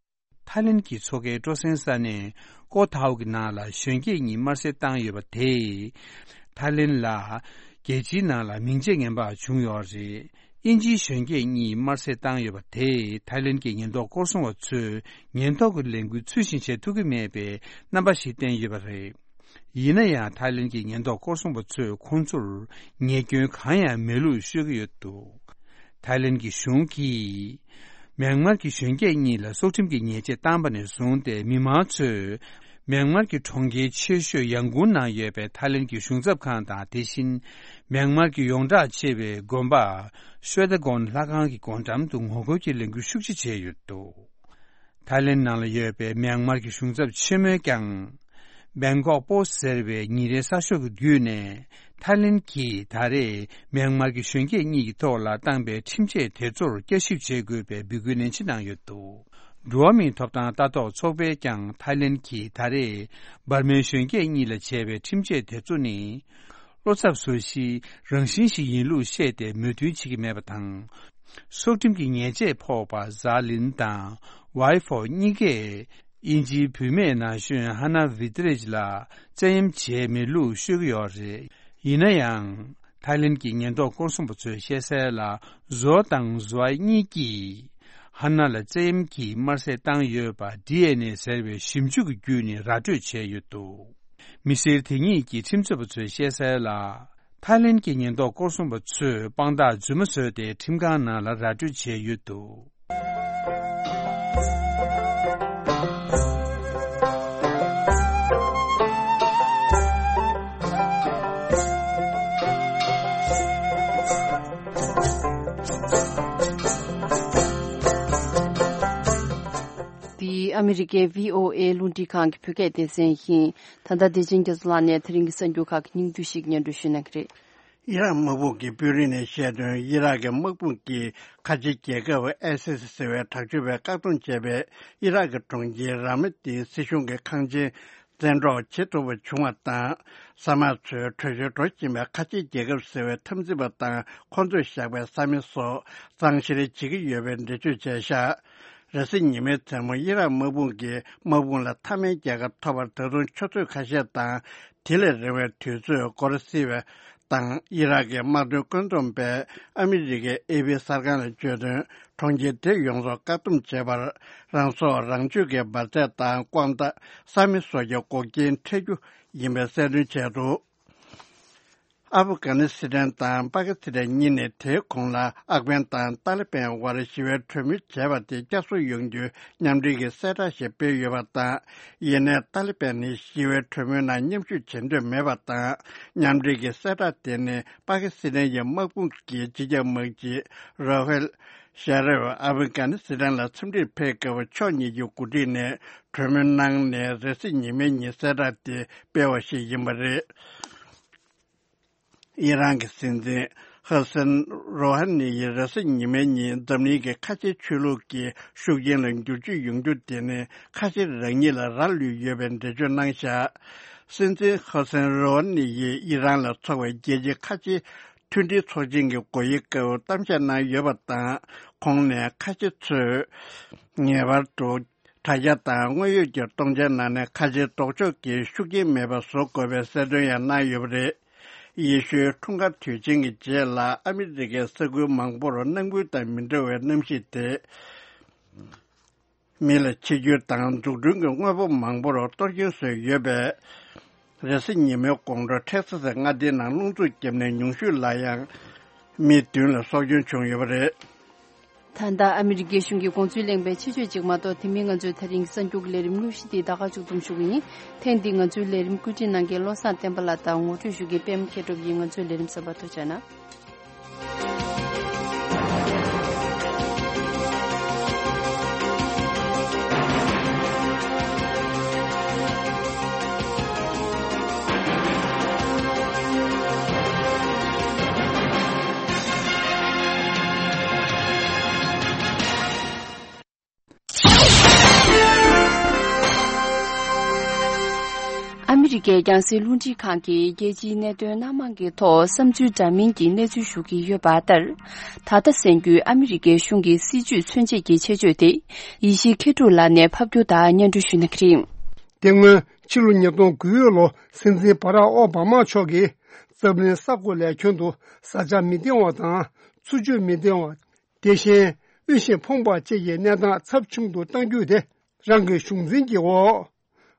ཐའི་ལེན་གྱི་མཚོ་ཁའི་སྤྲོ་གསེང་ས་གནས་ཀོ་ཐའོ་གི་ནང་ལ་གཞོན་སྐྱེས་གཉིས་དམར་གསོད་བཏང་ཡོད་པ་དེས། ཐའི་ལེན་ལ་རྒྱལ་སྤྱིའི་ནང་ལ་མིང་ཆད་ངན་པ་བྱུང་ཡོད་རེད། དབྱིན་ཇིའི་གཞོན་སྐྱེས་གཉིས་དམར་གསོད་བཏང་ཡོད་པ་དེས་ཐའི་ལེན་གྱི་ཉེན་རྟོག་སྐོར་སྲུང་བ་ཚོས་ཉེན་རྟོག་གི་ལས་འགུལ་ཚུལ་བཞིན་བྱེད་ཐུབ་ཀྱི་མེད་པའི་རྣམ་པ་ཞིག་བསྟན་ཡོད་པ་རེད། ཡིན་ན་ཡང་ཐའི་ལེན་གྱི་ཉེན་རྟོག་སྐོར་སྲུང་བ་ཚོས་ཁོང་ཚོར་ཉེས་སྐྱོན་གང་ཡང་མེད་ལུགས་ཤོད་ཀྱི་ཡོད་འདུག། ཐའི་ལེན་གྱི་གཞུང་གིས་མྱན་མར་གྱི་གཞོན་སྐྱེས་གཉིས་ལ་སྲོག་ཁྲིམས་ཀྱི་ཉེས་ཆད་བཏང་པ་ནས་བཟུང་སྟེ། མི་མང་ཚོས་མྱན་མར་གྱི་གྲོང་ཁྱེར་ཆེ་ཤོས་ཡང་ཀུང་ནང་ཡོད་པའི་ཐའི་ལེན་གྱི་གཞུང་ཚབ་ཁང་དང་། དེ་བཞིན་མྱན་མར་གྱི་ཡོངས་གྲགས་ཆེ་བའི་དགོན་པ་ཤོད་ད་གོན་ལྷ་ཁང་གི་སྒོ་འགྲམ་དུ་ངོ་རྒོལ་གྱི་ལས་འགུལ་ཤུགས་ཆེ་བྱས་ཡོད་འདུག། ཐའི་ལེན་ནང་ལ་ཡོད་པའི་མྱན་མར་གྱི་གཞུང་ཚབ་ཆེན་མོས་ཀྱང་། སྦེང་ཀོག་པོ་སི་ཟེར་བའི་ཉིན་རེའི་གསར་ཤོག་གི་བརྒྱུད་ནས། ཐའི་ལེན་གྱིས་ད་རེས་མྱན་མར་གྱི་གཞོན་སྐྱེས་གཉིས་ཀྱི་ཐོག་ལ་བཏང་པའི་ཁྲིམས་ཆད་དེ་ཚོར་བསྐྱར་ཞིབ་བྱེད་དགོས་པའི་འབོད་སྐུལ་ནན་ཆེ་གནང་ཡོད་འདུག། འགྲོ་བ་མིའི་ཐོབ་ཐང་ལྟ་རྟོག་ཚོགས་པས་ཀྱང་ཐའི་ལེན་གྱིས་ད་རེས་འབར་མའི་གཞོན་སྐྱེས་གཉིས་ལ་བྱས་པའི་ཁྲིམས་ཆད་དེ་ཚོ་ནི། བློ་འཚབ་བཟོ་གཞིའི་རང་བཞིན་ཞིག་ཡིན་ལུགས་བཤད་དེ་མོས་མཐུན་བྱེད་ཀྱི་མེད་པ་དང་། སྲོག་ཁྲིམས་ཀྱི་ཉེས་ཆད་ཕོག་པ་ཛཱ་ལིན་དང་ཝའི་ཧྥོ་གཉིས་ཀས་དབྱིན་ཇིའི་བུད་མེད་ན་གཞོན་ཧ་ན་ཝི་ཏི་རེཇ་ལ་བཙན་གཡེམ་བྱས་མེད་ལུགས་ཤོད་ཀྱི་ཡོད་རེད། ཡིན་ན་ཡང་། ཐའི་ལེན་གྱི་ཉེན་རྟོག་སྐོར་སྲུང་པ་ཚོས་བཤད་གསལ་ལ། ཛོ་དང་ཛོའི་གཉིས་ཀྱིས་ཧ་ན་ལ་བཙན་གཡེམ་གྱིས་དམར་གསོད་བཏང་ཡོད་པ་ཌི་ཨེན་ཨེ་ཟེར་བའི་ཞིབ་འཇུག་གི་བརྒྱུད་ནས་ར་སྤྲོད་བྱས་ཡོད་འདུག། མི་སེར་དེ་གཉིས་ཀྱི་ཁྲིམས་རྩོད་པ་ཚོས་བཤད་གསལ་ལ། ཐའི་ལེན་གྱི་ཉེན་རྟོག་སྐོར་སྲུང་པ་ཚོས་དཔང་རྟགས་རྫུན་མ་བཟོས་ཏེ་ཁྲིམས་ཁང་ནང་ལ་ར་སྤྲོད་བྱས་ཡོད་འདུག། འདི་ཨ་མི་རི་ཀའི་བྷི་ཨོ་ཨེ་རླུང་འཕྲིན་ཁང་གི་བོད་སྐད་སྡེ་ཚན་ཡིན། ད་ལྟ་བདེ་ཆེན་རྒྱ་མཚོ་ལགས་ནས་དེ་རིང་གི་གསར་འགྱུར་ཁག་གི་སྙིང་བསྡུས་ཤིག་སྙན་སྒྲོན་ཞུ་གནང་གི་རེད། ཨི་རག་དམག་དཔུང་གི་དཔོན་རིགས་ནས་བཤད་དོན། ཨི་རག་གི་དམག་དཔུང་གིས་ཁ་ཆེ་རྒྱལ་ཁབ་ཨའི་སི་སི་ཟེར་བའི་དྲག་སྤྱོད་པས་བཀག་སྡོམ་བྱས་པའི་ཨི་རག་གི་གྲོང་ཁྱེར་ར་མ་ཏིའི་སྲིད་གཞུང་གི་ཁང་ཆེན་བཙན་འཕྲོག་བྱེད་ཐུབ་པ་བྱུང་བ་དང་། ས་དམག་ཚོས་བྲོས་བྱོལ་འགྲོ་བཞིན་པའི་ཁ་ཆེ་རྒྱལ་ཁབ་ཟེར་བའི་འཐབ་འཛིང་པ་དང་ཁོང་ཚོས་བཞག་པའི་ས་མིག་སོགས་གཙང་བཤེར་བྱེད་ཀྱི་ཡོད་པའི་འགྲེལ་བརྗོད་བྱས་ཤག། རེས་གཟའ་ཉི་མའི་མཚན་མོ་ཨི་རག་དམག་དཔུང་གིས་དམག་དཔུང་ལ་མཐའ་མའི་རྒྱལ་ཁ་ཐོབ་པར་ད་དུང་ཆུ་ཚོད་ཁ་ཤས་དང་། དེ་ལས་རིང་བའི་དུས་ཚོད་འགོར་སྲིད་པ་དང་། ཨི་རག་གི་དམག་དོན་བཀོད་འདོམས་པས་ཨ་མི་རི་ཀའི་ཨེ་པི་གསར་ཁང་ལ་བརྗོད་དོན། གྲོང་ཁྱེར་དེ་ཡོངས་སུ་བཀག་སྡོམ་བྱས་པར། རང་སྲོག་རང་གཅོད་ཀྱི་འབར་རྫས་དང་ལྐོག་མདའ། ས་མིག་སོགས་ཀྱི་འགོག་རྐྱེན་འཕྲད་རྒྱུ་ཡིན་པའི་གསལ་སྟོན་བྱས་འདུག། ཨབ་གྷ་ནི་སི་ཐན་དང་པ་ཀི་སི་ཐན་གཉིས་ནས་དེའི་གོང་ལ་ཨག་བན་དང་ཏཱ་ལི་པན་དབར་ཞི་བའི་གྲོས་མོལ་བྱས་པ་དེ་བསྐྱར་གསོ་ཡོང་རྒྱུའི་མཉམ་འབྲེལ་གྱི་གསལ་བསྒྲགས་ཤིག་སྤེལ་ཡོད་པ་དང་། ཡིན་ནའི་ཏཱ་ལི་པན་ནི་ཞི་བའི་གྲོས་མོལ་ནང་མཉམ་ཞུགས་བྱེད་འདོད་མེད་པ་དང་། མཉམ་འབྲེལ་གྱི་གསལ་བསྒྲགས་དེ་ནི་པ་ཀི་སི་ཐན་གྱི་དམག་དཔུང་གི་སྤྱི་ཁྱབ་དམག་སྤྱི་རོ་ཧེལ་ཤ་རེབ་ཨབ་གྷ་ནི་སི་ཐན་ལ་འཚམས་འདྲིར་ཕེབས་སྐབས་ཕྱོགས་གཉིས་ཀྱི་འགོ་ཁྲིད་ནས་གྲོས་མོལ་གནང་ནས། རེས་གཟའ་ཉི་མའི་ཉིན་གསལ་བསྒྲགས་དེ་སྤེལ་བ་ཞིག་ཡིན་པ་རེད། ཨི་རན་གྱི་སྲིད་འཛིན་ཧ་སན་རོ་ཧ་ནི་ཡིས་རེས་གཟའ་ཉི་མའི་ཉིན་འཛམ་གླིང་གི་ཁ་ཆེའི་ཆོས་ལུགས་ཀྱི་ཤུགས་རྐྱེན་ལ་འགྱུར་བཅོས་ཡོང་རྒྱུ་དེ་ནི་ཁ་ཆེ་རང་ཉིད་ལ་རག་ལུས་ཡོད་པའི་འགྲེལ་བརྗོད་གནང་བཞག། སྲིད་འཛིན་ཧ་སན་རོ་ཧ་ནི་ཡིས་ཨི་རན་ལ་འཚོགས་པའི་རྒྱལ་སྤྱིའི་ཁ་ཆེའི་མཐུན་སྒྲིལ་ཚོགས་ཆེན་གྱི་སྒོ་དབྱེའི་སྐབས་གཏམ་བཤད་གནང་ཡོད་པ་དང་། ཁོང་ནས་ཁ་ཆེ་ཚོས་ངེས་པར་དུ། དྲ་རྒྱ་དང་དངོས་ཡོད་ཀྱི་སྟོང་ཆའི་ནང་ནས་ཁ་ཆེའི་ལྡོག་ཕྱོགས་ཀྱི་ཤུགས་རྐྱེན་མེད་པ་བཟོ་དགོས་པའི་གསལ་སྟོན་ཡང་གནང་ཡོད་པ་རེད། ཡེ་ཤུའི་འཁྲུངས་སྐར་དུས་ཆེན་གྱི་རྗེས་ལ་ཨ་མི་རི་ཀའི་ས་ཁུལ་མང་པོར་ནམ་རྒྱུན་དང་མི་འདྲ་བའི་གནམ་གཤིས་དེ་ མི་ལ་ཕྱི་འགྱུར་དང་འཛུགས་སྐྲུན་གྱི་དངོས་པོ་མང་པོར་གཏོར་སྐྱོན་བཟོས་ཡོད་པས། རེས་གཟའ་ཉི་མའི་དགོང་དྲོ་ཊེག་ས་སི་མངའ་སྡེའི་ནང་རླུང་འཚུབ་བརྒྱབ་ནས་ཉུང་ཤོས་ལ་ཡང་མི་བདུན་ལ་སྲོག་སྐྱོན་བྱུང་ཡོད་པ་རེད། ད་ལྟ་ཨ་མི་རི་ཀའི་གཞུང་གི་དགོངས་ཚུལ་གླེང་བའི་ཆེད་བརྗོད་ཅིག་མ་གཏོགས། དེ་མིན་ང་ཚོའི་ད་རིང་གསར་འགྱུར་གྱི་ལས་རིམ་དངོས་གཞི་འདི་ད་ག་མཇུག་བསྡོམས་ཞུ་གི་ཡིན། ཐེངས་འདིའི་ང་ཚོའི་ལས་རིམ་བཀོད་སྒྲིག་གནང་མཁན་བློ་བཟང་བསྟན་པ་ལགས་དང་ངོ་སྤྲོད་ཞུ་མཁན་པད་མ་མཁས་གྲུབ་ཡིན། ང་ཚོའི་ལས་རིམ་གསར་པར་ཐུགས་རྗེ་གནང་། ཨ་མི་རི་ཀའི་རྒྱང་སྲིང་རླུང་འཕྲིན་ཁང་གིས་རྒྱལ་སྤྱིའི་གནད་དོན་སྣ་མང་གི་ཐོག་བསམ་ཚུལ་འདྲ་མིན་གྱི་གནས་ཚུལ་ཞུ་གི་ཡོད་པ་ལྟར། ད་ལྟ་གསན་རྒྱུའི་ཨ་མི་རི་ཀའི་གཞུང་གི་སྲིད་བྱུས་མཚོན་བྱེད་ཀྱི་ཆེད་བརྗོད་དེ། ཡེ་ཤེས་མཁས་གྲུབ་ལགས་ནས་ཕབ་སྒྱུར་དང་སྙན་སྒྲོན་ཞུ་གནང་གི་རེད། དེ་སྔོན་ཕྱི་ལོ་ཉིས་སྟོང་དགུ་ལོ་སྲིད་འཛིན་བྷ་རག་ཨོ་བྷ་མ་མཆོག་གིས་འཛམ་གླིང་ས་གོ་ལའི་ཁྱོན་དུ་བཟའ་བཅའ་མི་འདང་བ་དང་ཚུར་སྤྱོད་མི་འདང་བ། དེ་བཞིན་དབུལ་ཞིང་ཕོངས་པ་བཅས་ཀྱི་གནས་སྟངས་ཚབས་ཆུང་དུ་གཏང་རྒྱུ་དེ་རང་གི་གཞུང་འཛིན་གྱི་འོག་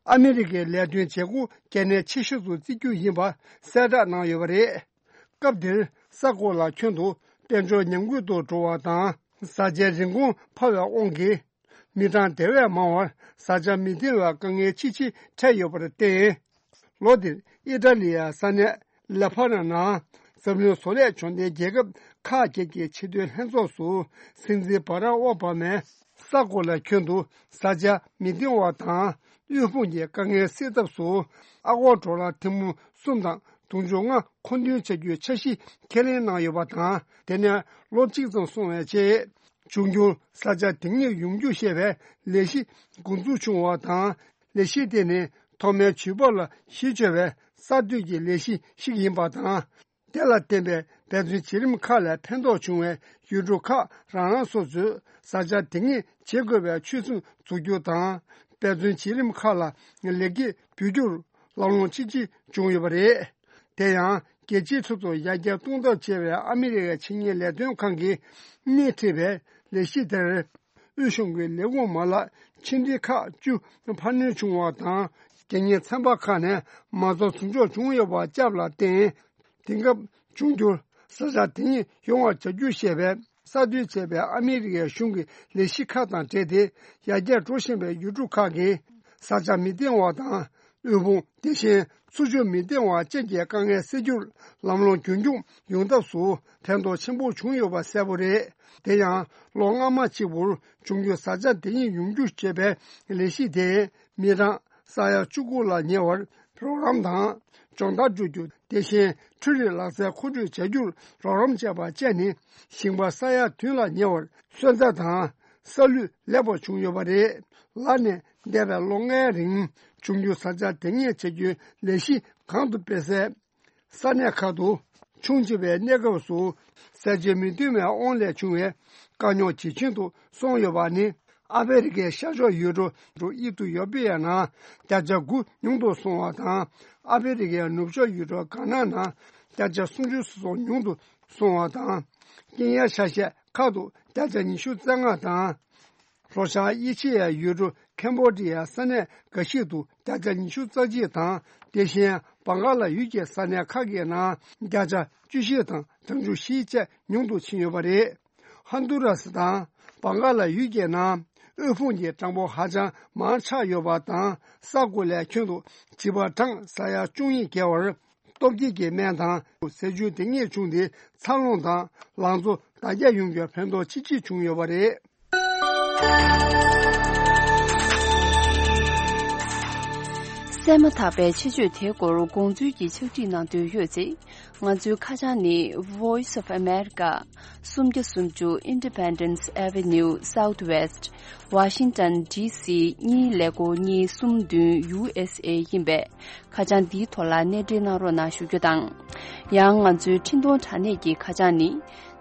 ཨ་མི་རི་ཀའི་ལས་དོན་བྱེད་སྒོ་གལ་གནད་ཆེ་ཤོས་སུ་བརྩི་རྒྱུ་ཡིན་པ་གསལ་བསྒྲགས་གནང་ཡོད་པ་རེད། སྐབས་དེར་ས་གོ་ལ་ཁྱོན་དུ་དཔལ་འབྱོར་ཉམས་རྒུད་དུ་འགྲོ་བ་དང་བཟའ་བཅའི་རིན་གོང་འཕར་བའི་དབང་གིས་མི་གྲངས་དེ་བས་མང་བར་བཟའ་བཅའ་མི་འདང་བའི་དཀའ་ངལ་ཆེས་ཆེར་འཕྲད་ཡོད་པར་བརྟེན། ལོ་འདིར་ཨི་ཊ་ལི་ཡའི་ས་གནས་ལེ་ཕ་ནན་ནང་འཛམ་གླིང་བཟོ་ལས་འབྱོར་ལྡན་རྒྱལ་ཁབ་ཁག་བརྒྱད་ཀྱི་ཕྱི་དོན་ལྷན་ཚོགས་སུ་སྲིད་འཛིན་བྷ་རག་ཨོ་བྷ་མས་ས་གོ་ལའི་ཁྱོན་དུ་བཟའ་བཅའ་མི་འདང་བ་དང་དབུལ་ཕོངས་ཀྱི་དཀའ་ངལ་སེལ་ཐབས་སུ་ཨ་སྒོར་ཌོ་ལར་ཐེར་འབུམ་གསུམ་དང་དུང་ཕྱུར་ལྔ་མཁོ་འདོན་བྱ་རྒྱུའི་འཆར་གཞི་ཁས་ལེན་གནང་ཡོད་པ་དང་། དེ་ནས་ལོ་གཅིག་ཙམ་སོང་བའི་རྗེས། འབྱུང་འགྱུར་བཟའ་བཅའ་དེ་ཉིད་ཡོང་རྒྱུ་ཞེས་པའི་ལས་གཞི་འགོ་འཛུགས་བྱུང་བ་དང་། ལས་གཞི་དེ་ནི་ཐོག་མའི་ཇུས་འབབ་ལ་གཞི་བཅོལ་བའི་གསར་གཏོད་ཀྱི་ལས་གཞི་ཞིག་ཡིན་པ་དང་། དེ་ལ་བརྟེན་པའི་འབད་བརྩོན་བྱེད་རིམ་ཁག་ལས་ཕན་ཐོགས་བྱུང་བའི་ཡུལ་གྲུ་ཁག་རང་རང་སོ་སོས་བཟའ་བཅའ་དེ་ཉིད་བྱེད་དགོས་པའི་ཆོད་སེམས་འཛུགས་རྒྱུ་དང་། འབད་བརྩོན་བྱེད་རིམ་ཁག་ལ་ལེགས་སྐྱེས་འབུལ་རྒྱུར་ལམ་ལྷོང་ཆེ་ཆེ་བྱུང་ཡོད་པ་རེད། དེ་ཡང་རྒྱལ་སྤྱིའི་ཁྲོད་དུ་ཡར་རྒྱས་གཏོང་ཐབས་བྱས་པའི་ཨ་མི་རི་ཀའི་ཆེད་གཉེར་ལས་དོན་ཁང་གིས་སྣེ་ཁྲིད་པའི་ལས་གཞི་དེར། དབུས་གཞུང་གི་ལས་ཁུངས་མ་ལག་ཕྱི་འབྲེལ་ཁག་བཅུ་འཕར་སྣོན་བྱུང་བ་དང་། རྒྱལ་གཉེར་ཚན་པ་ཁག་ནས་མ་རྩ་ཟུར་འཇོག་བྱུང་ཡོད་པ་བཅས་ལ་བརྟེན། དེང་སྐབས་འབྱུང་འགྱུར་བཟའ་བཅའ་དེ་ཉིད་ཡོང་བར་བྱ་རྒྱུ་ཞེས་པའི་གསར་གཏོད་བྱས་པའི་ཨ་མི་རི་ཀའི་གཞུང་གི་ལས་གཞི་ཁག་དང་འབྲེལ་ཏེ། ཡར་རྒྱས་འགྲོ་བཞིན་པའི་ཡུལ་གྲུ་ཁག་གིས་བཟའ་བཅའ་མི་འདང་བ་དང་། དབུལ་ཕོངས་དེ་བཞིན་ཚུར་སྤྱོད་མི་འདང་བ་བཅས་ཀྱི་དཀའ་ངལ་སེལ་རྒྱུར་ལམ་ལྷོང་རྒྱུན་འཁྱོངས་ཡོང་ཐབས་སུ་ཕན་ཐོགས་ཆེན་པོ་བྱུང་ཡོད་པ་གསལ་པོ་རེད། དེ་ཡང་ལོ་སྔ་མ་གཅིག་པུར་འབྱུང་འགྱུར་བཟའ་བཅའ་དེ་ཉིད་ཡོང་རྒྱུ་ཞེས་པའི་ལས་གཞི་དེས་མི་གྲངས་ས་ཡ་བཅུ་དགུ་ལ་ཉེ་བར་རོགས་རམ་དང་། སྦྱོང་བརྡར་སྤྲོད་རྒྱུ། དེ་བཞིན་འཕྲུལ་རིག་ལག་རྩལ་མཁོ་སྤྲོད་བྱ་རྒྱུར་རོགས་རམ་བྱས་པ་བཅས་ནི་ཞིང་པ་ས་ཡ་བདུན་ལ་ཉེ་བར་སོན་རྩ་དང་ས་ལུད་ལེགས་པར་བྱུང་ཡོད་པ་རེད། ལར་ནས་འདས་པའི་ལོ་ལྔའི་རིང་འབྱུང་འགྱུར་བཟའ་བཅའ་དེ་ཉིད་བྱ་རྒྱུའི་ལས་གཞི་གོང་དུ་སྤེལ་གསལ། ས་གནས་ཁག་ཏུ་ཆུང་ཆེ་བའི་གནས་སྐབས་སུ་ཟས་བཅད་མི་ཐོན་པའི་དབང་ལས་བྱུང་བའི་དཀའ་རྙོག་ཇེ་ཆུང་དུ་སོང་ཡོད་པ་ནི། ཨ་ཕི་རི་ཀའི་ཤར་ཕྱོགས་ཡུལ་གྲུ་ཨི་ཐི་ཡོ་པི་ཡ་ནང་བརྒྱ་ཆ་དགུ་ཉུང་དུ་སོང་བ་དང་། ཨ་ཕི་རི་ཀའི་ནུབ་ཕྱོགས་ཡུལ་གྲུ་གྷ་ན་ནང་བརྒྱ་ཆ་སུམ་ཅུ་སོ་གསུམ་ཉུང་དུ་སོང་བ་དང་། ཀེན་ཡ་ཆ་ཤས་ཁག་ཏུ་བརྒྱ་ཆ་ཉི་ཤུ་རྩ་ལྔ་དང་། ལྷོ་བྱང་ཨེ་ཤེ་ཡའི་ཡུལ་གྲུ་ཁེམ་བྷོ་ཌི་ཡའི་ས་གནས་འགའ་ཞིག་ཏུ་བརྒྱ་ཆ་ཉི་ཤུ་རྩ་གཅིག་དང་། དེ་བཞིན་བང་ག་ལ་ཡུལ་གྱི་ས་གནས་ཁག་གི་ནང་བརྒྱ་ཆ་བཅུ་བཞི་དང་གྲངས་ཆུང་བཞི་བཅས་ཉུང་དུ་ཕྱིན་ཡོད་པ་རེད། ཧོན་དུ་ར་སི་དང་བང་ག་ལ་ཡུལ་གྱི་ནང་དབུལ་ཕོངས་ཀྱི་གྲངས་འབོར་ཧ་ཅང་མང་ཆགས་ཡོད་པ་དང་། ས་གོ་ལའི་ཁྱོན་དུ་བྱིས་པ་གྲངས་ས་ཡ་བཅུ་གཉིས་བརྒལ་བར་སྟོབས་སྐྱེད་ཀྱི་སྨན་དང་ཟས་བཅུད་དེ་ཉིད་བྱུང་སྟེ། འཚར་ལོངས་དང་ལང་ཚོ་དར་རྒྱས་ཡོང་རྒྱུར་ཕན་ཐོགས་ཆེ་ཆེ་བྱུང་ཡོད་པ་རེད། གསན་མ་ཐག་པའི་ཆེད་བརྗོད་དེའི་སྐོར་དགོངས་ཚུལ་གྱི་ཕྱག་བྲིས་གནང་འདོད་ཡོད་ཚེ། ང་ཚོའི་ཁ་བྱང་ནི། Voice of America། སུམ་བརྒྱ་སུམ་ཅུ། Independence Avenue Southwest། Washington D C གཉིས་ཀླད་ཀོར་གཉིས་གསུམ་བདུན། U S A ཡིན་པས། ཁ་བྱང་འདིའི་ཐོག་ལ་གནས་འབྲེལ་གནང་རོགས་གནང་ཞུ་རྒྱུ་དང་། ཡང་ང་ཚོའི་འཕྲིན་གཏོང་དྲ་གནས་ཀྱི་ཁ་བྱང་ནི།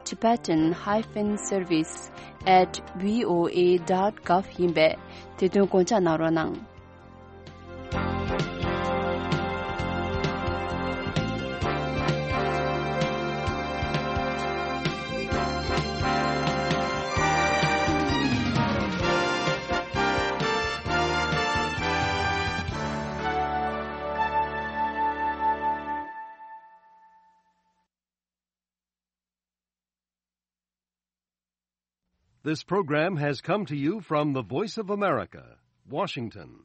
Tibetan hyphen service at V O A dot gov ཡིན་པས། དེ་དོན་དགོངས་འཇགས་གནང་རོགས་གནང་། This program has come to you from the Voice of America, Washington.